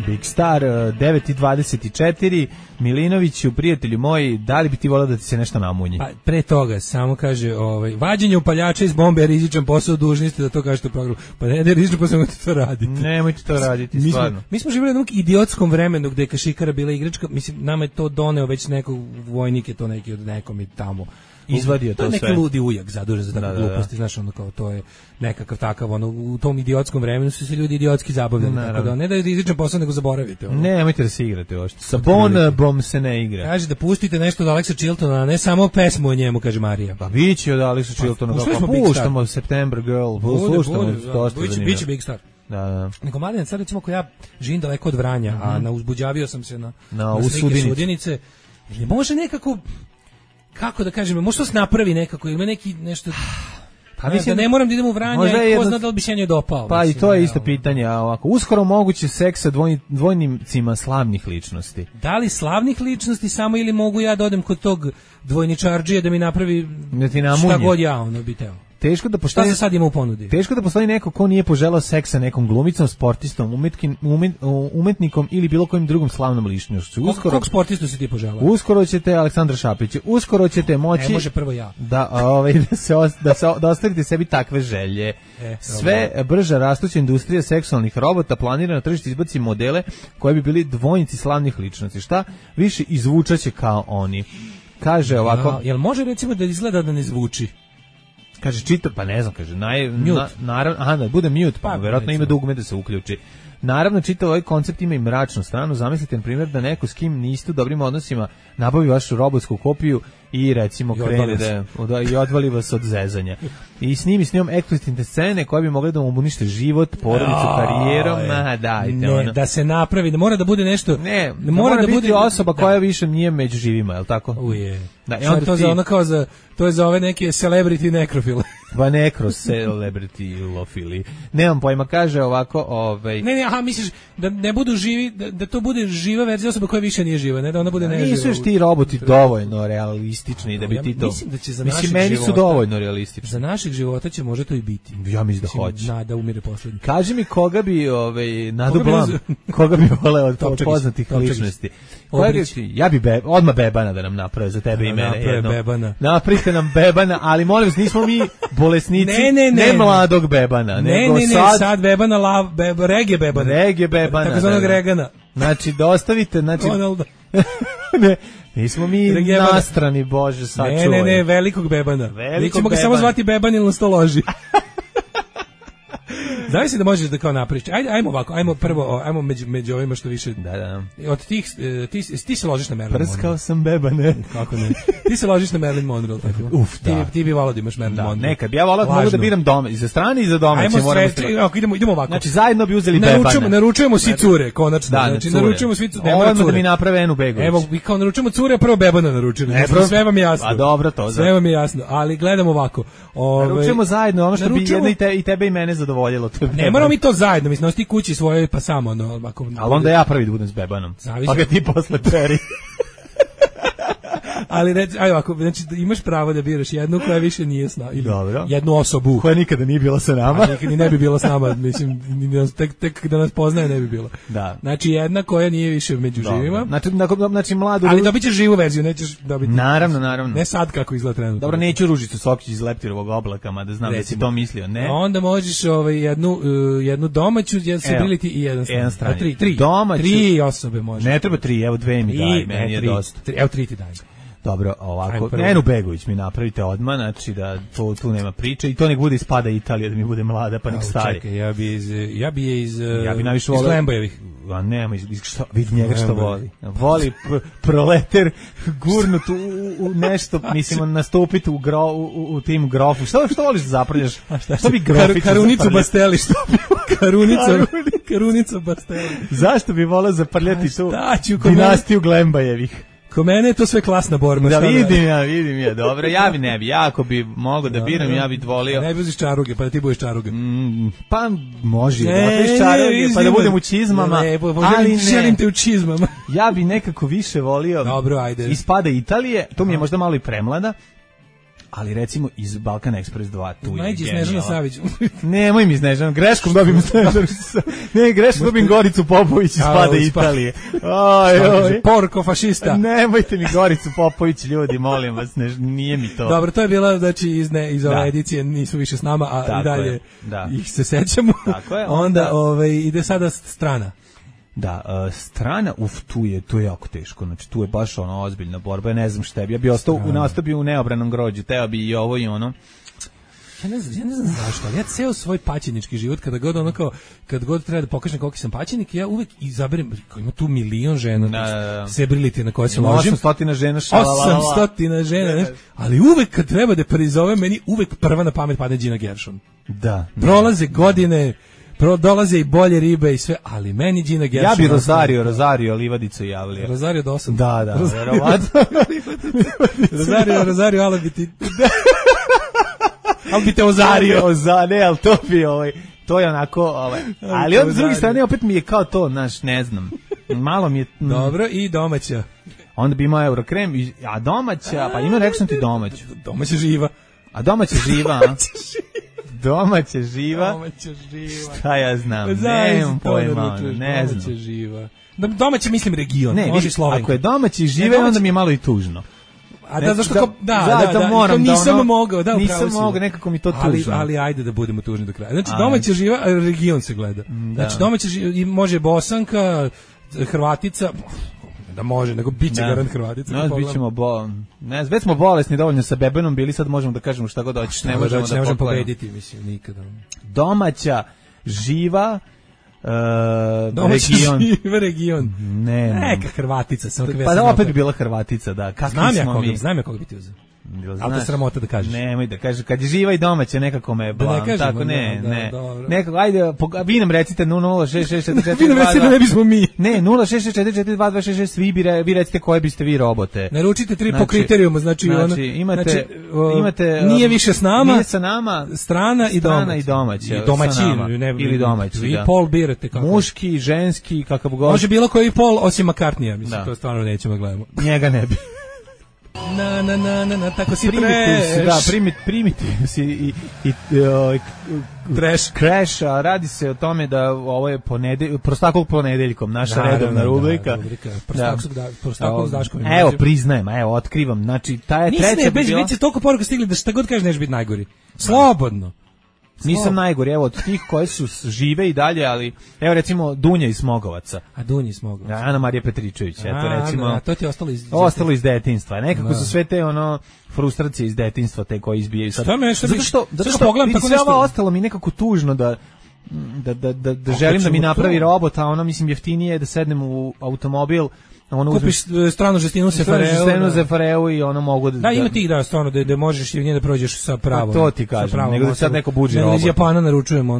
Big Star, 9:24, Milinoviću, prijatelju moji, da li bi ti volao da ti se nešto namunji? Pa, pre toga, samo kaže, vađenje upaljača iz bombe je rizičan posao, dužni ste da to kažete u programu. Pa ne je rizičan posao, nemojte to raditi. Nemojte to raditi, stvarno. Mi smo živjeli u jednom idiotskom vremenu gde je kašikara bila igračka, mislim, nama je to doneo već nekog vojnik, je to neki od nekom i tamo. Izvadio to sve. To je neki ludi ujak zadužen za takve gluposti, znaš, ono kao to je nekakav takav, ono, u tom idiotskom vremenu su se ljudi idiotski zabavljali, tako da ne da je rizičan posao, nego zaboravite. Ono. Nemojte da se igrate ošte. Sa Bonbom se ne igra. Kaže da pustite nešto od Alexa Chiltona, a ne samo pesmu o njemu, kaže Marija. Pa biće od Alexa Chiltona, puštamo September Girl, sluštamo dosta zanimljivo. Biće Big Star. Da. Nego mladen, sad recimo ako ja živim daleko od Vranja, a uzbuđavio sam se na Sudinice, ili može nekako, kako da kažem, možda se napravi nekako, ima neki nešto... Pa mislim, da ne moram da idem u Vranje, ko zna da li bi se njoj dopao. Pa mislim, i to je isto pitanje, a ovako, uskoro moguće seks sa dvojnicima slavnih ličnosti. Da li slavnih ličnosti samo ili mogu ja da odem kod tog dvojničarđije da mi napravi šta god ja ono bi teo? Teško da postoji, šta se sad ima u ponudi? Teško da postoji neko ko nije poželao seks sa nekom glumicom, sportistom, umetnikom ili bilo kojim drugom slavnom ličnošću. Kog sportistu si ti poželao? Uskoro ćete Aleksandra Šapić, uskoro ćete moći. Ne može prvo ja. Da ostavite sebi takve želje. Sve brža rastuća industrija seksualnih robota planira na tržište izbaci modele koji bi bili dvojnici slavnih ličnosti. Šta više izvučaće kao oni. Kaže ovako. Jel može recimo da izgleda da ne zvuči? Kaže čita, pa ne znam, kaže naravno, da bude mute, pa verovatno ima dugme da se uključi. Naravno, čitav ovaj koncept ima i mračnu stranu. Zamislite, na primjer, da neko s kim niste u dobrim odnosima nabavi vašu robotsku kopiju i recimo krene i odvali vas od zezanja. I snimi s njom eksplicitne scene koje bi mogle da mu unište život, porodicu, karijerom. Ne, da se napravi, da mora da bude nešto. Ne, mora da bude osoba koja više nije među živima, je li tako? Uje. To je za ove neke celebrity nekrofile. Pa nekro celebrity lofili. Nemam pojma, kaže ovako, Ne, misliš da ne budu živi, da to bude živa verzija osobe koja više nije živa, ne da ona bude neživa. Nisu još ti roboti dovoljno realistični da bi ti to. Mislim, meni su dovoljno realistični. Za našeg života će možda to i biti. Ja mislim da hoće. Nada umire poslednji. Kaži mi koga bi Nadu Blam, koga bi voleo od poznatih ličnosti. Ja bi odmah Bebana da nam naprave za tebe i mene. Napravite nam Bebana, ali molim vas, nismo mi bolesnici, ne mladog Bebana. Ne, sad Bebana, reggae Bebana. Tako zvanog Regana. Znači, dostavite, ne, nismo mi nastrani, Bože, sačuvaj. Ne, velikog Bebana. Mi ćemo ga samo zvati Beban ili nas to loži. Znaš da možeš da kao napriš. Ajmo ovako, ajmo među ovima što više. Da. Od tih ti se ložiš na Marilyn Monroe. Prskao sam Bebane. Kako ne? Ti se ložiš na Marilyn Monroe, tako. Ti bi volao da imaš Marilyn Monroe. Nekad ja volao da mogu da biram doma, i za strane i za domaće, idemo ovako. Znači zajedno bi uzeli Bebana. Naručujemo svi cure, konačno. Znači naručujemo svi cure. Ovo da mi naprave Enu Begović. Evo, mi kao naručujemo cure, prvo Bebana naručili. Sve vam je jasno. A dobro to. Sve vam je jasno, ali gledamo ovako. Naručujemo zajedno ono što bi i tebe i mene zadovoljilo. Ne moramo mi to zajedno, mislim, ti kući svoje, pa samo, ali onda ja prvi da budem s Bebanom, pa ga ti posle peri. Ali ovako, znači imaš pravo da biraš jednu koja više nije s nama, ili jednu osobu koja nikada nije bila sa nama, nikada ne bi bila s nama, mislim, tek da nas poznaje ne bi bila. Da. Znači jedna koja nije više među živima. Znači mladu. Ali dobićeš živu verziju, nećeš dobiti. Naravno. Ne sad kako izgleda trenutno. Dobro, neću Ružicu Sokić iz Leptirovog oblaka, mada znam da si to mislio, ne. Onda možeš jednu domaću, Civility i jedan strani. Tri osobe može. Ne treba 3, evo 2 mi daj, meni je dosta. Evo 3 ti daj. Dobro, ovako, Enu Begović mi napravite odmah, znači da tu nema priče i to nek bude ispada Italija, da mi bude mlada, pa nek stari. Čekaj, ja bi je iz Lembojevih. A nema, vidi njega što voli. Voli proleter gurnut u nešto, mislim, nastupiti u tim grofu. Što voliš da zaprljaš? Što bi grofić? Karunicu Basteli, što bi? Karunicu Basteli. Zašto bi volao zaprljati tu dinastiju Glembajevih? Ko mene je to sve klasna borba. Da vidim ja, dobro. Ja bi ne bi, ako bi mogao da biram, ja bih volio. Ne bi uziš čaruge, pa da ti budeš čaruga. Pa može da otiš čaruge, pa da budem u čizmama. Ali ne. Želim te u čizmama. Ja bi nekako više volio. Dobro, ajde. Ispada Italije, to mi je možda malo i premlada. Ali recimo iz Balkan Express 2 tu je Najđi Snežana Savić. Nemoj mi Snežana, greškom dobim Snežanu. Ne, greškom dobim Goricu Popović iz Spada Italije. Oj. Porko fašista. Nemojte mi Goricu Popović, ljudi, molim vas, nije mi to. Dobro, to je bila, znači, iz ove edicije nisu više s nama, a tako i dalje ih se sećamo. Tako je. Onda ide sada strana. Da, strana, tu je jako teško, znači tu je baš ono ozbiljna borba, ja ne znam šta bi, ja bi ostao u neobranom grođu, teo bi i ovo i ono. Ja ne znam zašto, ali ja ceo svoj paćenički život, kad god treba da pokažem koliki sam paćenik, ja uvek izaberem, ima tu milion žena, celebrity na koje se ložim. 800 žena, 800 žena, ali uvek kad treba da prizovem, meni uvek prva na pamet padne Gina Gershon. Da. Prolaze godine, dolaze i bolje ribe i sve, ali meni Gina Gershon... Ja bi Rosario Livadicu javlio. Rosario do 8. Da, verovatno. Rosario, ali bi ti... Ali bi te ozario. Ne, ali to bi to je onako, ali od druge strane opet mi je kao to, ne znam, malo mi je... Dobro, i domaća. Onda bi imao Eurokrem, a domaća, pa ima rekao sam ti domaću. Domaća živa. A domaća živa, Domaća živa. Šta ja znam, nemam pojma, ne znam. Domaća živa. Domaća mislim region, može i Slovenka. Ako je domaći žive, onda mi je malo i tužno. A da, zašto moram da nisam mogao, nisam mogao, nekako mi to tužno. Ali ajde da budemo tužni do kraja. Znači domaća živa, region se gleda. Znači domaća živa, može Bosanka, Hrvatica, da može, nego biće garant Hrvatica. Već smo bolesni dovoljno sa bebenom bili, sad možemo da kažemo šta god hoćeš, ne možemo pobediti, mislim, nikada. Domaća živa region. Neka Hrvatica. Pa da opet bi bila Hrvatica, da. Znam ja koga bi ti uzeo. Ali to sramota da kažeš. Nemoj da kažeš, kad je živa i domaća nekako me blam, tako ne. Nekako, ajde, vi nam recite 0664422. Vi nam recite da ne bismo mi. Ne, 066442266, vi recite koje biste vi robote. Naručite 3 po kriterijuma, znači imate nije više s nama, nije sa nama, strana i domaća. I domaćin, ili domaći, vi pol birate kako. Muški, ženski, kakav god. Može bilo koji pol osim McCartneya, mislim, to stvarno nećemo gledamo. Njega ne bi. Na, tako si trash. Da, primitiv si i trash. Crash, a radi se o tome da ovo je prostakluk ponedeljkom, naša redovna rubrika. Prostakluk s Daškom. Evo, priznajem, otkrivam. Znači, ta je treća bi bila... Nisi toliko poruka stigli da šta god kažeš neš biti najgori. Slobodno. Nisam najgori, evo, od tih koje su žive i dalje, ali, evo, recimo, Dunja iz Smogovaca. A Dunja iz Smogovaca. Ana Marija Petričević, eto, recimo. To ti je ostalo iz detinjstva. Nekako su sve te, frustracije iz detinjstva, te koje izbijaju sad. Zato što pogledam tako nešto. Sve ovo ostalo mi nekako tužno da želim da mi napravi robot, a ono, mislim, jeftinije je da sednem u automobil, kupiš stranu žestinu Zefareu i ono mogu da ima tih stvarno da možeš i nje da prođeš sa pravom. To ti kažem, nego da sad neko buđi robot. Iz Japana naručujemo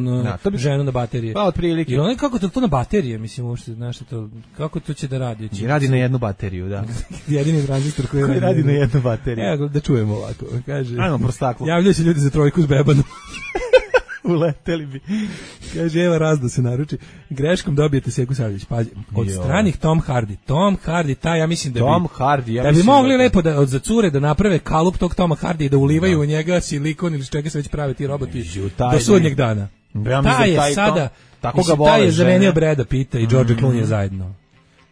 ženu na baterije. Pa otprilike. I ono kako to na baterije, mislim, uopšte znaš to, kako to će da radi? Radi na jednu bateriju, da. Jedini tranzistor koji radi na jednu bateriju. Evo da čujemo ovako, kaže. Ajmo prostaklo. Javljaju se ljudi za trojku s bebanom. Uleteli bi. Kaže, evo Razda se naruči. Greškom dobijete Seku Savić. Pazi, od stranih Tom Hardy, taj ja mislim da bi mogli lepo za cure da naprave kalup tog Toma Hardy i da ulivaju u njega silikon ili čega se već prave ti roboti do sudnjeg dana. Taj je sada, taj je zamenio Breda Pitta i George Clooney zajedno.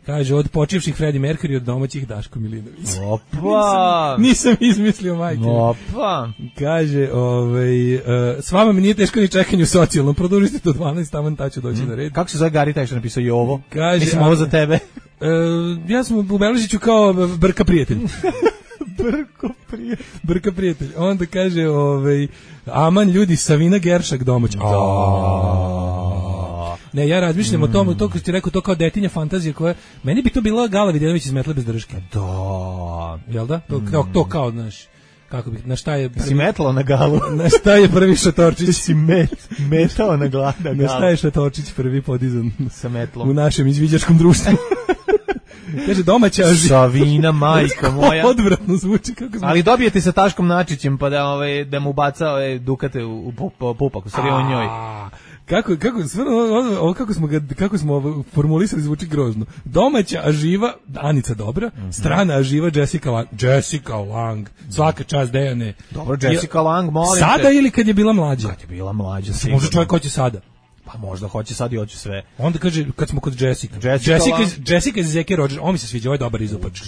Kaže, od počivših Freddie Mercury, od domaćih Daško Milinović. Opa! Nisam izmislio, majke. Opa! Kaže, s vama mi nije teško ni čekanje u socijalnom, produžite do 12, tamo ta ću doći na red. Kako se zove Gari taj što napisao i ovo? Kaže, mislim, ovo za tebe. Ja sam u Beležiću kao Brka prijatelj. Brka prijatelj. Onda kaže, aman ljudi, Savina Geršak domać. Ne, ja razmišljam o tom, to kad ti rekao, to kao detinja fantazija koja, meni bi to bila Gala Vidjanović iz Metle bez drške. Da. Jel da? To kao, znaš, kako bi, na šta je prvi... Si metlao na Galu? Na šta je prvi Šatorčić? Si metao na Galu. Na šta je Šatorčić prvi podizan? Sa metlom. U našem izviđačkom društvu. Kaže domaća aživa. Savina, majka moja. Odvratno zvuči kako Ali dobijete sa Taškom Načićem pa da mu baca dukate u pupak, u stvari on njoj. Kako smo formulisali zvuči grozno. Domaća aživa Anica Dobra, strana aživa Jessica Lang. Svaka čast Dejane. Dobro, Jessica Lang, molim Sada ili kad je bila mlađa? Kad je bila mlađa, sigurno. Možda čovjek hoće sada. Pa možda hoće sad i hoće sve. Onda kaže, kad smo kod Jessica iz Zeke Rogers, on mi se sviđa, ovo je dobar izopač.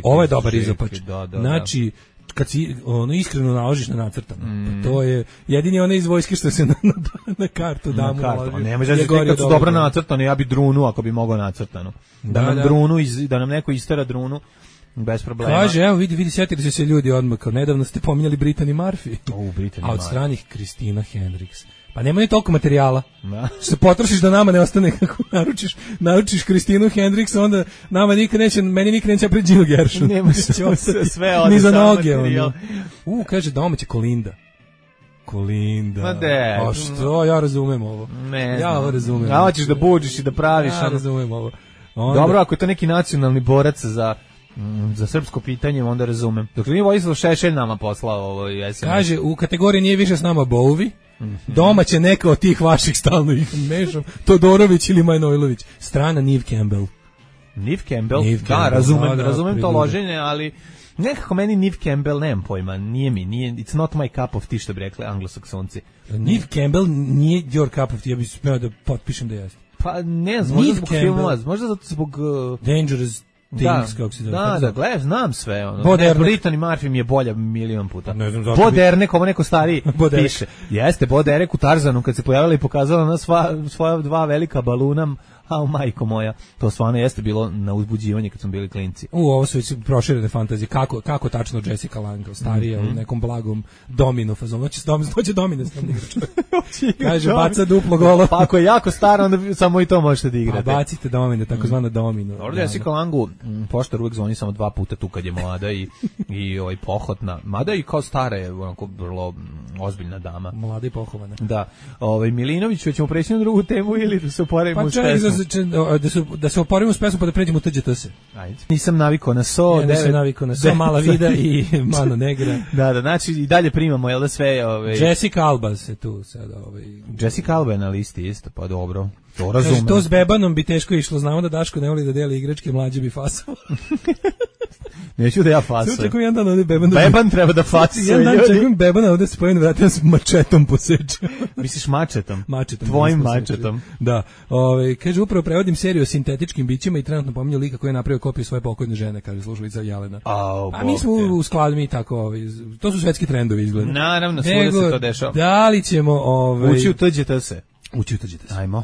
Ovo je dobar izopač. Znači, kad si iskreno naložiš na nacrtano, pa to je jedini onaj iz vojske što se na kartu da mu naloži. Ne može da kad su dobro nacrtano, ja bi drunu ako bi mogao nacrtano. Da nam neko istera drunu. Bez problema. Kaže, evo vidi, sjetili se ljudi odmah, kao nedavno ste pominjali Brittany Murphy. A od stranih Christina Hendricks. Pa nema ni toliko materijala. Što se potrošiš da nama ne ostane kako naručiš Christinu Hendricks, onda nama meni nikad neće pred Jill Gershon. Nema sve ode ni za noge. Kaže domaća Kolinda. Ma de. A što, ja razumem ovo. Ja ovo razumem. A hoćeš da buđiš i da praviš. Ja razumem ovo. Dobro, ako je to neki nacionalni borac za srpsko pitanje, onda razumem. Dok nije Vojislav Šešelj nama poslao ovo SMS. Kaže, u kategoriji nije više s nama Bovi, domaće neka od tih vaših stalno ih mešam, Todorović ili Manojlović. Strana Neve Campbell. Neve Campbell? Da, razumem to loženje, ali nekako meni Neve Campbell, nemam pojma, nije, it's not my cup of tea, što bi rekli anglosaksonci. Neve Campbell nije your cup of tea, ja bih smeo da potpišem da jeste. Pa ne znam, možda zbog filmova, možda zbog Dangerous Things, kako se zove. Da, gledaj, znam sve. Brittany Murphy mi je bolja milion puta. Boderne, kao neko stariji piše. Jeste, Boderek u Tarzanu, kad se pojavila i pokazala na svoja dva velika baluna, majko moja, to stvarno jeste bilo na uzbuđivanje kad smo bili klinci. Ovo su već proširene fantazije. Kako tačno Jessica Lange, starija, u nekom blagom domino fazonu. Hoće domino stavno igrač. Kaže, baca duplo golo. Pa ako je jako stara, onda samo i to možete da igrate. Pa bacite domino, takozvano domino. Dobro, Jessica Langu, poštar uvek zvoni samo 2 puta tu kad je mlada i pohotna. Mada i kao stara je onako vrlo ozbiljna dama. Mlada i pohovana. Da. Milinović, ćemo preći na drugu temu ili da se oporavimo uz pesmu? Da se oporimo s pesmom pa da pređemo u TGTS. Ajde. Nisam navikao na so. Nisam navikao na so, mala vida i Mano Negra. Da, znači i dalje primamo, jel da sve... Jessica Alba se tu sada... Jessica Alba je na listi isto, pa dobro. To razumem. Kaže, to s Bebanom bi teško išlo, znamo da Daško ne voli da deli igračke, mlađe bi fasao. Neću da ja fasujem. Sve očekujem jedan dan ovdje Beban... Beban treba da fasuje. Jedan dan očekujem Bebana ovdje s pojene vratima s mačetom posečem. Misliš mačetom? Mačetom. Tvojim mačetom. Da. Kaže, upravo prevodim seriju o sintetičkim bićima i trenutno pominju lika koji je napravio kopiju svoje pokojne žene, kaže slušalica Jelena. A mi smo u skladu, mi tako, to su svetski trendovi izgleda. Naravno, svuda se to dešava. Da li ćemo... Ući u TGTS. Ajmo.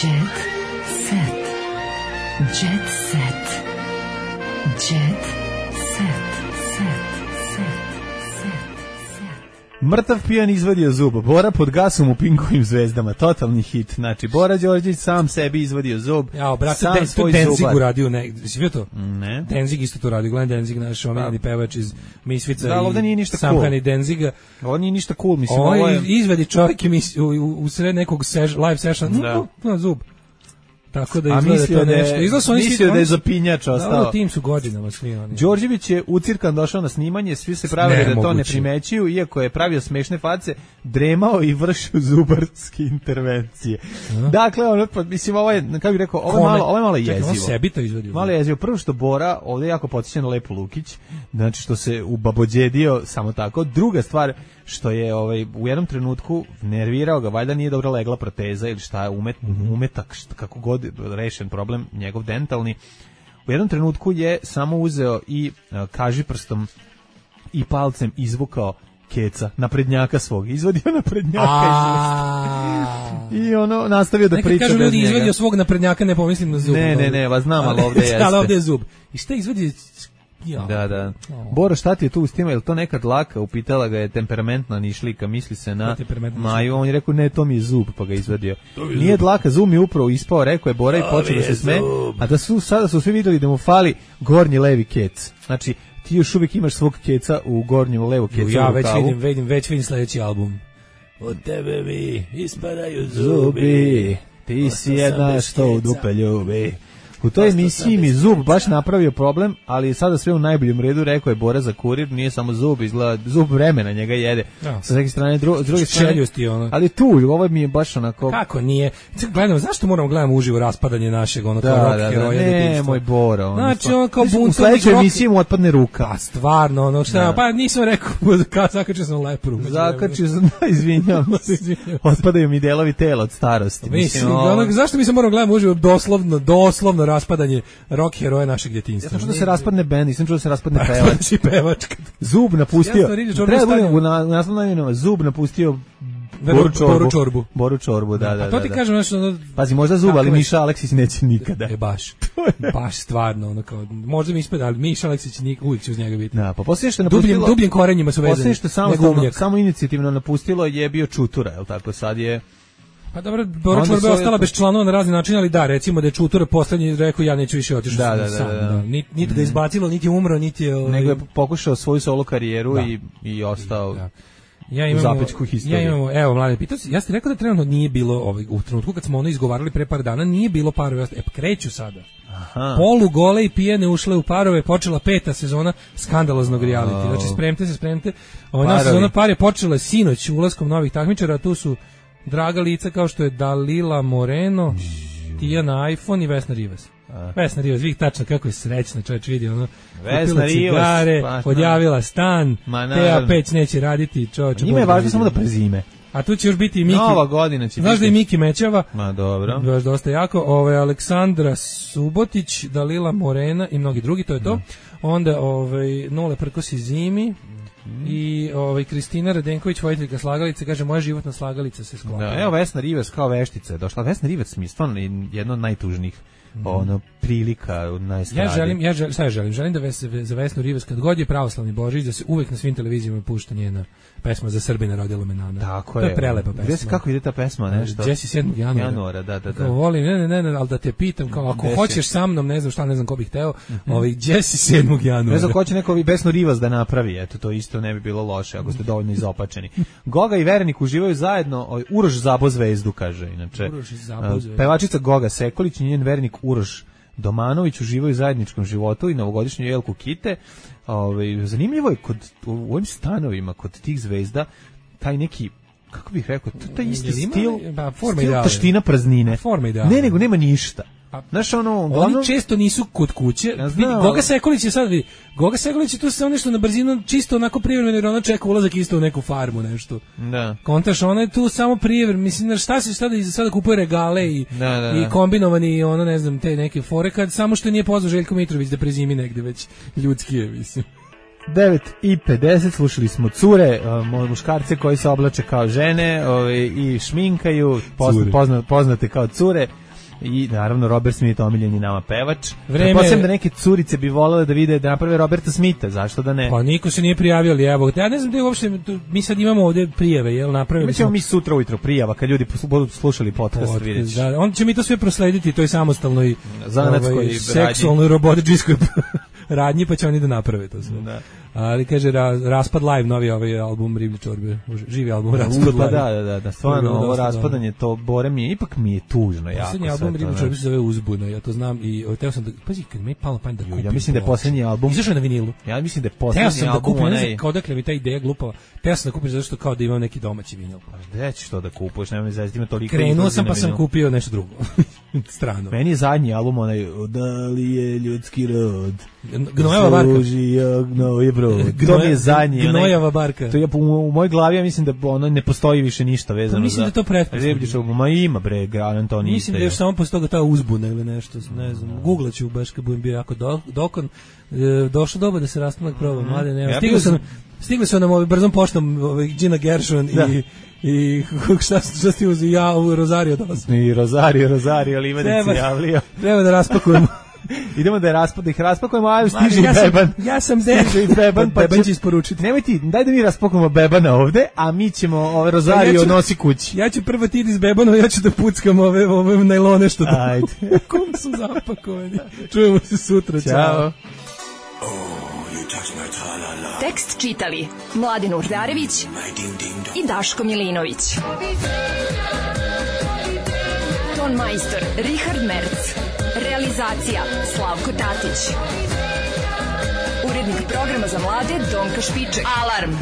Jet set. Jet set. Jet set. Mrtav pijan izvadio zub. Bora pod gasom u Pinkovim zvezdama. Totalni hit. Znači, Bora Đorđević sam sebi izvadio zub. Ja, brate, Denzig uradio. Si vidio to? Ne. Denzig isto to radio. Glenn Denzig, naš omiljeni pevač iz Misvica. Da, ovdje nije ništa cool. Samhani Denziga. Ovo nije ništa cool, mislim. Ovo je... izvedi čovjek u sred nekog live sessiona. Zub. Tako da izgleda to nešto. Mislio da je zapinjač ostao. Da, tim su godinama svi oni. Đorđević je ucirkan došao na snimanje, svi se pravili da to ne primećuju, iako je pravio smešne face, dremao i vršio zubarske intervencije. Dakle, mislim, ovo je, kako bih rekao, ovo je malo jezivo. On sebi to izvodio. Malo jezivo. Prvo što Bora, ovdje jako podsjeća na Lepu Lukić, znači što se ubabođedio samo tako. Druga stvar, što je u jednom trenutku nervirao ga, valjda nije dobro legla proteza ili šta je umetak, kako god rešen problem, njegov dentalni. U jednom trenutku je samo uzeo i kažiprstom i palcem izvukao keca, naprednjaka svog. Izvadio naprednjaka i nastavio da priča bez njega. Kažu ljudi, izvadio svog naprednjaka, ne pomislim na zub. Ne, vas znam, ali ovdje jeste. Ali ovdje je zub. I šta izvadio? Da. Boro, šta ti je tu uz tima? Je li to neka dlaka? Upitala ga je temperamentna nišlika, misli se na Maju. On je rekao, ne, to mi je zub, pa ga izvadio. Nije dlaka, zub mi je upravo ispao, rekao je Bora i počeo da se sme. A sada su svi vidjeli da mu fali gornji levi kec. Znači, ti još uvijek imaš svog keca u gornjem levo kecu. Ja već vidim sljedeći album. od tebe mi ispadaju zubi. Ti si jedna što u dupe ljubi. U toj emisiji mi zub baš napravio problem, ali sada sve u najboljem redu, rekao je Bora za Kurir, nije samo zub, izgleda zub vremena njega jede. Sa neke strane, s druge strane, ali tu, ovo mi je baš onako... Kako nije? Gledamo, zašto moramo gledamo uživo raspadanje našeg kao rock heroja? Ne, moj Bora. Znači, on kao buntovnik. U sledećoj emisiji mu otpadne ruka. Pa stvarno, ono šta, pa nisam rekao, zakačio sam lepru. Zakačio sam, izvinjam se, otpadaju mi delovi tela od starosti. Zašto mi se moramo gledamo uživo doslovno raspadanje rock heroja našeg djetinjstva. Ja što se raspadne bend, nisam čuo da se raspadne pevač. Zub napustio. Treba budemo na naslovnoj Zub napustio Boru Čorbu, da. A to ti kažem nešto... Pazi, možda Zub, ali Miša Aleksić neće nikada. Baš stvarno, ono kao, možda mi ispada, ali Miša Aleksić uvijek će uz njega biti. Da, pa poslije što je napustilo... Dubljim korenjima su vezani. Poslije što samo inicijativno napustilo je bio Čutura, je li tako, sad je... Pa dobro, Bora Čorba je ostala bez članova na razni način, ali da, recimo da je Čutura poslednji rekao ja neću više otići sam. Niti ga izbacilo, niti umro, niti je... Nego je pokušao svoju solo karijeru i ostao u zapećku historije. Evo, mlade, pitao si, ja ste rekao da trenutno nije bilo, u trenutku kad smo ono izgovarali pre par dana, nije bilo parove, kreću sada. Aha. Polugole i pijene ušle u parove, počela 5. sezona skandaloznog reality. Znači, spremte. Ova sezona par je počela sinoć ulaskom novih takmičara, a tu su draga lica kao što je Dalila Moreno, Tijana iPhone i Vesna Rivas. Vesna Rivas, vidite tačno kako je srećna, čovječ vidi ono, kupila cigare, odjavila stan, Teja Peć neće raditi, čovječ. Njima je važno samo da prezime. A tu će još biti i Miki. Nova godina će biti. Znaš da je Miki Mećava? Ma dobro. Baš dosta jako. Aleksandra Subotić, Dalila Morena i mnogi drugi, to je to. Onda Nole Prkos i Zimi. I Kristina Radenković, vojiteljka slagalice, kaže moja životna slagalica se sklapa. Da, evo Vesna Rivas kao veštica je došla. Vesna Rivas mi je stvarno jedna od najtužnijih prilika na estradi. Želim da za Vesnu Rivas kad god je pravoslavni Božić da se uvek na svim televizijama pušta njena pesma Za Srbina rodila me Nana. Tako to je prelepa pesma. Gde kako ide ta pesma, nešto? Jesi 7. januara. Da. Volim, ne, ali da te pitam, kao ako hoćeš sa mnom, ne znam ko bih hteo, Jesi 7. januara. Ne znam ko će neko Vesnu Rivas da napravi, eto to isto ne bi bilo loše ako ste dovoljno izopačeni. Goga i Verenik uživaju zajedno, Uroš Zabo zvezdu, kaže inače. Pevačica Goga Sekolić i njen Verenik Uroš Domanović uživaju u zajedničkom životu i novogodišnju jelku kite. Zanimljivo je u ovim stanovima kod tih zvezda taj neki, kako bih rekao, taj isti stil taština praznine. Ne, nego nema ništa. Znaš, oni često nisu kod kuće. Goga Sekolić je sad, vidi, Goga Sekolić je tu samo nešto na brzinu, čisto onako privremeno, jer ona čeka ulazak isto u neku farmu, nešto. Da. Kontaš, ona je tu samo privremeno, mislim, šta se sada kupuje regale i kombinovani, ne znam, te neke fore, kad samo što nije pozvao Željko Mitrović da prezimi negde, već ljudski je, mislim. 9:50, slušali smo cure, muškarce koji se oblače kao žene i šminkaju, poznate kao cure. I naravno Robert Smith omiljeni nama pevač. Pretpostavljam da neke curice bi volele da vide da naprave Roberta Smitha, zašto da ne? Pa niko se nije prijavio, ali evo, ja ne znam da je uopšte, mi sad imamo ovde prijave, jel napravili? Mi ćemo mi sutra ujutro prijava kad ljudi budu slušali podcast, vidjet. Da, on će mi to sve proslediti, to je samostalnoj zanatskoj seksualnoj robotičkoj radnji, pa će oni da naprave to sve. Da. Ali kaže Raspad Live, novi album Riblje čorbe, živi album Raspad Live. Da, stvarno ovo raspadanje, to Bore mi je, ipak mi je tužno jako. Posljednji album Riblje čorbe se zove Uzbuna, ja to znam i teo sam da, pazi, kad mi je palo pamet da kupim. Ja mislim da je posljednji album. Izašao je na vinilu. Ja mislim da je posljednji album. Ne znam odakle mi ta ideja glupava. Teo sam da kupim zato što kao da imam neki domaći vinil. Gde ćeš to da kupuješ, nema mi zaista ima toliko. Krenuo sam pa sam kupio nešto drugo. Strano. Meni je zadnji album da li je ljudski rod. Gnojava barka. To mi je zadnji. Gnojava barka. To je u mojoj glavi, ja mislim da ono ne postoji više ništa vezano za. Mislim da je to pretpostavljeno. Ma ima bre, Gran to nije. Mislim da je samo posle toga ta uzbuna ili nešto, ne znam. Googlaću baš kad budem bio jako dokon. Došlo doba da se rastanak proba, mlade nema. Stigli su nam brzom poštom Gina Gershon i šta ti uzi, ja u Rosario dosta. I Rosario, Livadic se javlio. Treba da raspakujemo. Idemo da ih raspakujemo, a stiže i Beban. Ja sam Beban, pa Beban će isporučiti. Nemoj ti, daj da mi raspakujemo Bebana ovde, a mi ćemo Rosario nosi kući. Ja ću prvo ti iz Bebanova, ja ću da puckam ove najlone što da. Ajde. Kom su zapakovani. Čujemo se sutra, Ćao. Oh, you touch my Tekst čitali Mladin Urdarević i Daško Milinović. Ton majstor Richard Merc. Realizacija Slavko Tatić. Urednik programa za mlade Donka Špiček. Alarm!